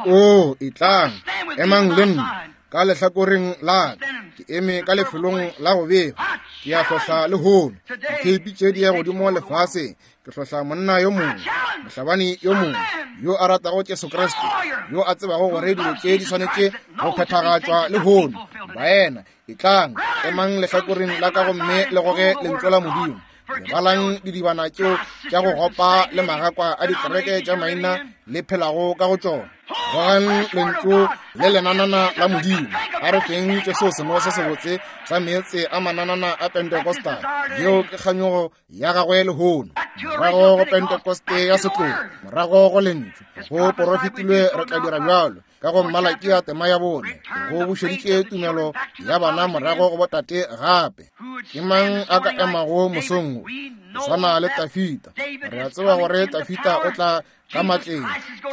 O etlang, emang le nna ka lehlakoreng la ka. Ke eme ka lefelong la go befa. Ke a hlohla lehono ditheipi tše di ya godimo lefaseng. Ke hlohla monna yo mongwe, mohlabani yo mongwe yo a ratago Jesu Kriste, yo a tsebago gore dilo tše di swanetše go phethagatšwa lehono. Baena, etlang, emang lehlakoreng la ka gomme le goge lentšu la Modimo. Lebalang didibana tšeo tša go gopa le magakwa a dikereke tša maina le phelago ka go tšona. Gogang lentšu le lenanana la Modimo. A re feng Jesu seno se sebotse sa meetse a mananana a Pentecostal. Yeo ke kganyogo ya gagwe lehono. Morago go Pentecoste ya setlogo, morago go lentšu. Go porofetilwe re tla dira bjalo. Ka go Malakia tema ya bone, go bušeditše tumelo ya bana morago go botate gape. Ke mang a ka emago mosong wo? Go swana le Tafita. Re a tseba gore Tafita o tla ka matleng.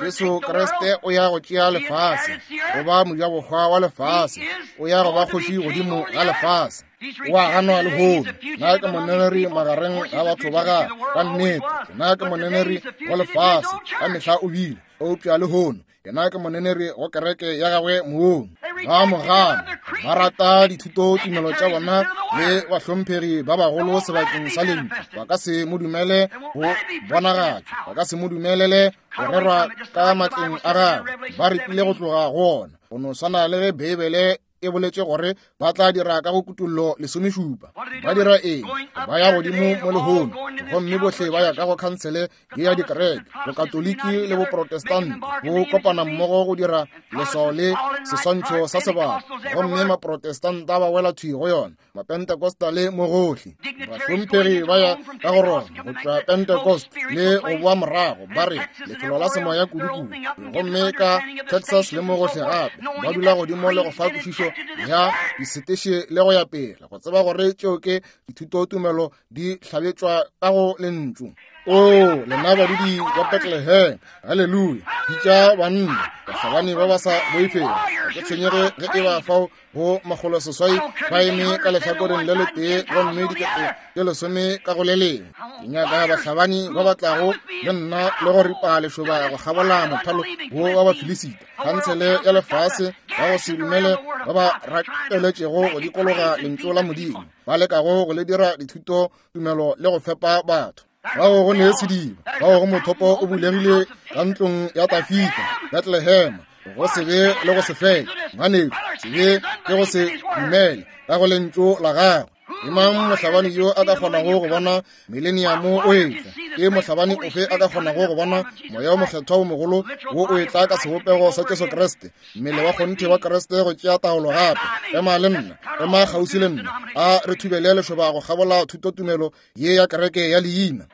Jesu Kriste o ya go tšea lefase, go ba mojabohwa wa lefase, o ya go ba kgoši godimo ga lefase. O a ganwa lehono. Nna ke moneneri magareng ga batho ba gagwe. Ka nnete, nna ke moneneri wa lefase, ka mehla o bile, eupša lehono yena ke moneneri go kereke ya gagwe moong. Ba mo gana, ba rata dithuto tumelo tša bona le bahlomphegi ba bagolo sebakeng sa lentšu. Ba ka se mo dumele go bonagatšwa, ba ka se mo dumelele go rerwa ka matleng a gagwe. Ba repile go tloga go ona. Go no swana le ge Beibele e boletše gore ba tla dira ka go kutullo lesomešupa. Ba dira eng? Ba ya godimo mo lehono, gomme bohle ba ya ka go khansele ye ya dikereke, bokatoliki le boprotestante bo kopana mmogo go dira leswao le seswantšho sa sebaka, gomme maprotestanta ba wela thwi go yona, mapentecostale mo gohle. Bahlomphegi ba ya ka go rona go tšwa Pentecost le go boa morago, ba re lefelo la semoya kudu-kudu, gomme ka Texas le mo gohle gape ba dula godimo le go fa kwešišo ya diseteše le go ya pele, go tseba gore tšeo ke dithutotumelo di hlabetšwa ka go lentšu. O lena badudi ba Bethlehem, haleluya! Bitša banna, bahlabani ba ba sa boifego. Ga ke tshwenyege ge e ba fao go makgolo seswai ba eme ka lehlakoreng le letee gomme dikete tše lesome ka go le lengwe. Ke nyaka bahlabani ba ba tlago le nna le go ripa lešoba go kgabola mothalo wo wa Bafilisita, khansele ya lefase ba go se dumele ba ba rakeletšego go dikologa lentšu la Modimo, ba lekago go le dira dithuto tumelo le go fepa batho. Bao go ne sediba, bao go mothopo o bulegile ka ntlong ya Tafita, Bethlehem, go se be le go se fele. Ngwanešu, se be ke go se dumele ka go lentšu la gagwe. Ke mang mohlabani yo a ka kgonago go bona mileniamo o etla? Ke mohlabani ofe a ka kgonago go bona moya o mokgethwa o mogolo wo o etla ka sebopego sa Jesu Kriste, mmele wa kgonthe wa Kriste go tšea taolo gape? Ema le nna, ema kgauswi le nna, a re thubele lešoba go kgabola thutotumelo ye ya kereke ya leina.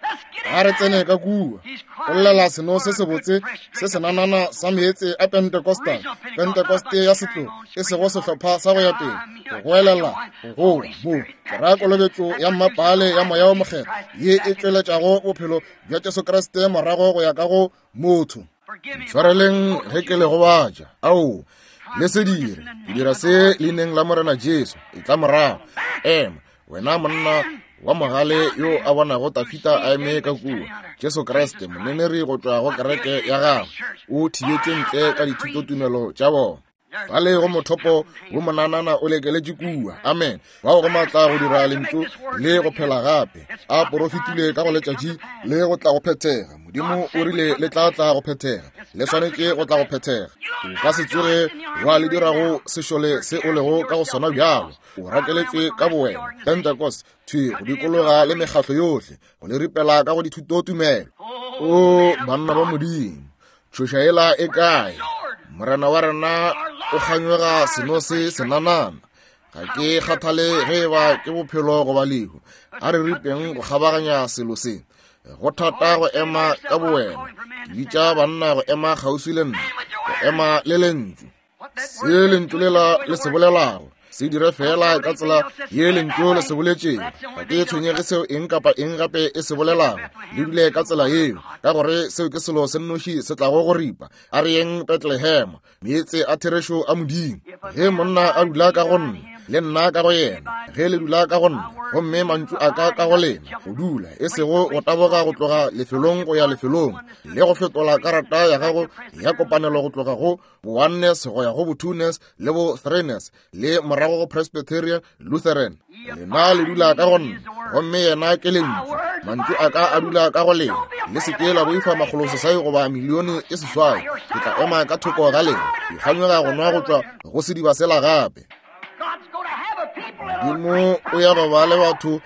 A re tsene ka kua go llela seno se sebotse se senanana sa meetse a Pentecostal, Pentecoste ya setlogo, e sego sehlopha sa go ya pele, go goelela go goa mo ke ra kolobetšo ya mmapale ya moya o mokgethwa ye e tšweletšago bophelo bja Jesu Kriste morago go ya ka go motho. Ntshwareleng ge ke le gobatša. Ao, le se dire. Ke dira se leineng la Morena Jesu. E tla morago. Ema, wena monna wa mogale yo a bonago Tafita a eme ka kua. Jesu Kriste, moneneri go tšwa go kereke ya gagwe, o thibetše ntle ka dithutotumelo tša bona. Fale go mothopo wo monanana o lekeletše kua. Amen. Bao go matla go dira lentšu le go phela gape. A porofetile ka go letšatši le go tla go phethega. Modimo o rile le tla tla go phethega. Le swanetše go tla go phethega. O ka se tsoge wa le dira go sešole se o lego ka go sona bjalo. O rakeletšwe ka bowena. Pentecost thwi go dikologa le mekgatlo yohle, go le ripela ka go dithutotumelo. O banna ba Modimo, tšhoša ela e kae? Morena wa rena o kganyoga seno se senanana. Ga ke kgathale ge eba ke bophelo goba lehu. A re ripeng go kgabaganya selo se. Go thata go ema ka bowena. Ke bitša banna go ema kgauswi le nna, go ema le lentšu. Se lentšu lela le se bolelago, se dire fela ka tsela ye lentšu le se boletšego. Ga ke tshwenyege seo eng kapa eng gape e se bolelago, le dule ka tsela yeo, ka gore seo ke selo se nnoši se tlago go ripa. A re yeng Bethlehem, meetse a therešo a Modimo. Ge monna a dula ka go nna, le nna ka go yena, ge le dula ka go nna, gomme mantšu a ka ka go lena, go dula, e sego go taboga go tloga lefelong go ya lefelong, le go fetola karata ya gago ya kopanelo go tloga go bo-oneness go ya go bo-twoness le bo-threeness, le morago go Presbyterian, Lutheran. Lena le dula ka go nna, gomme yena ke lentšu. Mantšu a ka a dula ka go lena. Le se ke la boifa makgolo seswai goba milione e seswai. Ke tla ema ka thoko ga lena. Ke kganyoga go nwa go tšwa go sediba sela gape. Modimo o ya go ba le batho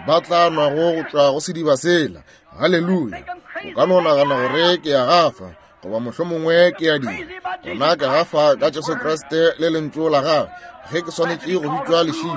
ba tla nwago go tšwa go sediba sela. Haleluya. O ka no nagana gore ke ya gafa, goba mohlomongwe ke ya dira. Gona ke gafa ka Jesu Kriste le lentšu la gagwe. Ge ke swanetše go bitšwa lešilo,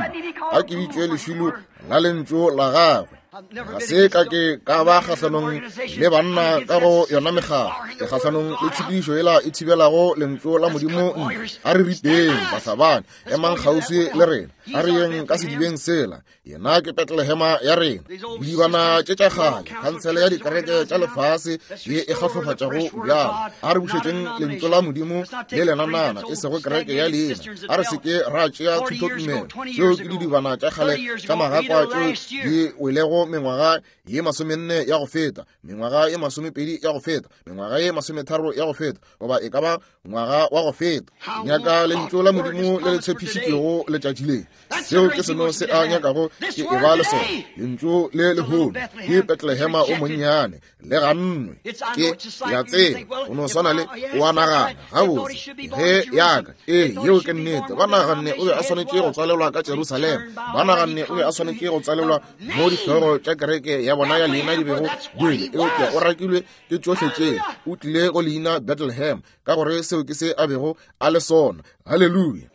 a ke bitšwe lešilo la lentšu la gagwe. Ga se ka ke ka ba kgahlanong le banna ka go yona mekgatlo, ke kgahlanong le tshepedišo yela e thibelago lentšu la Modimo ntle. A re ripeng bahlabani, emang kgauswi le rena, a re yeng ka sedibeng sela. Yena ke Betlehema ya rena. Bodibana tše tša kgale, khansele ya dikereke tša lefase ye e kgahlofatšago bjalo. A re bušetšeng lentšu la Modimo le lenanana, e sego kereke ya leina. A re se ke ra tšea thutotumelo tšeo ke didibana tša kgale tša magakwa tšeo di welego mengwaga ye masomenne ya go feta, mengwaga ye masomepedi ya go feta, mengwaga ye masometharo ya go feta, goba e ka ba ngwaga wa go feta. Nyaka lentšu la Modimo le le tshepišitšwego letšatši le. Seo ke seno se a nyakago ke e ba le sona. Lentšu le lehono ke Betlehema o monnyane, le gannwe. Ke ya tseba, o no swana le o a nagana gabotse ge yaka. Ee, yeo ke nnete. Ba naganne o be a swanetše go tswalelwa ka Jerusalema. Ba naganne o be a swanetše go tswalelwa mo dihlogo tša kereke ya bona ya leina di bego di wele. Eupša o rakilwe ke tšohle tše. O tlile go leina Bethlehem, ka gore seo ke se a bego a le sona. Haleluya.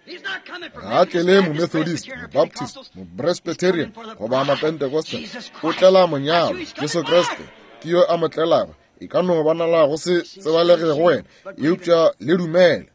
Ga a tlele Momethodist, Mobaptist, Mopresbyterian goba Mapentecostal. O tlela monyalo, Jesu Kriste ke yo a mo tlelago. E ka no bonala go se tsebalege go wena, eupša le dumele.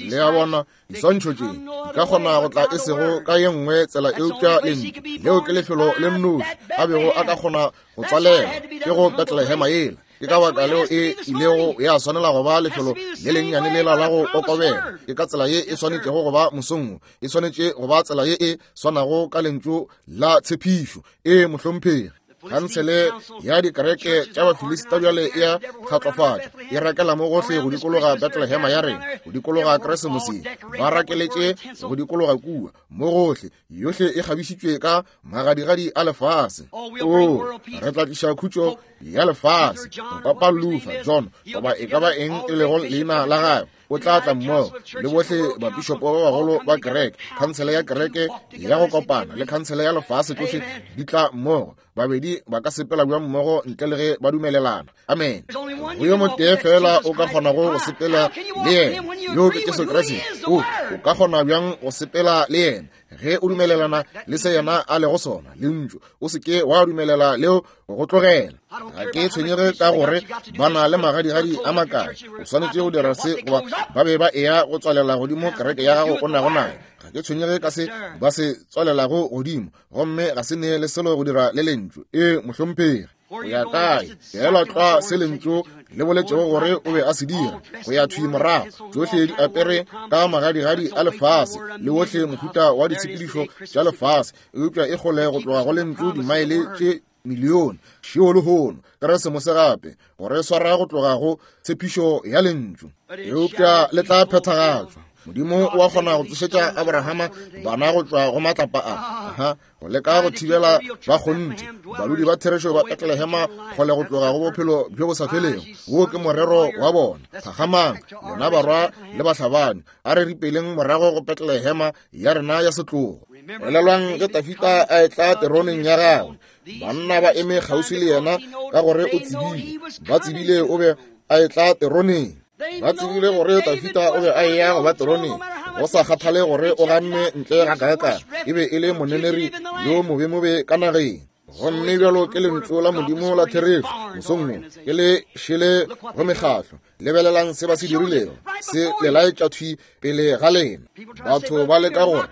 Le a bona, diswantšho tše di ka kgona go tla e sego ka ye nngwe tsela, eupša lentšu leo ke lefelo le nnoši a bego a ka kgona go tswalela, ke go Betlehema yela. Ke ka baka leo e ilego ya swanela go ba lefelo le lennyane lela la go kokobela. Ke ka tsela ye e swanetšego go ba mosong wo, e swanetše go ba tsela ye e swanago ka lentšu la tshepišo. Ee, mohlomphegi. Khansele ya dikereke tša Bafilista bjale e a kgatlofatša, e rakela mo gohle go dikologa Betlehema ya rena, go dikologa Keresemose, ba rakeletše go dikologa kua mo gohle, yohle e kgabišitšwe ka magadigadi a lefase. O, re tla tliša khutšo ya lefase. Papa Luther, John, goba e ka ba eng e lego leina la gagwe, o tla tla mmogo le bohle bapišopo ba bagolo ba kereke, khansele ya kereke ya go kopana le khansele ya lefase, tsohle di tla mmogo. Babedi ba ka sepela bjang mmogo ntle le ge ba dumelelana? Amen. Go yo motee fela o ka kgonago go sepela le yena, yo ke Jesu Kriste. O, o ka kgona bjang go sepela le yena ge o dumelelana le se yena a lego sona, lentšu? O se ke wa dumelela leo go tlogela. Ga ke tshwenyege ka gore ba na le magadigadi a makae, o swanetše go dira se, goba ba be ba eya go tswalela godimo kereke ya gago o nago nayo. Ga ke tshwenyege ka se ba se tswalelago godimo, gomme ga se ne le selo go dira le lentšu. Ee, mohlomphegi. Go ya kae? Feela tlwa se lentšu le boletšego gore o be a se dira, go ya thwi morago. Tšohle di apere ka magadigadi a lefase le wohle mohuta wa ditshepedišo tša lefase, eupša e kgole go tloga go lentšu dimaele tše milione. Šeo lehono, Keresemose gape, gore swara go tloga go tshepišo ya lentšu, eupša le tla phethagatšwa. Modimo o a kgona go tsošetša Abrahama bana go tšwa go matlapa a. Aha, go leka go thibela ba kgonthe, badudi ba therešo ba Betlehema kgole go tloga go bophelo bjo bo sa felego. Wo ke morero wa bona. Phakgamang, lena barwa le bahlabani, a re ripeleng morago go Betlehema ya rena ya setlogo. Elelwang ge Dafida a etla teroneng ya gagwe, banna ba eme kgauswi le yena ka gore o tsebile. Ba tsebile o be a etla teroneng. Ba tsebile gore Dafida o be a eya go ba teroneng, go sa kgathale gore o ganne ntle ga kaekae, e be e le moneneri yo mobemobe ka nageng. Gomme bjalo ke lentšu la Modimo la therešo mosong wo, ke le šele go mekgatlo. Lebelelang se ba se dirilego, se le laetša thwi pele ga lena. Batho ba leka gore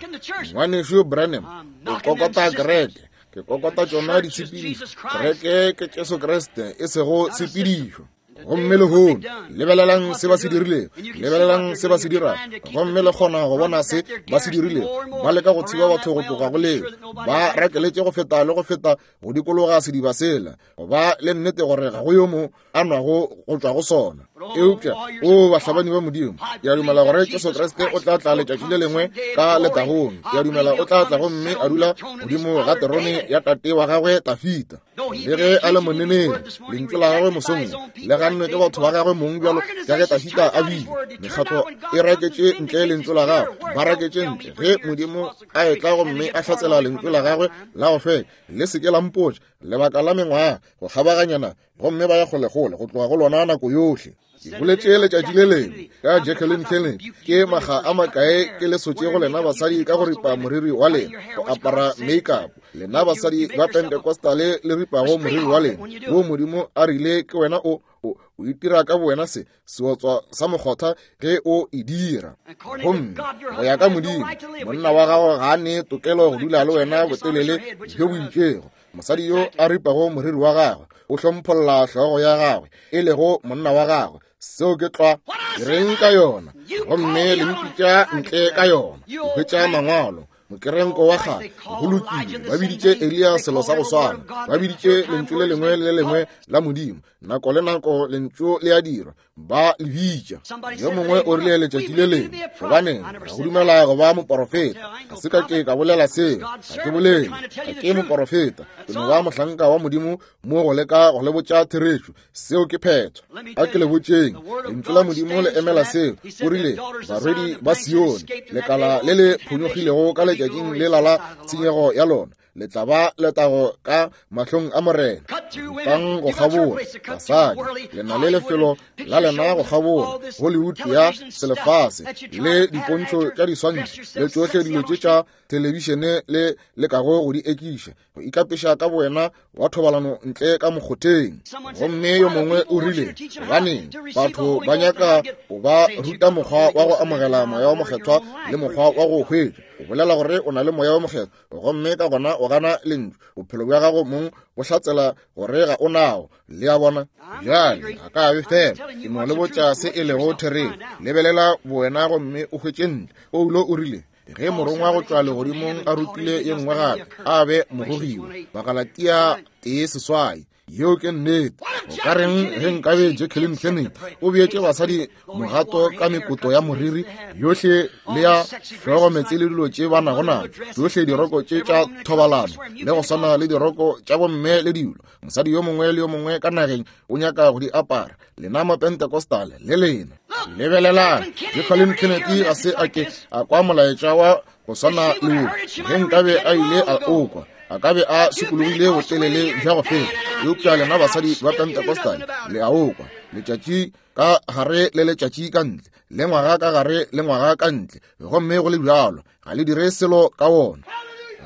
ngwanešu Branham o kokota kereke. Ke kokota tšona ditshepedišo. Kereke ke Jesu Kriste, e sego tshepedišo. Gomme lehono, lebelelang se ba se dirilego, lebelelang se ba se dirago, gomme le kgona go bona se ba se dirilego. Ba leka go thiba batho go tloga go leo, ba rakeletše go feta le go feta go dikologa sediba sela, go ba le nnete gore ga go yo mo a nwago go tšwa go sona. Eupša o bahlabani ba Modimo, ke a dumela gore Jesu Kriste o tla tla letšatši le lengwe ka letagong. Ke a dumela o tla tla gomme a dula godimo ga terone ya tate wa gagwe Tafita. Le ge a le moneneri, lentšu la gagwe mosong le gannwe ke batho ba gagwe mong bjalo ka ge Tafita a bile. Mekgatlo e raketše ntle lentšu la gagwe, ba raketše ntle. Ge Modimo a etla gomme a hlatsela lentšu la gagwe la go fela, le se ke la mpotša lebaka la mengwaga go kgabaganyana, gomme ba ya kgolekgole go tloga go lona nako yohle. Ke boletše letšatši le lengwe ka Jacqueline Kennedy, ke maga a makae ke le sotše go lena basadi ka go ripa moriri wa lena, go apara makeup. Lena basadi ba Pentecostale le ripago moriri wa lena, wo Modimo a rile ke wena o o o itira ka bowena se seotswa sa mokgotha ge o e dira. Gomme go ya ka Modimo, monna wa gago ga a ne tokelo go dula le wena botelele bjo bo itšego. Mosadi yo a ripago moriri wa gagwe o hlompholla hlogo ya gagwe, e lego monna wa gagwe. Seo ke tlwa ke reng ka yona, gomme le mpitša ntle ka yona. O hwetša mangwalo mokerenko wa kgale, go lokile. Ba biditše Eliya selo sa go swana, ba biditše lentšu le lengwe le le lengwe la Modimo. Nako le nako lentšu le a dirwa, ba le bitša. Yo mongwe o rile letšatši le lengwe, gobaneng go dumela go ba moporofeta. Ga se ka ke ka bolela seo, ga ke bolele, ga ke moporofeta, ke no ba mohlanka wa Modimo mo go leka go le botša therešo. Seo ke phetho. A ke le botšeng, lentšu la Modimo le emela seo. O rile, barwedi ba Sione, lekala le le phonyokgilego ka letšatšing le la la tshenyego ya lona, le tla ba letago ka mahlong a Morena. Rutang go kgabola, basadi, le na le lefelo la lena go kgabola, Hollywood ya selefase le dipontšho tša diswantšho le tšohle dilo tše tša thelebišene le lekago go di ekiša, go ikapeša ka bowena wa thobalano ntle ka mokgotheng. Gomme yo mongwe o rile, gobaneng batho ba nyaka go ba ruta mokgwa wa go amogela moya wa mokgethwa le mokgwa wa go hwetša. O bolela gore o na le moya wa mokgethwa, gomme ka gona o gana lentšu. Bophelo bja gago mong bo hlatsela gore ga o nao. Le a bona? Bjale ga ka be fela ke no le botša se e lego therešo. Lebelela bowena gomme o hwetše ntle. Paulo o rile, ge morongwa go tšwa legodimong a rutile ye nngwe gape, a be mogogiwa. Bagalatia tee seswai. Yeo ke nnete. O ka reng ge nkabe Jacqueline Kennedy o beetše basadi mogato ka mekoto ya moriri yohle le ya hlogo meetse le dilo tše ba nago nago, tšohle diroko tše tša thobalano le go swana le diroko tša bomme le dilo. Mosadi yo mongwe le yo mongwe ka nageng o nyaka go di apara. Lena Mapentecostal le lena lebelelang, Jacqueline Kennedy ga se a ke a kwa molaetša wa go swana le wo. Ge nkabe a ile a o kwa, a ka be a sokologile botelele bja go feta. Eupša lena basadi ba Pentecostal le a o kwa, letšatši ka gare le letšatši ka ntle, le ngwaga ka gare le ngwaga ka ntle, gomme go le bjalo ga le dire selo ka wona.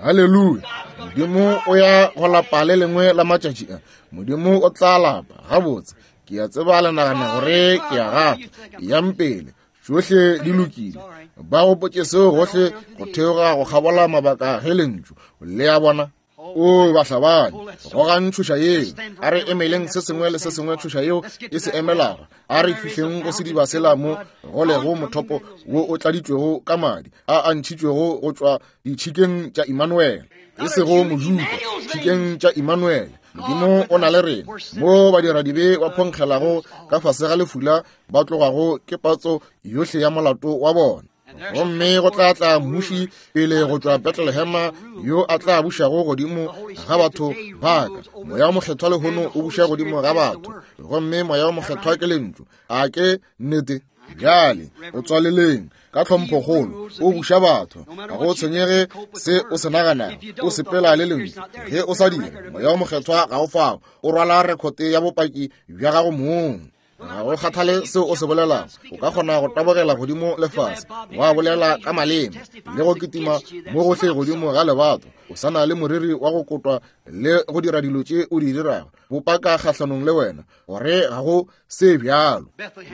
Haleluya! Modimo o ya go lapa le lengwe la matšatši a. Modimo o tla lapa. Gabotse, ke a tseba le nagana gore ke a gafa. Yang pele, tšohle di lokile. Ba gopotše seo gohle go theoga go kgabola mabaka ge lentšu. Le a bona? O bahlabani, gogang tšhoša yeo. A re emeleng se sengwe le se sengwe tšhoša yeo e se emelago. A re fihleng go sediba sela mo go lego mothopo wo o tladitšwego ka madi a a ntšhitšwego go tšwa ditšhikeng tša Immanuel, e sego Mojuda, tšhikeng tša Immanuel. Modimo o na le rena mo badiradibe ba phonkgelago ka fase ga lefula, ba tlogago ke patso yohle ya molato wa bona. Gomme go tla tla mmuši pele go tšwa Bethlehema yo a tla bušago godimo ga batho ba ka. Moya wa mokgethwa lehono o buša godimo ga batho, gomme moya wa mokgethwa ke lentšu. A ke nnete? Bjale o tswaleleng ka tlhomphokgolo, o buša batho. Ga go tshwenyege se o se naganago, o sepela le lentšu. Ge o sa dire, moya wa mokgethwa ga o fao, o rwala rekhote ya bopaki bja gago mong. Ga go kgathale seo o se bolelago, o ka kgona go tabogela godimo lefase, wa bolela ka maleme le go kitima mo gohle godimo ga lebato, o sa na le moriri wa go kotwa le go dira dilo tše o di dirago, bopaka kgahlanong le wena gore ga go se bjalo.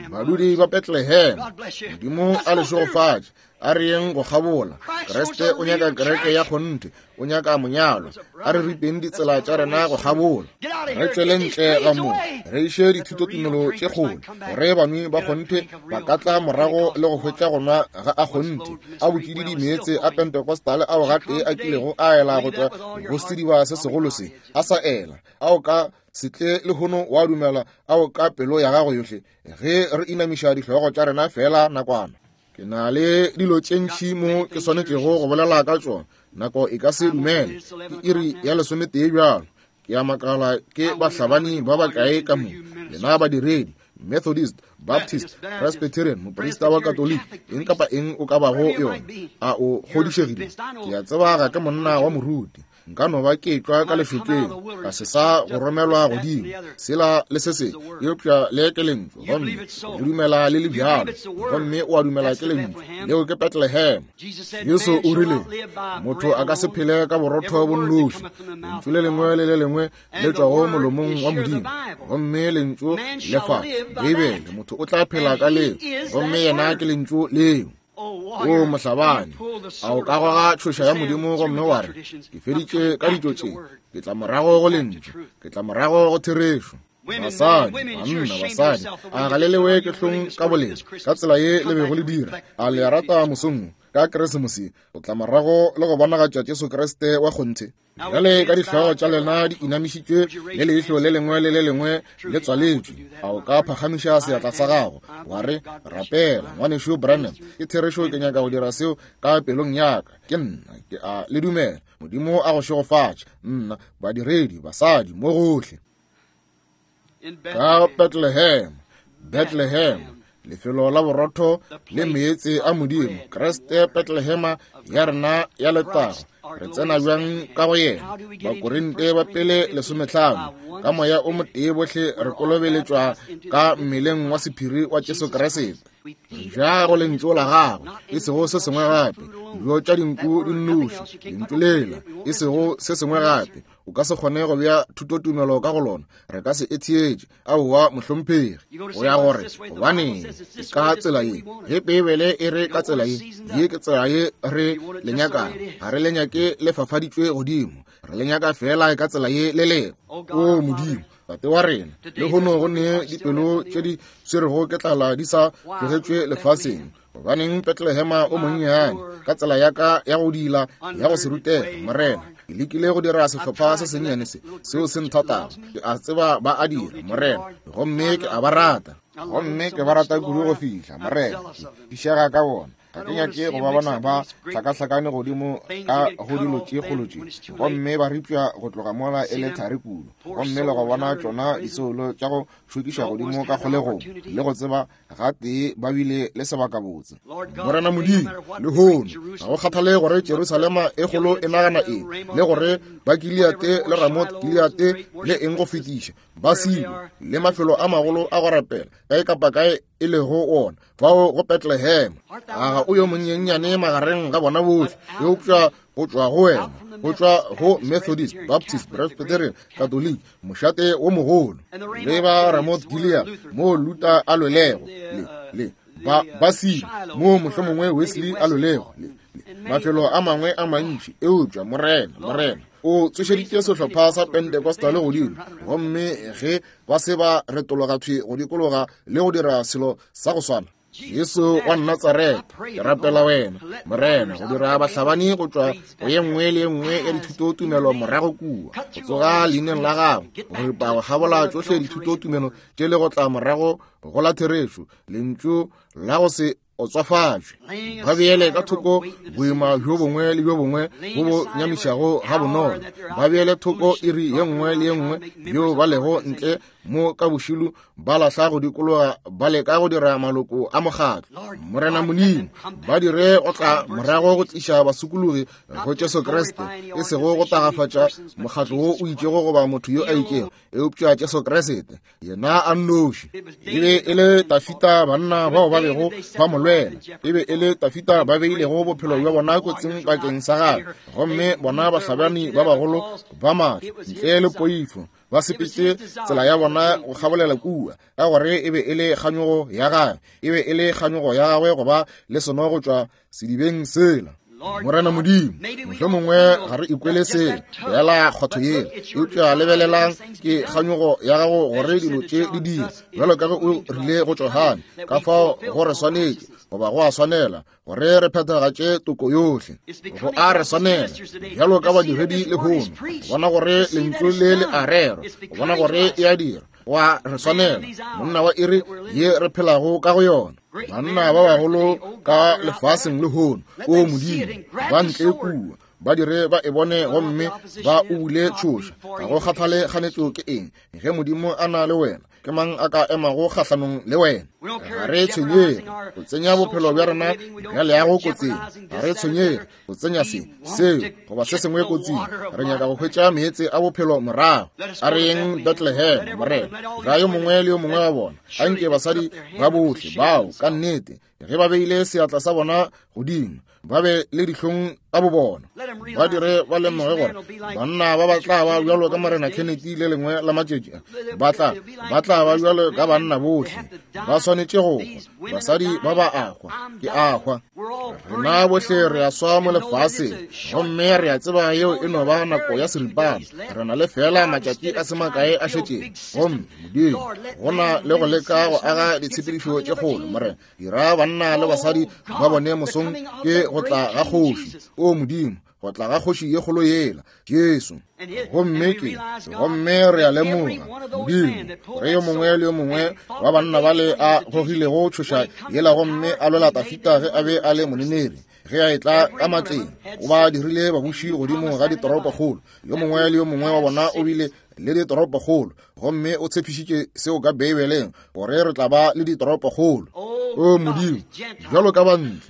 Badudi ba Bethlehem, Modimo a le šegofatše. A re yeng go kgabola. Kriste o nyaka kereke ya kgonthe, o nyaka monyalwa. A re ripeng ditsela tša rena go kgabola. Re tšwele ntle ga mo, re iše dithutotumelo tše kgolo, gore banwi ba kgonthe ba ka tla morago le go hwetša go nwa ga a kgonthe, a botšididi meetse a Pentecostal ao gatee a kilego a ela go tšwa go sediba se segolo se, a sa ela, ao ka se tle lehono wa dumela ao ka pelo ya gago yohle, ge re inamiša dihlogo tša rena fela nakwana. Ke na le dilo tše ntši mo ke swanetšego go bolela ka tšona, nako e ka se dumele. Ke iri ya lesometee bjalo. Ke a makala ke bahlabani ba bakae ka mo, lena badiredi, Methodist, Baptist, Presbyterian, moprista wa Katoliki, eng kapa eng o ka bago yona, a o kgodišegile? Ke a tseba ga ke monna wa moruti, nka no ba ke tšwa ka lešokeng, ka se sa go romelwa godimo, sela le se se, eupša le ke lentšu, gomme le dumela le le bjalo, gomme o a dumela ke lentšu, leo ke Bethlehem. Jesu o rile, motho a ka se phele ka borotho bo nnoši, lentšu le lengwe le le lengwe le tšwago molomong wa Modimo, gomme lentšu le fa Beibele, motho o tla phela ka leo, gomme yena ke lentšu leo. O mohlabani, a o ka goga tšhoša ya Modimo gomme wa re, ke feditše ka ditšo tše, ke tla morago go lentšu, ke tla morago go therešo. Basadi, banna, basadi, a ga le lewe ke hlong ka bolena, ka tsela ye le bego le dira, a le rata mosong ka Keresemose, o tla morago le go bonagatša Jesu Kriste wa kgonthe. Bjale ka dihlogo tša lena di inamišitšwe le leihlo le lengwe le le lengwe le tswaletšwe, a o ka phagamiša seatla sa gago wa re, rapela ngwanešu Branham, ke therešo, ke nyaka go dira seo ka pelong ya ka, ke nna, ke a le dumela. Modimo a go šegofatše, nna, badiredi, basadi, mo gohle. Ka Bethlehem, Bethlehem, lefelo la borotho le meetse a Modimo, Kriste Bethlehema ya rena ya letago. Re tsena bjang ka go yena? Bakorinte ba pele lesomehlano, ka moya o motee bohle re kolobeletšwa ka mmeleng wa sephiri wa Jesu Kriste. Ja go lentšu la gagwe, e sego se sengwe gape, dijo tša dinku di nnoši, lentšu lela, e sego se sengwe gape. O ka se kgone go bea thutotumelo ka go lona, re ka se e theetše. Aowa mohlomphegi, o ya gore gobaneng ka tsela ye, ge Beibele e re ka tsela ye, ye ke tsela ye re le nyakago, ga re le nyake le fafaditšwe godimo, re le nyaka fela ka tsela ye le lego. O Modimo, Tate wa rena, lehono go ne dipelo tše di swerego ke tlala di sa tlogetšwe lefaseng. Gobaneng Bethlehema o monnyane, ka tsela ya ka ya go dila ya go se rutega, Morena, ke lekile go dira sehlopha se sennyane se, seo se nthatago. Ke a tseba ba a dira, Morena, gomme ke a ba rata, gomme ke ba rata kudu go fihla, Morena, ke fišega ka bona. Ga ke nyake go ba bona ba hlakahlakane godimo ka go dilo tše kgolo tše, gomme ba ripša go tloga mola e le thari kudu, gomme le go bona tšona disoulo tša go šokiša godimo ka kgolegong, le go tseba gatee ba bile le sebakabotse. Morena Modimo, lehono ga go kgathale gore Jerusalema e kgolo e nagana eng, le gore ba Gileate le Ramoth Gileate le eng go fetiša, ba Silo le mafelo a magolo a go rapela kae kapa kae e lego ona, fao go Bethlehem. A ga o yo monyenyane magareng ga bona bohle, eupša go tšwa go wena, go tšwa go Methodist, Baptist, Presbyterian, Catholic, mošate wo mogolo, le ba Ramoth Gilead mo Luther a lwelego, le le ba ba Silo mo mohlomongwe Wesley a lwelego, le mafelo a mangwe a mantši. Eupša Morena, Morena o tsošeditše sehlopha sa Pentecostal godimo, gomme ge ba se ba retologa thwi go dikologa le go dira selo sa go swana, Jesu wa Natsaretha, ke rapela wena, Morena, go dira bahlabani go tšwa go ye nngwe le ye nngwe ya dithutotumelo morago kua, go tsoga leineng la gago, go ripa go kgabola tšohle dithutotumelo tše le go tla morago go la therešo, lentšu la go se otswafatšwe. Ba beele ka thoko boima bjo bongwe le bjo bongwe bo bo nyamišago ga bonolo, ba beele thoko iri ye nngwe le ye nngwe bjo ba lego ntle mo ka bošilu, ba lahla go dikologa ba leka go dira maloko a mokgatlo. Morena Modimo, ba dire go tla morago go tliša basokologi go Jesu Kriste, e sego go tagafatša mokgatlo wo o itšego goba motho yo a itšego, eupša Jesu Kriste yena a nnoši. E be e le Tafita banna bao ba bego ba mo lwela, e be e le Tafita ba beilego bophelo bja bona kotsing bakeng sa gagwe, gomme bona bahlabani ba bagolo ba maatla ntle le poifo Ba sepetše tsela ya bona go kgabolela kua, ka gore e be e le kganyogo ya gagwe, e be e le kganyogo ya gagwe go ba le seno go tšwa sedibeng sela. Morena Modimo, mohlomongwe ga re ikwele selo fela kgwatho yela, eupša lebelelang ke kganyogo ya gago gore dilo tše di dira bjalo ka ge o rile go Johane. Ka fao go re swanetše goba go a swanela gore re phethagatše toko yohle. Go a re swanela bjalo ka badiredi lehono go bona gore lentšu le le a rerwa, go bona gore e a dira. Go a re swanela monna wa iri ye re phelago ka go yona, banna ba bagolo ka lefaseng lehono. O Modimo, ba ntle kua ba dire ba e bone gomme ba o bule tšhoša. Ga go kgathale kganetšo ke eng, ge Modimo a na le wena, ke mang a ka emago kgahlanong le wena? Ga re tshwenyege go tsenya bophelo bja rena bja leago kotsing, ga re tshwenyege go tsenya se seo goba se sengwe kotsing. Re nyaka go hwetša meetse a bophelo morago. A re yeng Bethlehem, Morena. Ga yo mongwe le yo mongwe wa bona, anke basadi ba bohle bao ka nnete ge ba beile seatla sa bona godimo ba be le dihlong ka bo bona, ba dire ba lemoge gore banna ba ba tla ba bjalo ka Morena Kennedy le lengwe la matšatši a, ba tla ba tla ba bjalo ka banna bohle. Ba swanetše go hwa. Basadi ba ba a hwa, ke a hwa. Rena bohle re a swa mo lefaseng, gomme re a tseba yeo e no ba nako ya seripana. Re na le fela matšatši a se makae a šetšeng. Gomme Modimo, go na le go leka go aga ditshepedišo tše kgolo, Morena, dira banna le basadi ba bone mosong ke go tla ga kgoši. O Modimo, go tla ga kgoši ye kgolo yela, Jesu. Gomme ke gomme re a lemoga, Modimo, gore yo mongwe le yo mongwe wa banna bale a gogilego tšhoša yela gomme a lwela Dafita ge a be a le moneneri, ge a etla ka matleng, o ba dirile babuši godimo ga ditoropokgolo. Yo mongwe le yo mongwe wa bona o bile le ditoropokgolo, gomme o tshepišitše seo ka Beibeleng gore re tla ba le ditoropokgolo. O Modimo, bjalo ka bantle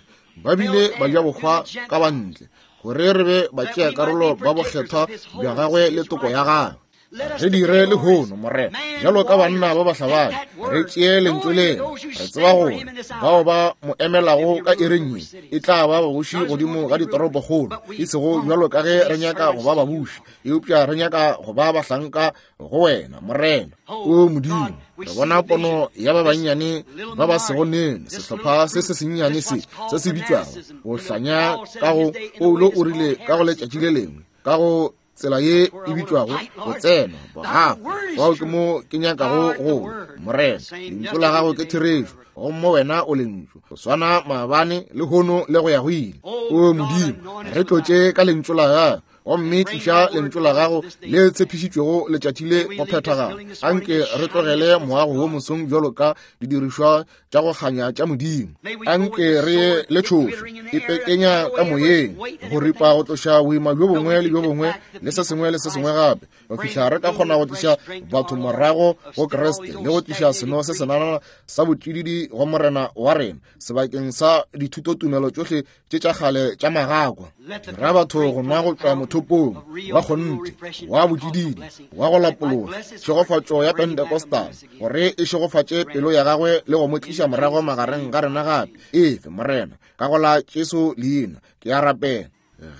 ba bile ba ja bohwa ka bantle, gore re be batšea karolo ba bokgethwa bja gagwe le toko ya gagwe. Re dire lehono, Morena, bjalo ka banna ba bahlabani, re tšee lentšu lena. Re tseba gore bao ba mo emelago ka iring ye e tla ba babuši godimo ga ditoropokgolo, e sego bjalo ka ge re nyaka go ba babuši, eupša re nyaka go ba bahlanka go wena, Morena. O Modimo, re bona pono ya ba bannyane ba ba sego nene, sehlopha se se sennyane se se se bitšwago go hlanya ka go Paulo o rile ka go letšatši le lengwe, ka go tsela ye e bitšwago go tsena bogafa. Bao ke mo ke nyakago go, Morena. Lentšu la gago ke therešo, gomme wena o lentšu, go swana maabane lehono le go ya go ile. O Modimo, re tlotše ka lentšu la gago, gomme tliša lentšu la gago le tshepišitšwego letšatši le go phethagala. Anke re tlogele moago wo mosong bjalo ka didirišwa tša go kganya tša Modimo. Anke re ye le tšhošo e pekenya ka moyeng, go ripa go tloša boima bjo bongwe le bjo bongwe le se sengwe le se sengwe gape, go fihla re ka kgona go tliša batho morago go Kriste le go tliša seno se senana sa botšididi go Morena wa rena sebakeng sa dithutotumelo tšohle tše tša kgale tša magakwa. Dira batho go nwa go tšwa mothopong wa kgonthe wa botšididi wa go lapološa tšhegofatšo ya Pentecostal, gore e šegofatše pelo ya gagwe le go mo tliša morago magareng ga rena gape. Efe, Morena, ka go la Jesu leina ke a rapela.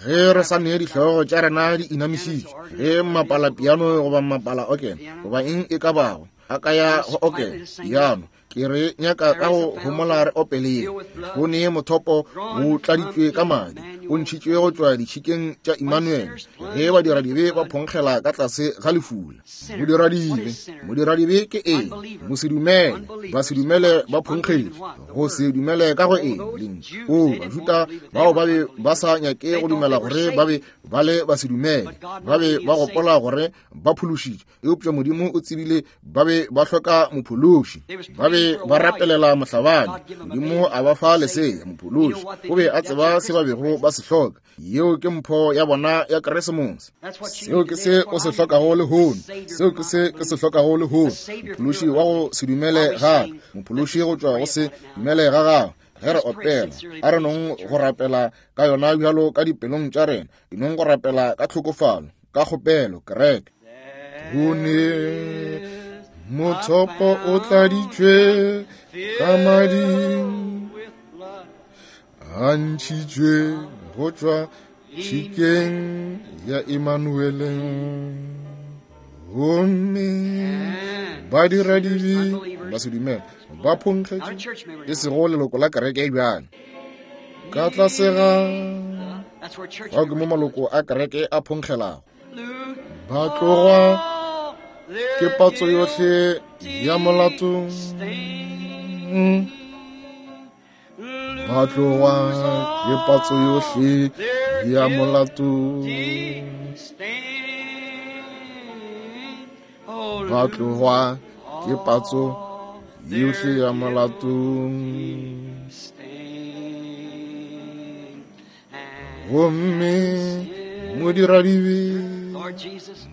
Ge re sa nee dihlogo tša rena di inamišitše, ge mapala piano goba mapala okene goba eng e ka bago a ka ya go okene piano, ke re nyaka ka go homola re opeleng. Go nee mothopo o tladitšwe ka madi, o ntšhitšwe go tšwa ditšhikeng tša Emmanuel, ge badiradibe ba phonkgela ka tlase ga lefula. Modiradibe, modiradibe ke eng? Mosedumele, basedumele ba phonkgetše. Go se dumele ka go eng? Lentšu. O Bajuda bao ba be ba sa nyake go dumela gore ba be ba le basedumele, ba be ba gopola gore ba phološitše, eupša Modimo o tsebile ba be ba hloka mophološi. Ba be ba rapelela mohlabani, Modimo a ba fa lesea, mophološi. O be a tseba se ba bego ba se hloka. Yeo ke mpho ya bona ya Keresemose. Seo ke se o se hlokago lehono. Seo ke se ke se hlokago lehono. Mophološi wa go se dumele ga ka, mophološi go tšwa go se dumele ga gago. Ge re opela, a re nong go rapela ka yona bjalo ka dipelong tša rena, dinong go rapela ka tlhokofalo, ka kgopelo, kereke. Go ne mothopo o tladitšwe ka madi, a ntšhitšwe go tšwa tšhikeng ya Emmanueleng. Gomme ba dira dibe ba se dumela ba phonkgetše e sego leloko la kereke bjale ka tlase ga fao ke mo maloko a kereke a phonkgelago ba tlogwa ke patso yohle ya molato ba tlogwa ke patso yohle ya molato ba tlogwa ke patso yohle ya molato gomme modiradibe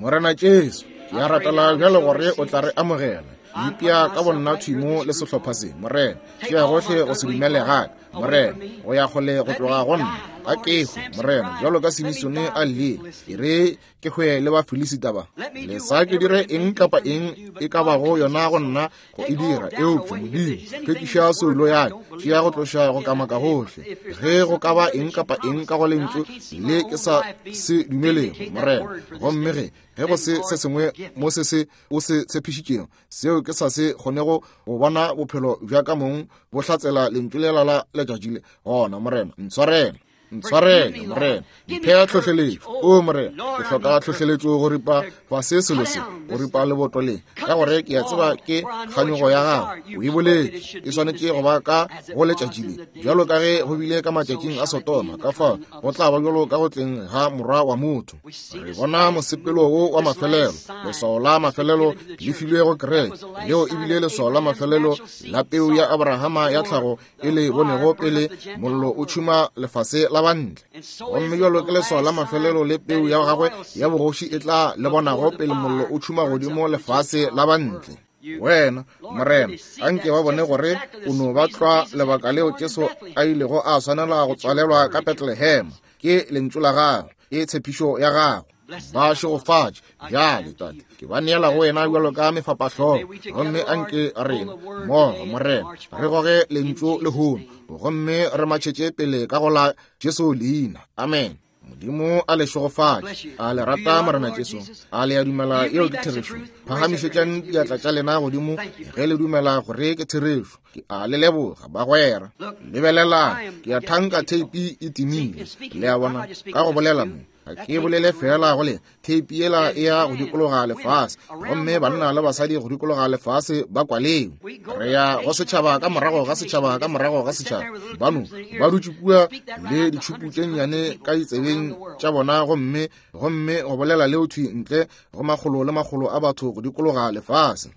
Morena Jesu ke a rapela bjale gore o tla re amogela ipea ka bonna thwimo le sehlopha se Morena tšea gohle go se dumele gaka Morena go ya kgole go tloga go nna ka kehwe Morena bjalo ka Simisone a llile e re ke hwe le Bafilisita ba lesa ke dire eng kapa eng e ka bago yona go nna go e dira eupša Modimo hlwekiša soulo ya ka tšea go tloša go kamaka gohle ge go ka ba eng kapa eng ka go lentšu le ke sa se dumelego Morena gomme ge ge go se se sengwe mo se se o se tshepišitšego seo ke sa se kgonego go bona bophelo bja ka mong bo hlatsela lentšu lela la letšatši le gona Morena ntshwarele ntshwarele Morena mphea tlhohleletšo o Morena ke hloka tlhohleletšo go ripa fase selo se go ripa leboto le ka gore ke a tseba ke kganyogo ya gago o e boletše e swanetše go ba ka go letšatši le bjalo ka ge go bile ka matšatšing a Sodoma ka fao go tla ba bjalo ka go tleng ga morwa wa motho re bona mosepelo wo wa mafelelo leswao la mafelelo le filwe go kereke leo e bile leswao la mafelelo la peu ya Abrahama ya tlhago e le bonego pele mollo o tšhuma lefase la bantle gomme bjalo ke leswao la mafelelo le peu ya gagwe ya bogoši e tla le bonago pele mollo o tšhuma godimo lefase la bantle wena Morena anke ba bone gore o no ba tlwa lebaka leo Jesu a ilego a swanela go tswalelwa ka Bethlehem ke lentšu la gago ke tshepišo ya gago ba šegofatše bjale Tate ke ba neela go wena bjalo ka mefapahlogo gomme anke rena mmogo Morena re goge lentšu lehono gomme re matšhetše pele ka go la Jesu leina amen Modimo a le šegofatše a le rata Morena Jesu a le a dumela yeo ke therešo phagamišetšang diatla tša lena godimo ge le dumela gore ke therešo ke a le leboga bagwera lebelelang ke a thanka theipi e timile le a bona ka go bolela mo ga ke bolele fela go le theipi yela e ya go dikologa lefase gomme banna le basadi go dikologa lefase ba kwaleo re ya go setšhaba ka morago ga setšhaba ka morago ga setšhaba bano ba dutše kua le ditšhupu tše nnyane ka ditsebeng tša bona gomme gomme go bolela leo thwi ntle go makgolo le makgolo a batho go dikologa lefase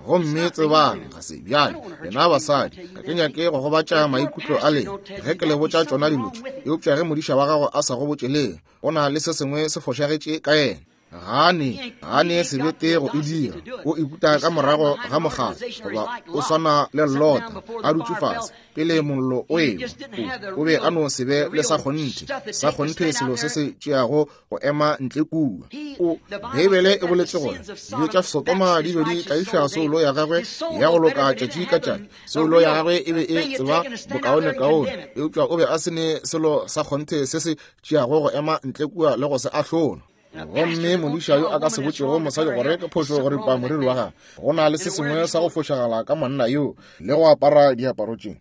gomme tsebang ga se bjale lena basadi ga ke nyake go gobatša maikutlo a lena ge ke le botša tšona dilo tše eupša ge modiša wa gago a sa go botše leng go na le se sengwe se fošagetše ka yena gane gane sebete go e dira o ikuta ka morago ga mokgatlo goba o swana le Lota a dutše fase pele mollo o ewa o be a no se be le sa kgonthe sa kgonthe selo se se tšeago go ema ntle kua o Beibele e boletše gore dibe tša Sodoma di be di tlaiša soulo ya gagwe ya go loka tšatši ka tšatši soulo ya gagwe e be e tseba bokaonekaone eupša o be a se ne selo sa kgonthe se se tšeago go ema ntle kua le go se ahlola gomme modiša yo a ka se botšego mosadi gore ke phošo go ripa moriri wa gagwe go na le se sengwe sa go fošagala ka monna yo le go apara diaparo tše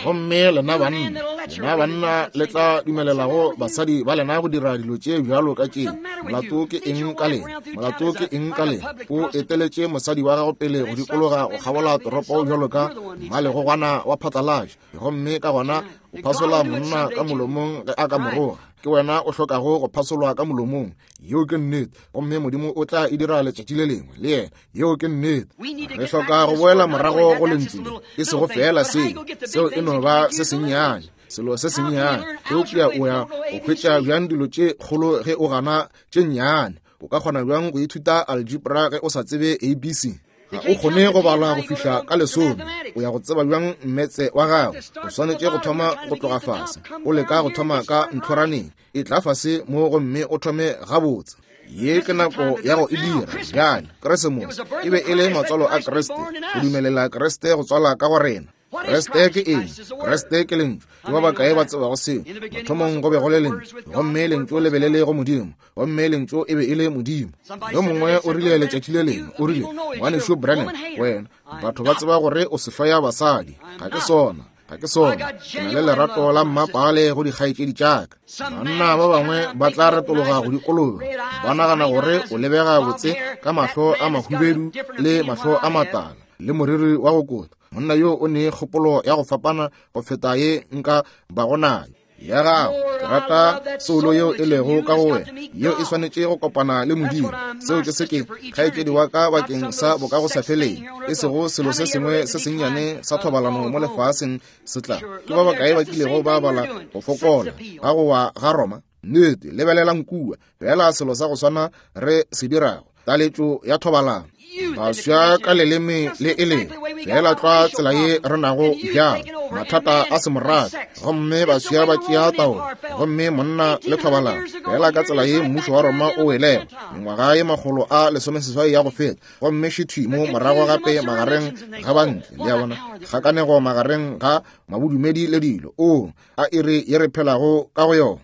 gomme lena banna lena banna le tla dumelelago basadi ba lena go dira dilo tše bjalo ka tše molato ke eng ka lena molato ke eng ka lena o eteletše mosadi wa gago pele go dikologa go kgabola toropo bjalo ka mmalegogwana wa phatlalatša gomme ka gona o phasola monna ka molomong ge a ka moroga ke wena o hlokago go phasolwa ka molomong yeo ke nnete gomme Modimo o tla e dira letšatši le lengwe le yena yeo ke nnete re hloka go boela morago go lentšu le e sego fela seo seo e no ba se sennyane selo se sennyane eupša o ya go hwetša bjang dilo tše kgolo ge o gana tše nnyane o ka kgona bjang go ithuta algebra ge o sa tsebe A B C ga o kgone go bala go fihla ka lesome o ya go tseba bjang mmetse wa gago o swanetše go thoma go tloga fase o leka go thoma ka ntlhoraneng e tla fase mo gomme o thome gabotse ye ke nako ya go e dira bjale Keresemose e be e le matswalo a Kriste go dumelela Kriste go tswala ka go rena Kriste ke eng? Kriste ke Lentšu. Ke ba bakae ba tsebago seo? Mathomong go be go le Lentšu, gomme Lentšu le be le le go Modimo, gomme Lentšu e be e le Modimo. Yo mongwe o rile letšatši le lengwe, o rile, Ngwanešu Branham, wena, batho ba tseba gore o sehloya basadi. Ga ke sona. Ga ke sona. Ke na le lerato la mmapale go dikgaetšedi tša ka. Banna ba bangwe ba tla retologa go dikologa, ba nagana gore o lebega botse ka mahlo a mahubedu le mahlo a matala le moriri wa go kota. Monna yo o ne kgopolo ya go fapana go feta ye nka bago nayo ya gago. Ke rata soulo yeo e lego ka go wena, yeo e swanetše go kopana le Modimo. Seo ke se ke kgaetšedi wa ka bakeng sa bokagosafeleng, e sego selo se sengwe se sennyane sa thobalano mo lefaseng se tla. Ke ba bakae ba kilego ba bala go fokola ga go wa ga Roma? Nnete, lebelelang kua, fela selo sa go swana re se dirago, taletšo ya thobalano. Baswa ka leleme le e leng fela tlwa tsela ye re nago bjalo, mathata a semorafe, gomme baswa ba tšea taolo, gomme monna le thobalano fela ka tsela ye mmušo wa Roma o welego mengwaga ye makgolo a lesomeseswai ya go feta, gomme šithwi mo morago gape magareng ga bantle, le a bona, kgakanego magareng ga mabodumedi le dilo. O a iri ye re phelago ka go yona.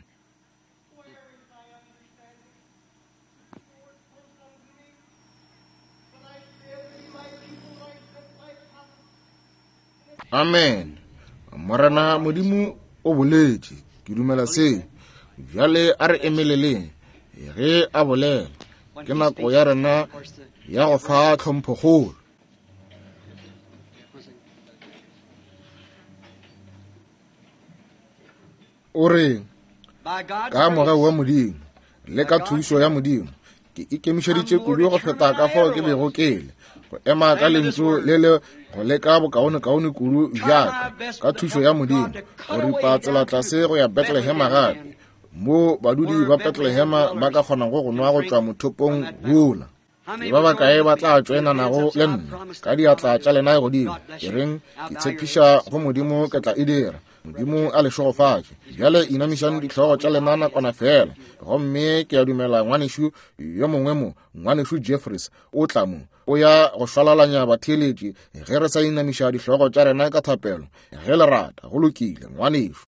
Amen. Morena Modimo o boletše. Ke dumela seo. Bjale a re emeleleng ge a bolela. Ke nako ya rena ya go fa tlhomphokgolo. O re, ka mogau wa Modimo le ka thušo ya Modimo, ke ikemišeditše kudu go feta ka fao ke bego ke le, go ema ka lentšu le le go leka bokaonekaone kudu bjaka, ka thušo ya Modimo, go ripa tsela tlase go ya Bethlehema gape, mo badudi ba Bethlehema ba ka kgonago go nwa go tšwa mothopong wola. Ke ba bakae ba tla tšoenanago le nna ka diatla tša lena godimo? Ke reng, ke tshepiša go Modimo ke tla e dira. Modimo a le šegofatše. Bjale inamišang dihlogo tša lena nakwana fela. Gomme ke a dumela ngwanešu yo mongwe mo, ngwanešu Jeffries, o tla mo, o ya go šwalalanya batheeletši ge re sa inamiša dihlogo tša rena ka thapelo. Ge le rata, go lokile, ngwanešu.